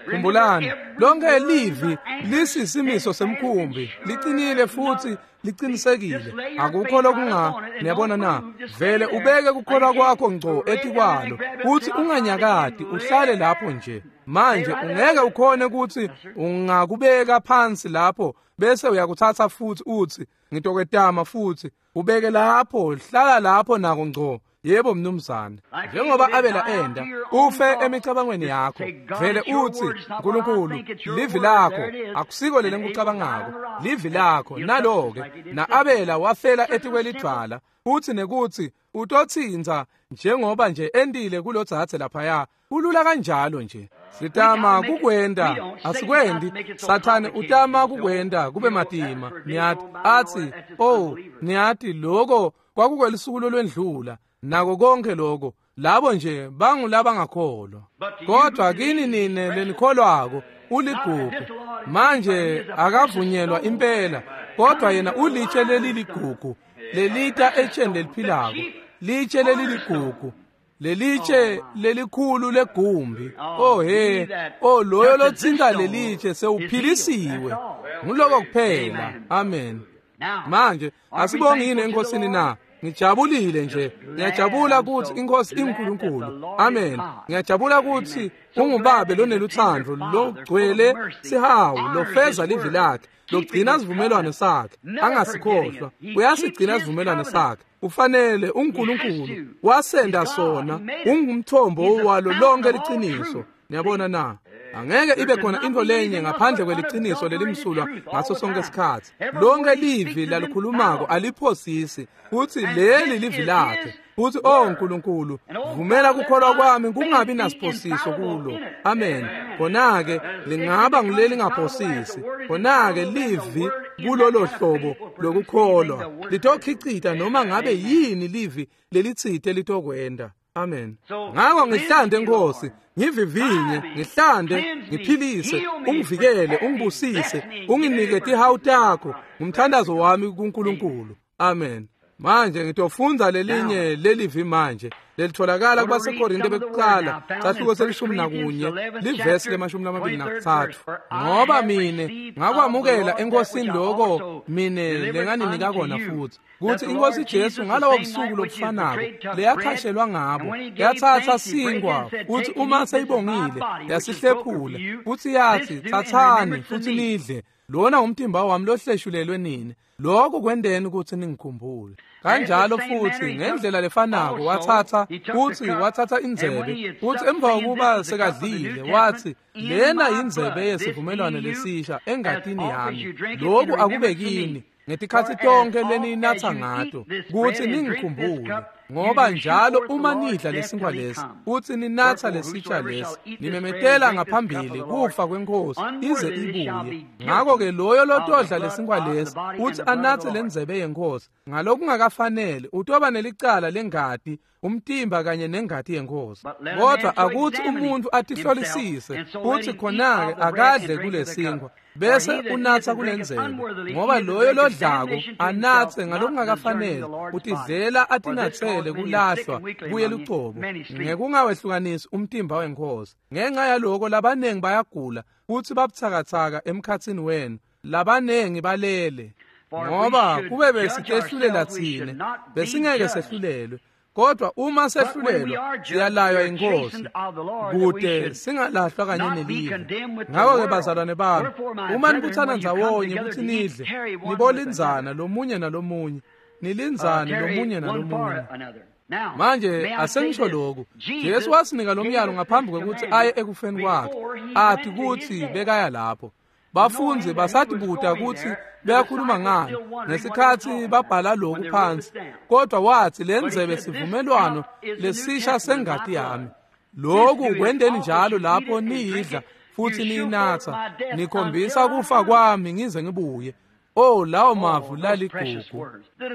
Khumbulani, lonke livi lisisimiso semkhumbi, liqinile futhi liqinisekile. Akukho lokunga, niyabona na? Vele ubeke kukholwa kwakho ngco etikwalo, uthi unganyakati, uhlale lapho nje. Manje ungeke ukhone ukuthi ungakubeka phansi lapho bese uyakuthatha futhi uthi ngitokwetama futhi ubeke lapho, hlala lapho nako ngco. Yebo mnumzane, njengoba Abela enda, ufe emicabangweni yakho. Vele uthi uNkulunkulu, livi lakho akusiko leli ngikucabangako, livi lakho nalo-ke. Na-Abela wafela etikwelidvwala, uthi nekuthi utotsinza njengoba nje endile kulodzadze laphaya. Kulula kanjalo nje. Sitama kukwenda, asikwendi. Sathane utama kukwenda kube matima. Niyati athi, oh, niyati lokho kwakukwelisuku lolwendlula. Nako konke lokho, labo nje bangulabangakholwa. Kodwa kini nine lenikholwako uligugu. Manje akavunyelwa impela, kodwa yena ulitshe leliligugu, lelita etsheni leliphilako, litshe leliligugu, lelitshe lelikhulu legumbi. Oh he, oh loyo lothinta lelitshe sewuphilisiwe. Nguloko kuphela. Amen. Manje asibonge yini enkosini na? Ngijabulile nje. Ngiyajabula ukuthi inkosi inguNkulunkulu. Amen. Ngiyajabula ukuthi ungubabe loneluthando, logcwele sihawu, lofeza livi lakhe, logcina isivumelwano sakhe, angasikhohlwa. Uyasigcina isivumelwano sakhe. Ufanele uNkulunkulu wasenda sona, ungumthombo walo lonke liqiniso. Niyabona na? Angeke ibe khona into lenye ngaphandle kweliciniso lelimsulwa ngaso sonke isikhathi. Lonke livi lalikhulumako aliphosisi, futhi leli livi lakhe. Futhi oh uNkulunkulu, vumela kukholwa kwami kungabi nasiphosiso kulo. Amen. Khona-ke lingaba nguleli ngaphosisi. Khona-ke livi kulolo hlobo lokukholwa litokhicita noma ngabe yini livi lelitsite litokwenda. Amen. Ngako ngihlande Nkosi, ngivivinye, ngihlande, ngiphilise, ungivikele, ungibusise, unginike tihawu takho. Ngumthandazo wami kuNkulunkulu. Amen. Manje ngitofundza lelinye lelivi manje lelitholakala kubaseKorinte bekuqala sahluko selishumi nakunye livesi lemashumi lamabili nakutsatfu. Ngoba mine ngakwamukela eNkosini loko mine lenganinika kona futhi kutsi iNkosi Jesu ngalowo busuku lobufanako leyakhashelwa ngabo yatsatsa sinkwa futsi uma seyibongile yasihlephula futsi yatsi, tsatsani futsi nidle, lona umtimba wami lohleshulelwe nini, lokhu kwendeni ukuthi ningikhumbule. Kanjalo futhi ngendlela lefanako wathatha futhi wathatha indzebe futhi emva kokuba sekadlile wathi, lena yindzebe yesivumelwano lesisha engatini yami, lokhu akube kini ngetikhatsi tonke leninatha ngato kutsi ningikhumbule. Ngoba njalo uma nidla lesinkwa lesi futhi ninatha lesitsha lesi, nimemetela ngaphambili kufa kweNkosi ize ibuye. Ngako-ke loyo lotodla lesinkwa lesi futhi anathe lendzebe yeNkosi ngalokungakafanele utoba nelicala lengati, umtimba kanye nengati yeNkosi. Kodwa akuthi umuntu atihlolisise futhi khona-ke akadle kulesinkwa bese unatha kulendzebe, ngoba loyo lodlako anathe ngalokungakafanele utidlela atinatsele kulahlwa kuye lucobo ngekungawehlukanisi umtimba weNkosi. Ngenxa yaloko labanengi bayagula futhi babutsakatsaka emkhatsini wenu, labanengi balele. Ngoba kube besitehlulela tsine besingeke sehlulelwe, kodwa uma sehlulelwa siyalaywa iNkosi kude singalahlwa kanye nelive. Ngako-ke bazalwane bami, uma nibuthana ndzawonye kutsi nidle, nibolindzana lomunye nalomunye, nilindzane lomunye nalomunye. Manje asengisho lokhu, Jesu wasinika lo myalo ngaphambi kwekutsi aye ekufeni kwakhe, athi kutsi bekaya lapho. Bafundzi basatibuta kutsi beyakhuluma ngani ngesikhatsi babhala lokhu phansi, kodwa wathi lendzebe sivumelwano lesisha sengati yami. Lokhu kwendeni njalo lapho niyidla futhi niyinatha, nikhombisa kufa kwami ngize ngibuye. Oh, lawo mavu laligugu.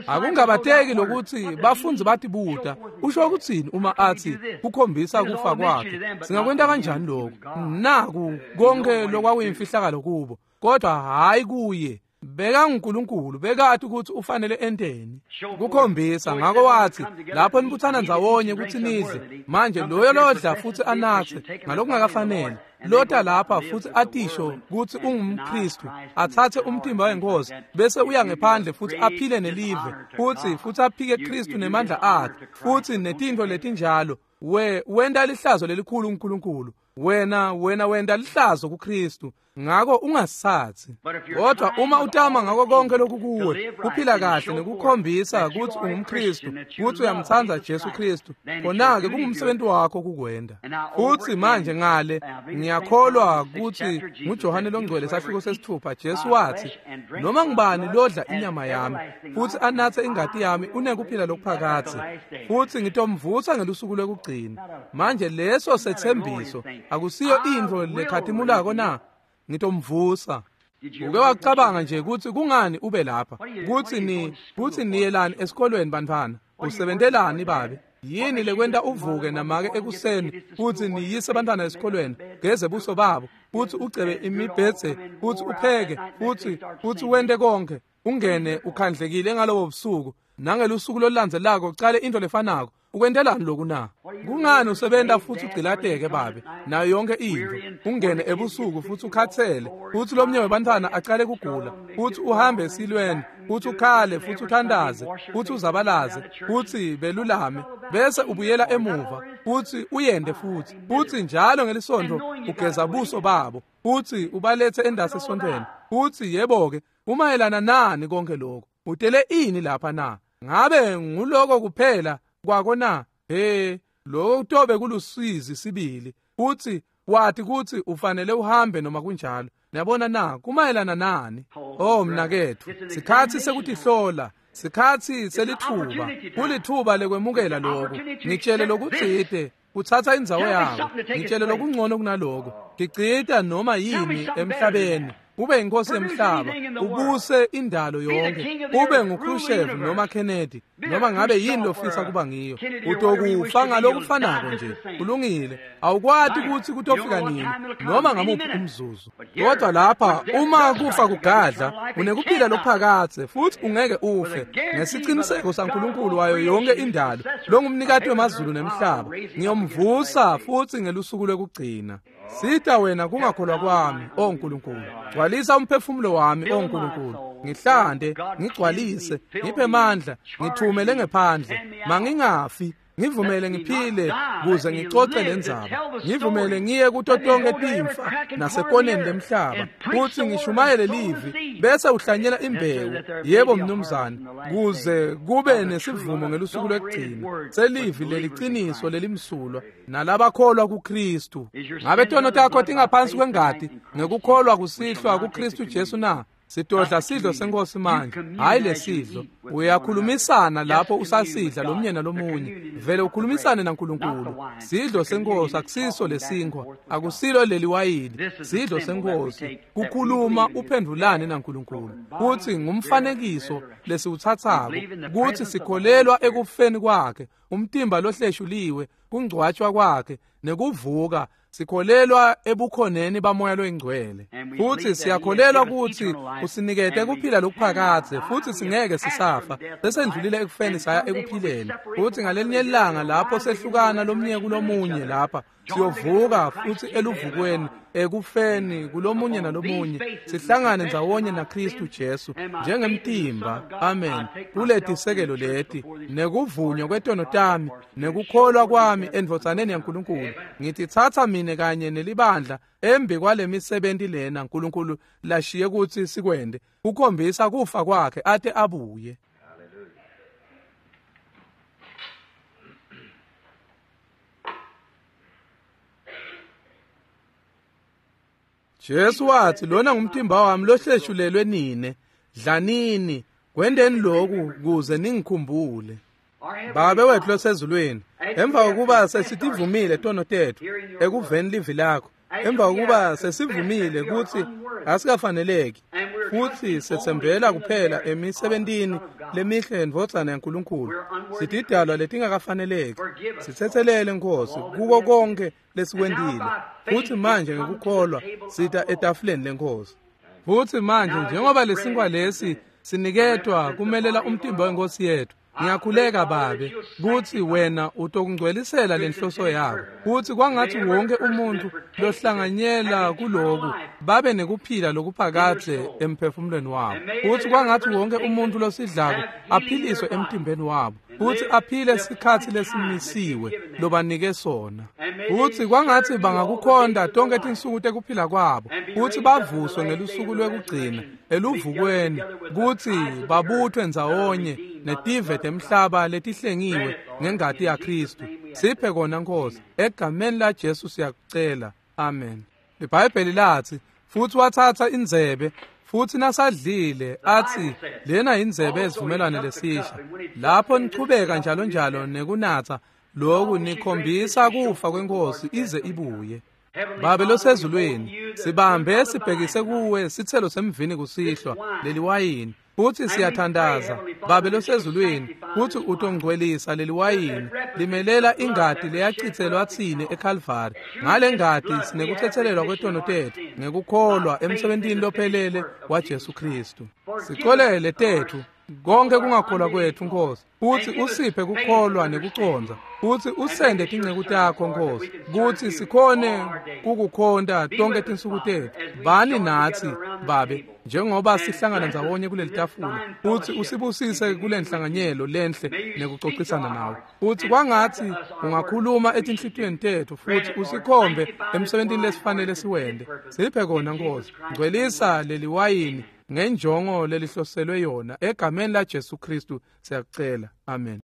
Akungabateki lokuthi bafundzi batibuta usho ukutsini uma athi kukhombisa kufa kwakhe. Singakwenta kanjani lokho? Naku konke lokwakuyimfihlakalo kubo, kodwa hayi kuye. BekanguNkulunkulu, bekati ukuthi ufanele enteni kukhombisa. Ngako wathi lapho nibuthana ndzawonye kutsi nidle, manje loyo lodla futhi anathe ngalokungakafanele, lota lapha futhi atisho kutsi ungumKristu, athathe umtimba weNkosi bese uya ngephandle futhi aphile nelive futhi futhi aphike Kristu nemandla akhe futhi netintfo letinjalo, we wenta lihlazo lelikhulu uNkulunkulu. Wena wena wenta lihlazo kuKristu, ngako ungasatsi. Kodwa uma utama ngako konke lokhu kuwe kuphila kahle nekukhombisa kutsi ungumKristu, kutsi uyamtsandza Jesu Kristu, khona-ke kungumsebenzi wakho kukwenta. Futsi manje ngale ngiyakholwa kutsi nguJohane longcwele sahluko sesithupha, Jesu wathi, noma ngubani lodla inyama yami futhi anathe ingati yami unekuphila lokuphakadze, futhi ngitomvusa ngelusuku lwekugcina. Manje leso sethembiso akusiyo intfo lekhatimulako na? Ngitomvusa. Uke wacabanga nje kutsi kungani ube lapha, kutsi ni kutsi niyelani esikolweni bantfwana, usebentelani babe? Yini lekwenta uvuke namake ekuseni futsi niyise bantfwana esikolweni, geze buso babo, futsi ucebe imibhedze, futsi upheke, futsi futsi wente konke, ungene ukhandlekile ngalobo busuku, nangelusuku lolulandzelako ucale into lefanako. Ukwentelani lokhu na? Kungani usebenta futhi ugcilateke babe nayo yonke into, ungene ebusuku futhi ukhathele, futhi lomnye webantfwana acale kugula, futhi uhambe esilweni, futhi ukhale, futhi uthandaze, futhi uzabalaze, futhi belulame, bese ubuyela emuva futhi uyende futhi futhi njalo ngelisonto ugeza buso babo futhi ubalethe endasi esontweni. Futhi yebo-ke, umayelana nani konke lokho? Utele ini lapha na? Ngabe nguloko kuphela kwako na? He, lokho kutobe kulusizi sibili. Futhi wathi kuthi ufanele uhambe noma kunjalo. Niyabona na? Kumayelana nani? Oh mnakethu, sikhatsi sekutihlola, sikhatsi selithuba, kulithuba lekwemukela lokho. Ngitshele lokutsite kutsatsa indzawo yako, ngitshele lokungcono kunaloko. Ngicita noma yini emhlabeni ube inkosi yemhlaba, ubuse indalo yonke, ube nguKhrushchev noma Kennedy, noma ngabe yini lofisa kuba ngiyo, utokufa ngalokufanako nje. Kulungile, awukwati kutsi kutofika nini noma ngamuphi umzuzu. Kodwa lapha uma kufa kugadla, unekuphila lokuphakadze futhi ungeke ufe, ngesiciniseko saNkulunkulu wayo yonke indalo, longumnikati wemazulu nemhlaba. Ngiyomvusa futhi ngelusuku lwekugcina. Sita wena kungakholwa kwami, o Nkulunkulu. Gcwalisa umphefumulo wami, o Nkulunkulu. Ngihlande, ngigcwalise, ngiphe mandla, ngithumele ngephandle. Mangingafi, ngivumele ngiphile kuze ngicoce lendzaba. Ngivumele ngiye kuto tonke timfa nasekoneni lemhlaba, futhi ngishumayele livi bese uhlanyela imbewu. Yebo mnumzane, kuze kube nesivumo ngelusuku lwekugcina selivi leliciniso lelimsulwa nalabakholwa kuKristu. Ngabe tono takho tingaphansi kwengati ngekukholwa kusihlwa kuKristu Jesu na? Sidodla sidlo senkosi manje, hayi lesidlo. Uyakhulumisana lapho usasidla lomnye nalomunye, vele ukhulumisane naNkulunkulu. Sidlo senkosi akusiso lesinkhwa, akusilo leliwayini. Sidlo senkosi kukhuluma uphendulane naNkulunkulu. Kuthi ngumfanekiso lesiwuthathako kuthi sikholelwa ekufeni kwakhe, umtimba lohleshuliwe, kungcwatshwa kwakhe nekuvuka. Sikholelwa ebukhoneni bamoya loyingcwele, futhi siyakholelwa ukuthi usinikete kuphila lokuphakadze, futhi singeke sisafa. Sesendlulile ekufeni saya ekuphileni. Futhi ngalelinye ilanga lapho sehlukana lomnye kulomunye lapha, siyovuka futhi eluvukweni ekufeni kulomunye nalomunye, sihlangane ndzawonye naKristu Jesu njengemtimba. Amen. Kuletisekelo leti nekuvunywa kwetono tami nekukholwa kwami endvodzaneni yaNkulunkulu, ngithi thatha mine kanye nelibandla embi kwalemisebenti lena Nkulunkulu lashiye kutsi sikwende, kukhombisa kufa kwakhe ate abuye. Jesu wathi, lona ngumtimba wami lohleshulelwe nine, dlanini, kwendeni lokhu kuze ningikhumbule. Babe wethu losezulwini, emva kokuba sesitivumile tono tethu ekuveni livi lakho, emva kokuba sesivumile kutsi asikafaneleki futhi setsembela kuphela emisebentini lemihle yendvodzana yaNkulunkulu, sitidalwa letingakafaneleki, sitsetselele Nkosi kuko konke lesikwentile. Futhi manje ngekukholwa sita etafuleni lenkosi. Futhi manje njengoba lesinkwa lesi siniketwa kumelela umtimba wenkosi yethu, ngiyakhuleka Babe kutsi wena utokungcwelisela lenhloso yakho, kutsi kwangathi wonke umuntu lohlanganyela kuloku babe nekuphila lokuphakadze emphefumulweni wabo, kutsi kwangathi wonke umuntu losidlako aphiliswe emtimbeni wabo, kutsi aphile sikhatsi lesimisiwe lobanike sona, kutsi kwangathi bangakukhonda tonke tinsuku tekuphila kwabo, kutsi bavuswe ngelusuku lwekugcina eluvukweni, kutsi babuthwe ndzawonye netive temhlaba letihlengiwe ngengati yaKristu. Siphe kona Nkosi, egameni la Jesu siyakucela, amen. IBhayibheli lathi, futhi wathatha indzebe, futhi nasadlile athi, lena indzebe yesivumelwano lesisha. Lapho nichubeka njalo njalo nekunatsa lokhu, nikhombisa kufa kwenkosi ize ibuye. Babe losezulwini, sibambe sibhekise kuwe sithelo semvini kusihlwa leliwayini, futhi siyathandaza Babe losezulwini kutsi utongcwelisa leliwayini limelela ingati leyachitselwa tsine eKalvari. Ngale ngati sinekutsetselelwa kwetono tethu ngekukholwa emsebentini lophelele waJesu Kristu. Sicolele tethu konke kungakholwa kwethu Nkosi, futhi usiphe kukholwa nekucondza, futhi usende tinceku takho Nkosi, kutsi sikhone kukukhonta tonke tinsuku tethu. Bani natsi Babe njengoba sihlangana ndzawonye kuleli tafula, futhi usibusise kule nhlanganyelo lenhle nekucocisana nawe. Futhi kwangathi ungakhuluma etinhlitiyweni tethu futhi usikhombe emsebentini lesifanele siwende. Siphe kona Nkosi, ngcwelisa leliwayini ngenjongo lelihloselwe yona, egameni la Jesu Kristu siyakucela, amen.